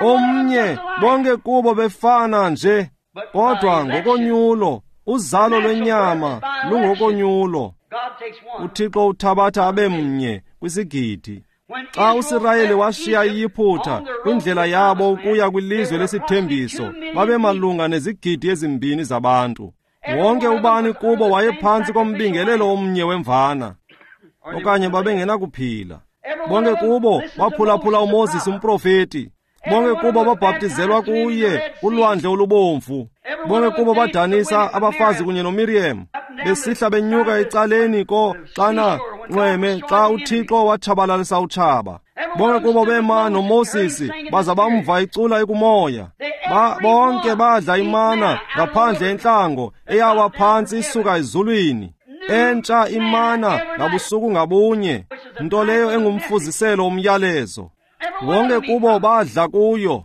Omnye, bonke kubo befana nje, kodwa ngokonyulo, uzalo lwenyama lungokonyulo. uThixo uthabatha abe mnye kwisigidi. Xa uSirayeli washiya iYiphutha kwindlela yabo ukuya kwilizwe lesithembiso, babemalunga nezigidi 2 zabantu. Wonke ubani kubo wayephantsi kombingelelo omnye wemvana, okanye babengenakuphila. Bonke kubo baphulaphula uMoses umprofeti. Bonke kubo babhaptizelwa kuye kulwandle olubomvu. Bonke kubo badanisa abafazi kunye noMiriam, besihla benyuka ecaleni ko xana nxweme xa uThixo watshabalalisa utshaba. Bonke kubo bema noMoses baza bamva icula ekumoya. Bonke badla imana ngaphandle entlango eyawa phantsi isuka ezulwini, entsha imana ngabusuku ngabunye, nto leyo engumfuziselo womyalezo. Wonke kubo badla kuyo.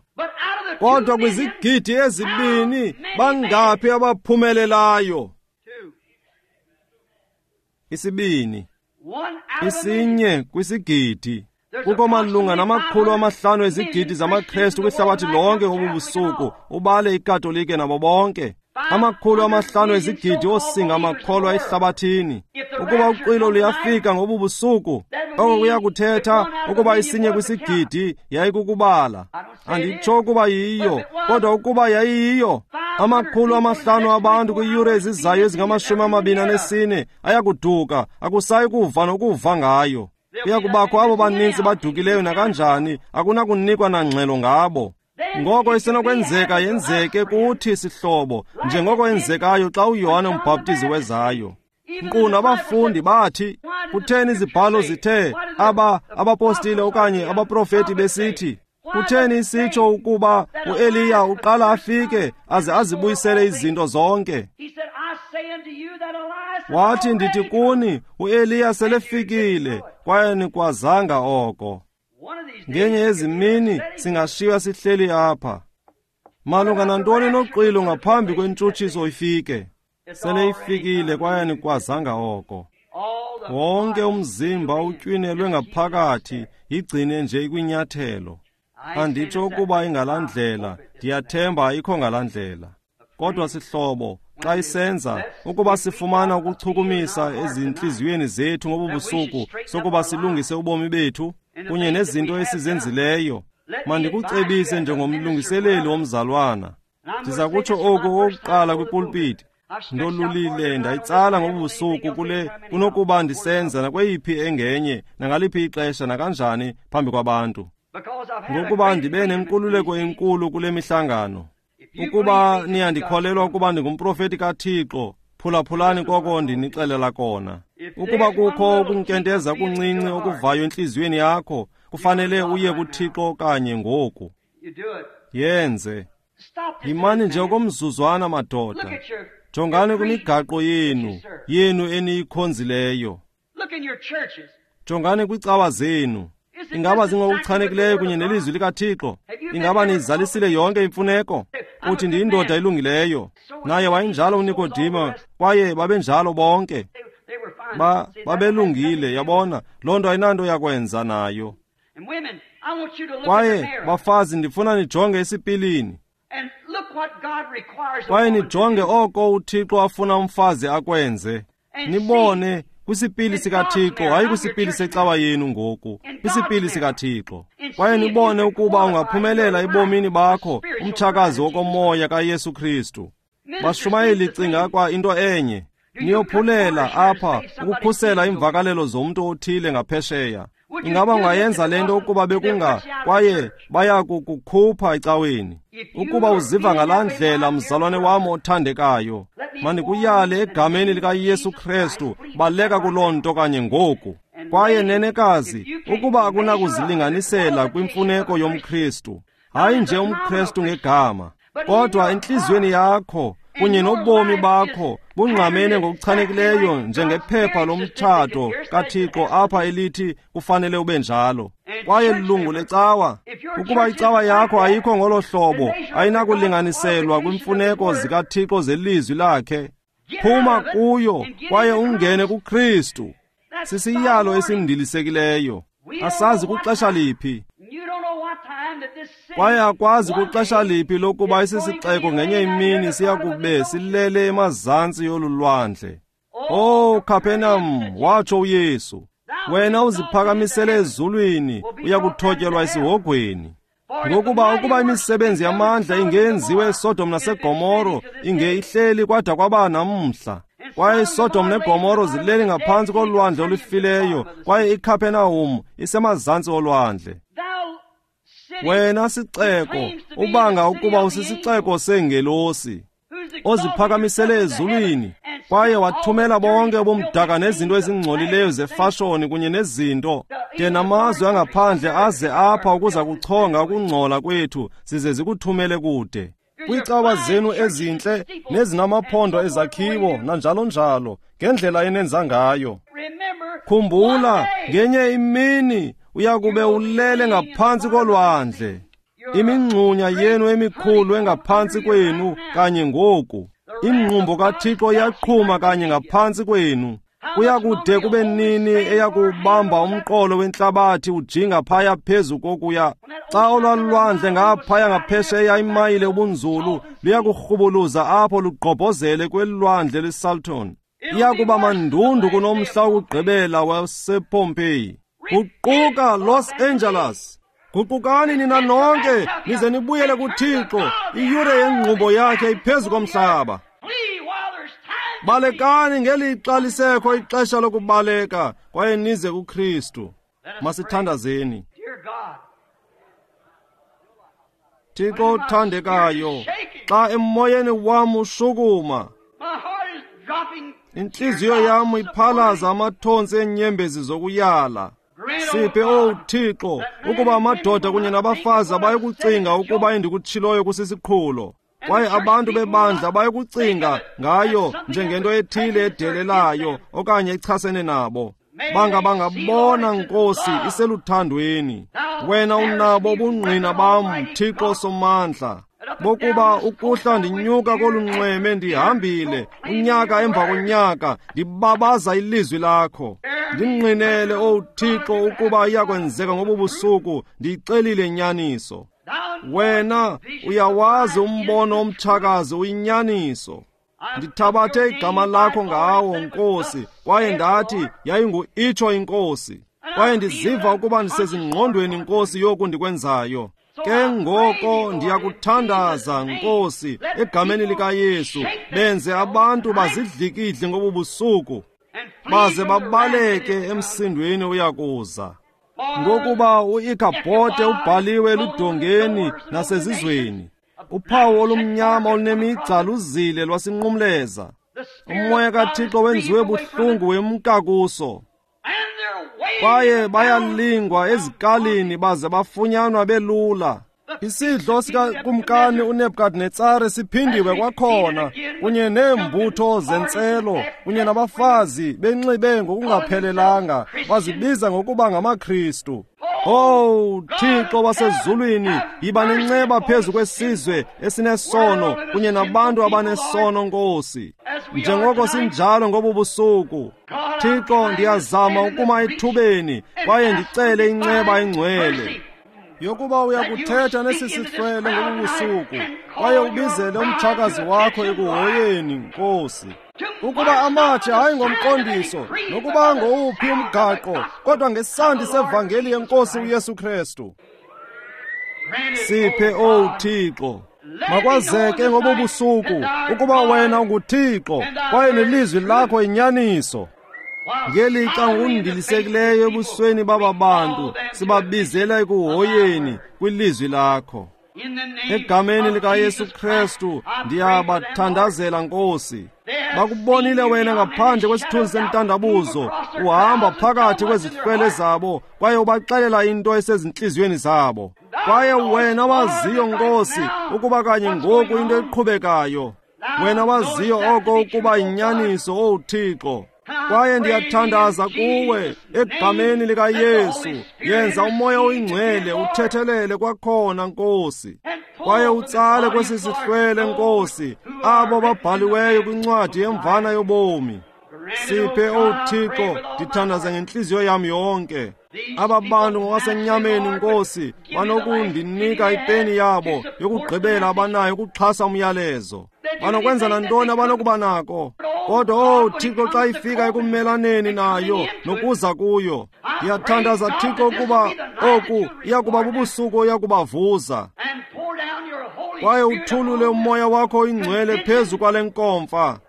Kodwa kwizigidi 2 bangaphi abaphumelelayo? 2. 1 kwisigidi. Kukho malunga nama-500 ezigidi zamaKrestu kwihlabathi lonke ngobu busuku, ubale iKatolike nabo bonke. 500 ezigidi osinga amakholwa ehlabathini. Ukuba uqilo luyafika ngobu busuku, oko kuyakuthetha ukuba 1 kwisigidi yayikukubala. Anditsho ukuba yiyo, kodwa ukuba yayiyiyo, 500 abantu kwiiyure ezizayo ezingama-24 ayakuduka, akusayi kuva nokuva ngayo. Kuyakubakho abo baninzi badukileyo nakanjani, akunakunikwa nangxelo ngabo. Ngoko isenokwenzeka yenzeke kuthi sihlobo, njengoko yenzekayo xa uYohane umbhaptizi wezayo. Nkqu nabafundi bathi, kutheni izibhalo zithe abapostile okanye abaprofeti besithi, kutheni isitsho ukuba uEliya uqala afike aze azibuyisele izinto zonke? Wathi, ndithi kuni, uEliya selefikile, kwaye nikwazanga oko. Ngenye yezimini singashiywa sihleli apha. Malunga nantoni noqilo ngaphambi kwentshutshiso ifike? Sele ifikile kwaye nikwazanga oko. Wonke umzimba utywinelwe ngaphakathi, yigcine nje ikwinyathelo. Anditsho ukuba ingalaa ndlela, ndiyathemba ayikho ngalaa ndlela. Kodwa sihlobo, xa isenza, ukuba sifumana ukuchukumisa ezintliziyweni zethu ngobu busuku sokuba silungise ubomi bethu kunye nezinto esizenzileyo, mandikucebise njengomlungiseleli womzalwana. Ndiza kutsho oku okokuqala kwipulpiti. Ndolulile ndayitsala ngobu busuku kule kunokuba ndisenza nakweyiphi engenye nangaliphi ixesha nakanjani phambi kwabantu, ngokuba ndibe nenkululeko enkulu kule mihlangano. Ukuba niyandikholelwa ukuba ndingumprofeti kaThixo, phulaphulani koko ndinixelela kona. Ukuba kukho ukunkenteza kuncinci okuvayo entliziyweni yakho, kufanele uye kuThixo kanye ngoku. Yenze. Yimani nje okomzuzwana, madoda. Jongani kwimigaqo yenu eniyikhonzileyo. Jongani kwiicawa zenu. Ingaba zingokuchanekileyo kunye nelizwi likaThixo? Ingaba niyizalisile yonke imfuneko? Uthi, ndiyindoda elungileyo. Naye wayenjalo uNikodimo, kwaye babenjalo bonke. Babelungile, yabona. Loo nto ayinanto yakwenza nayo. Kwaye bafazi, ndifuna nijonge esipilini. Kwaye nijonge oko uThixo afuna umfazi akwenze. Nibone kwisipili sikaThixo, hayi kwisipili secawa yenu ngoku, kwisipili sikaThixo. Kwaye nibone ukuba ungaphumelela ebomini bakho umtshakazi wokomoya kaYesu Kristu. Bashumayeli, cinga kwa into enye. Niyophulela apha ukukhusela iimvakalelo zomntu othile ngaphesheya. Ingaba ungayenza le nto ukuba bekunga, kwaye baya kukukhupha ecaweni? Ukuba uziva ngalaa ndlela, mzalwane wam othandekayo, mandikuyale egameni likaYesu Kristu, baleka kuloo nto kanye ngoku. Kwaye nenekazi, ukuba akunakuzilinganisela kwimfuneko yomKristu, hayi nje umKristu ngegama, kodwa entliziyweni yakho kunye nobomi bakho bungqamene ngokuchanekileyo njengephepha lomtshato kaThixo apha elithi kufanele ube njalo. Kwaye lilungu lecawa. Ukuba icawa yakho ayikho ngolo hlobo, ayinakulinganiselwa kwimfuneko zikaThixo zelizwi lakhe. Phuma kuyo kwaye ungene kuKristu. Sisiyalo esindilisekileyo. Asazi kuxesha liphi, kwaye akwazi kuxesha liphi lokuba isisixeko ngenye imini siya kube silele emazantsi yolu lwandle. Oh, Capernaum, watsho uYesu, Wena uziphakamisele ezulwini, uyakuthotyelwa esihogweni. Ngokuba ukuba imisebenzi yamandla ingenziwe eSodom naseGomoro, inge ihleli kwada kwaba namhla. Kwaye iSodom neGomoro zileli ngaphantsi kolwandle olufileyo, kwaye iKapernaum isemazantsi olwandle. Wena sixeko, ubanga ukuba usisixeko seengelosi, oziphakamisele ezulwini, kwaye wathumela bonke ubumdaka nezinto ezingcolileyo zefashoni kunye nezinto, de namazwe angaphandle aze apha ukuza kuchonga ukungcola kwethu, zize zikuthumele kude. Kwiicawa zenu ezintle nezinamaphondo ezakhiwo nanjalo njalo, ngendlela enenza ngayo. Khumbula, ngenye imini uyakube ulele ngaphantsi kolwandle. Imingxunya yenu emikhulu engaphantsi kwenu kanye ngoku. Ingqumbo kaThixo iyaqhuma kanye ngaphantsi kwenu. Kuyakude kube nini eyakubamba umqolo wentlabathi ujinga phaya phezu kokuya? Xa olwalwandle ngaphaya ngaphesheya imayile ubunzulu luyakurhubuluza apho lugqobhozele kwelwandle lweSalton. Iyakuba mandundu kunomhla wokugqibela wasePompeii. Guquka, Los Angeles. Guqukani nina nonke, nize nibuyele kuThixo. Iyure yengqumbo yakhe iphezu komhlaba. Balekani ngelixa lisekho ixesha lokubaleka, kwaye nize kuKristu. Masithandazeni. Thixo othandekayo, xa emoyeni wam ushukuma, intliziyo yam iphalaza amathontsi eenyembezi zokuyala. Siphe, owu Thixo, ukuba amadoda kunye nabafazi abayikucinga ukuba endikutshiloyo kusisiqhulo, kwaye abantu bebandla bayikucinga ngayo njengento ethile edelelayo okanye echasene nabo. Banga bangabona, Nkosi, iseluthandweni. Wena unabo ubungqina bam, Thixo Somandla, bokuba ukuhla ndinyuka kolu nxweme ndihambile unyaka emva konyaka, ndibabaza ilizwi lakho. Ndingqinele, owu Thixo, ukuba iyakwenzeka ngobu busuku, ndiyicelile inyaniso. Wena uyawazi umbono omtshakazi uyinyaniso. Ndithabathe igama lakho ngawo, Nkosi, kwaye ndathi yayingu-itsho iNkosi. Kwaye ndiziva ukuba ndisezingqondweni, Nkosi, yoku ndikwenzayo. Ke ngoko ndiyakuthandaza, Nkosi, egameni likaYesu, benze abantu bazidlikidle ngobu busuku, baze babaleke emsindweni uyakuza. Ngokuba uIkhabhote ubhaliwe eludongeni nasezizweni, uphawu olumnyama olunemigca luzile lwasinqumleza. Umoya kaThixo wenziwe buhlungu wemka kuso. Kwaye bayalingwa ezikalini baze bafunyanwa belula. Isidlo sikakumkani uNebukadnetsare siphindiwe kwakhona, kunye neembutho zentselo kunye nabafazi benxibe ngokungaphelelanga, bazibiza ngokuba ngamaKristu. Owu Thixo wasezulwini, yiba nenceba phezu kwesizwe esinesono kunye nabantu abanesono, Nkosi, njengoko sinjalo ngobu busuku. Thixo, ndiyazama ukuma ethubeni kwaye ndicele inceba engcwele yokuba uyakuthetha nesi sihlwele ngobu busuku, kwaye ubizele umtshakazi wakho ekuhoyeni, Nkosi. Ukuba amatshe hayi ngomqondiso nokuba ngowuphi umgaqo, kodwa ngesandi sevangeli yenkosi uYesu Kristu. Siphe, owu Thixo, makwazeke ngobu busuku ukuba wena unguThixo kwaye nelizwi lakho inyaniso. Ngelixa ngokundilisekileyo ebusweni baba bantu sibabizela ekuhoyeni kwilizwi lakho. Egameni likaYesu Kristu ndiyabathandazela, Nkosi. Bakubonile wena ngaphandle kwesithunzi sentandabuzo, uhamba phakathi kwezihlwele zabo kwaye ubaxelela into esezintliziyweni zabo. Kwaye wena waziyo, Nkosi, ukuba kanye ngoku into eqhubekayo. Wena waziyo oko ukuba yinyaniso, owu Thixo. Kwaye ndiyathandaza kuwe egameni likaYesu, yenza umoya oyingcwele uthethelele kwakhona, Nkosi, kwaye utsale kwesi sihlwele, Nkosi, abo babhaliweyo kwincwadi yemvana yobomi. Siphe, owu Thixo, ndithandaza ngentliziyo yam yonke. Aba bantu ngokwasenyameni, Nkosi, banokundinika ipeni yabo yokugqibela abanayo ukuxhasa umyalezo. Banokwenza nantoni abanokuba nako. Kodwa, oh Thixo, xa ifika ekumelaneni nayo nokuza kuyo, ndiyathandaza Thixo ukuba oku iyakuba bubusuku oyakubavuza, kwaye uthulule umoya wakho oyingcwele phezu kwale nkomfa.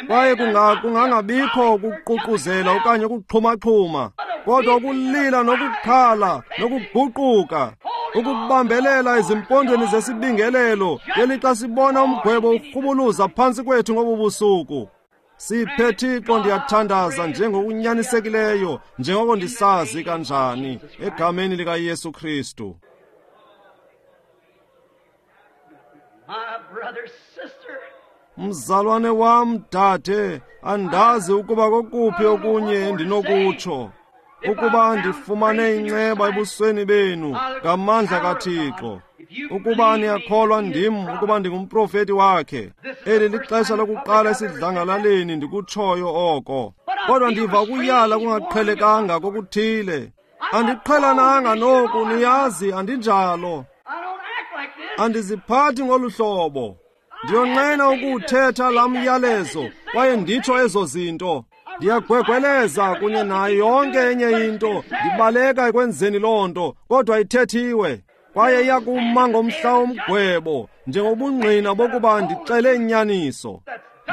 Kwaye kungangabikho ukuququzela okanye ukuxhumaxhuma, kodwa ukulila nokukhala nokuguquka, ukubambelela ezimpondweni zesibingelelo ngelixa sibona umgwebo urhubuluza phantsi kwethu ngobu busuku. Siphe Thixo, ndiyathandaza njengokunyanisekileyo njengoko ndisazi kanjani, egameni likaYesu Kristu. Mzalwane wam, dade, andazi ukuba kokuphi okunye endinokutsho, ukuba ndifumane inceba ebusweni benu ngamandla kaThixo. Ukuba niyakholwa ndim ukuba ndingumprofeti wakhe, eli lixesha lokuqala esidlangalaleni ndikutshoyo oko. Kodwa ndiva ukuyala kungaqhelekanga kokuthile. Andiqhelananga noku, niyazi, andinjalo. Andiziphathi ngolu hlobo. Ndiyonqena ukuwuthetha laa myalezo kwaye nditsho ezo zinto. Ndiyagwegweleza kunye nayo yonke enye into, ndibaleka ekwenzeni loo nto, kodwa ithethiwe. Kwaye iyakuma ngomhla womgwebo njengobungqina bokuba ndixele inyaniso.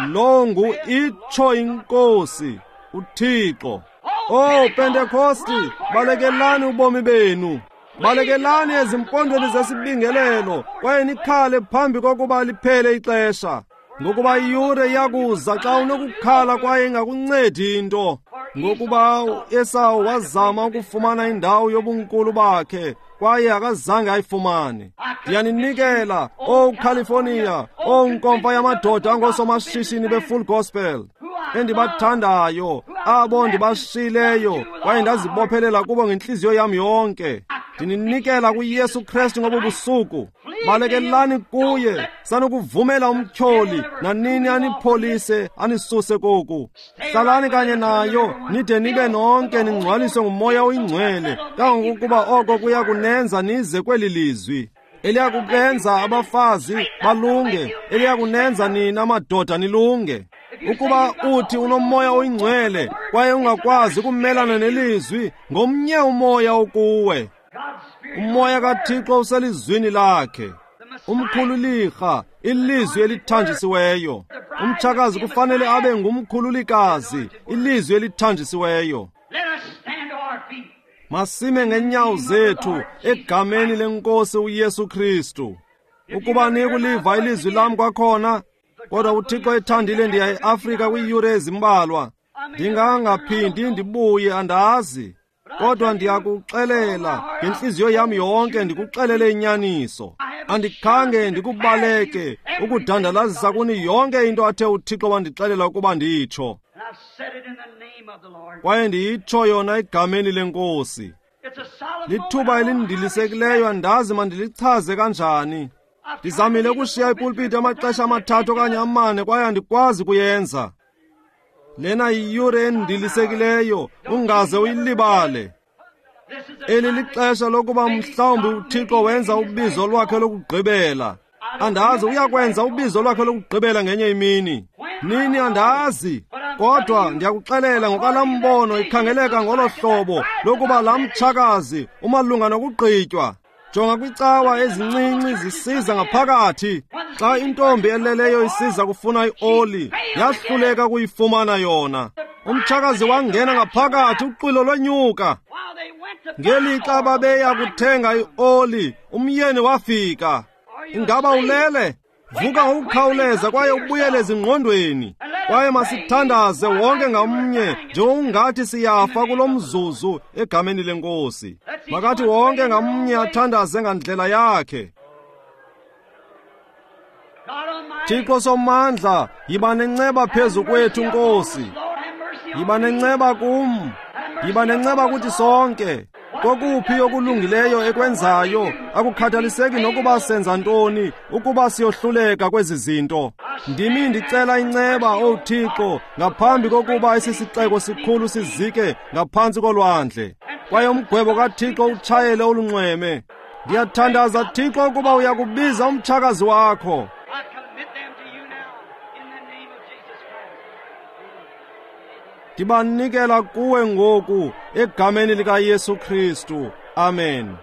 Lo ngu itsho iNkosi uThixo. Oh Pentekosti, balekelani ubomi benu. Balekelani ezimpondweni zesibingelelo kwaye nikhale phambi kokuba liphele ixesha, ngokuba iyure iyakuza xa unokukhala kwaye ingakuncedi into. Ngokuba uEsawu wazama ukufumana indawo yobunkulu bakhe kwaye akazange ayifumane. Ndiyaninikela, O California, O nkomfa yamadoda angoosomashishini be-Full Gospel endibathandayo, abo ndibashileyo kwaye ndazibophelela kubo ngentliziyo yam yonke. Ndininikela kuYesu Kristu ngobu busuku. Balekelani kuye, sanukuvumela umtyholi nanini anipholise anisuse koku. Hlalani kanye nayo nide nibe nonke ningcwaliswe nguMoya oyiNgcwele, kangangokuba oko kuya kunenza nize kweli lizwi eliyakubenza abafazi balunge, eliyakunenza nina madoda nilunge. Ukuba uthi unomoya oyingcwele kwaye ungakwazi ukumelana nelizwi, ngomnye umoya okuwe. Umoya kaThixo uselizwini lakhe. Umkhululirha, ilizwi elithanjisiweyo. Umtshakazi kufanele abe ngumkhululikazi, ilizwi elithanjisiweyo. Masime ngenyawo zethu egameni lenkosi uYesu Kristu. Ukuba nikuliva ilizwi lam kwakhona, kodwa uThixo ethandile ndiya eAfrika kwiiyure ezimbalwa. Ndingangaphindi ndibuye, andazi. Kodwa ndiyakuxelela ngentliziyo yam yonke, ndikuxelele inyaniso. Andikhange ndikubaleke ukudandalazisa kuni yonke into athe uThixo wandixelela ukuba nditsho. Kwaye ndiyitsho yona egameni lenkosi. Lithuba elindilisekileyo, andazi mandilichaze kanjani. Ndizamile ukushiya ipulpiti amaxesha 3 okanye 4 kwaye andikwazi kuyenza. Lena yiyure endilisekileyo, ungaze uyilibale. Eli lixesha lokuba mhlawumbi uThixo wenza ubizo lwakhe lokugqibela. Andazi uyakwenza ubizo lwakhe lokugqibela ngenye imini. Nini andazi, kodwa ndiyakuxelela ngokalambono ikhangeleka ngolo hlobo lokuba laa mtshakazi umalunga nokugqitywa. Jonga kwicawa ezincinci zisiza ngaphakathi. Xa intombi eleleyo isiza kufuna ioli, yahluleka kuyifumana yona. Umtshakazi wangena ngaphakathi, uxwilo lwenyuka. Ngelixa babeya kuthenga ioli, umyeni wafika. Ingaba ulele? Vuka ngokukhawuleza kwaye ubuyele ezingqondweni. Kwaye masithandaze wonke ngamnye njengokungathi siyafa kulo mzuzu egameni lenkosi. Makathi wonke ngamnye athandaze ngandlela yakhe. Thixo Somandla, yiba nenceba phezu kwethu Nkosi. Yiba nenceba kum. Yiba nenceba kuthi sonke. Kokuphi okulungileyo ekwenzayo, akukhathaliseki nokuba senza ntoni, ukuba siyohluleka kwezi zinto. Ndimi ndicela inceba, O Thixo, ngaphambi kokuba esi sixeko sikhulu sizike ngaphantsi kolwandle. Kwaye umgwebo kaThixo utshayele olunxweme. Ndiyathandaza, Thixo, ukuba uyakubiza umtshakazi wakho. I commit them to you now in the name of Jesus Christ. Ndibanikela kuwe ngoku egameni likaYesu Kristu. Amen.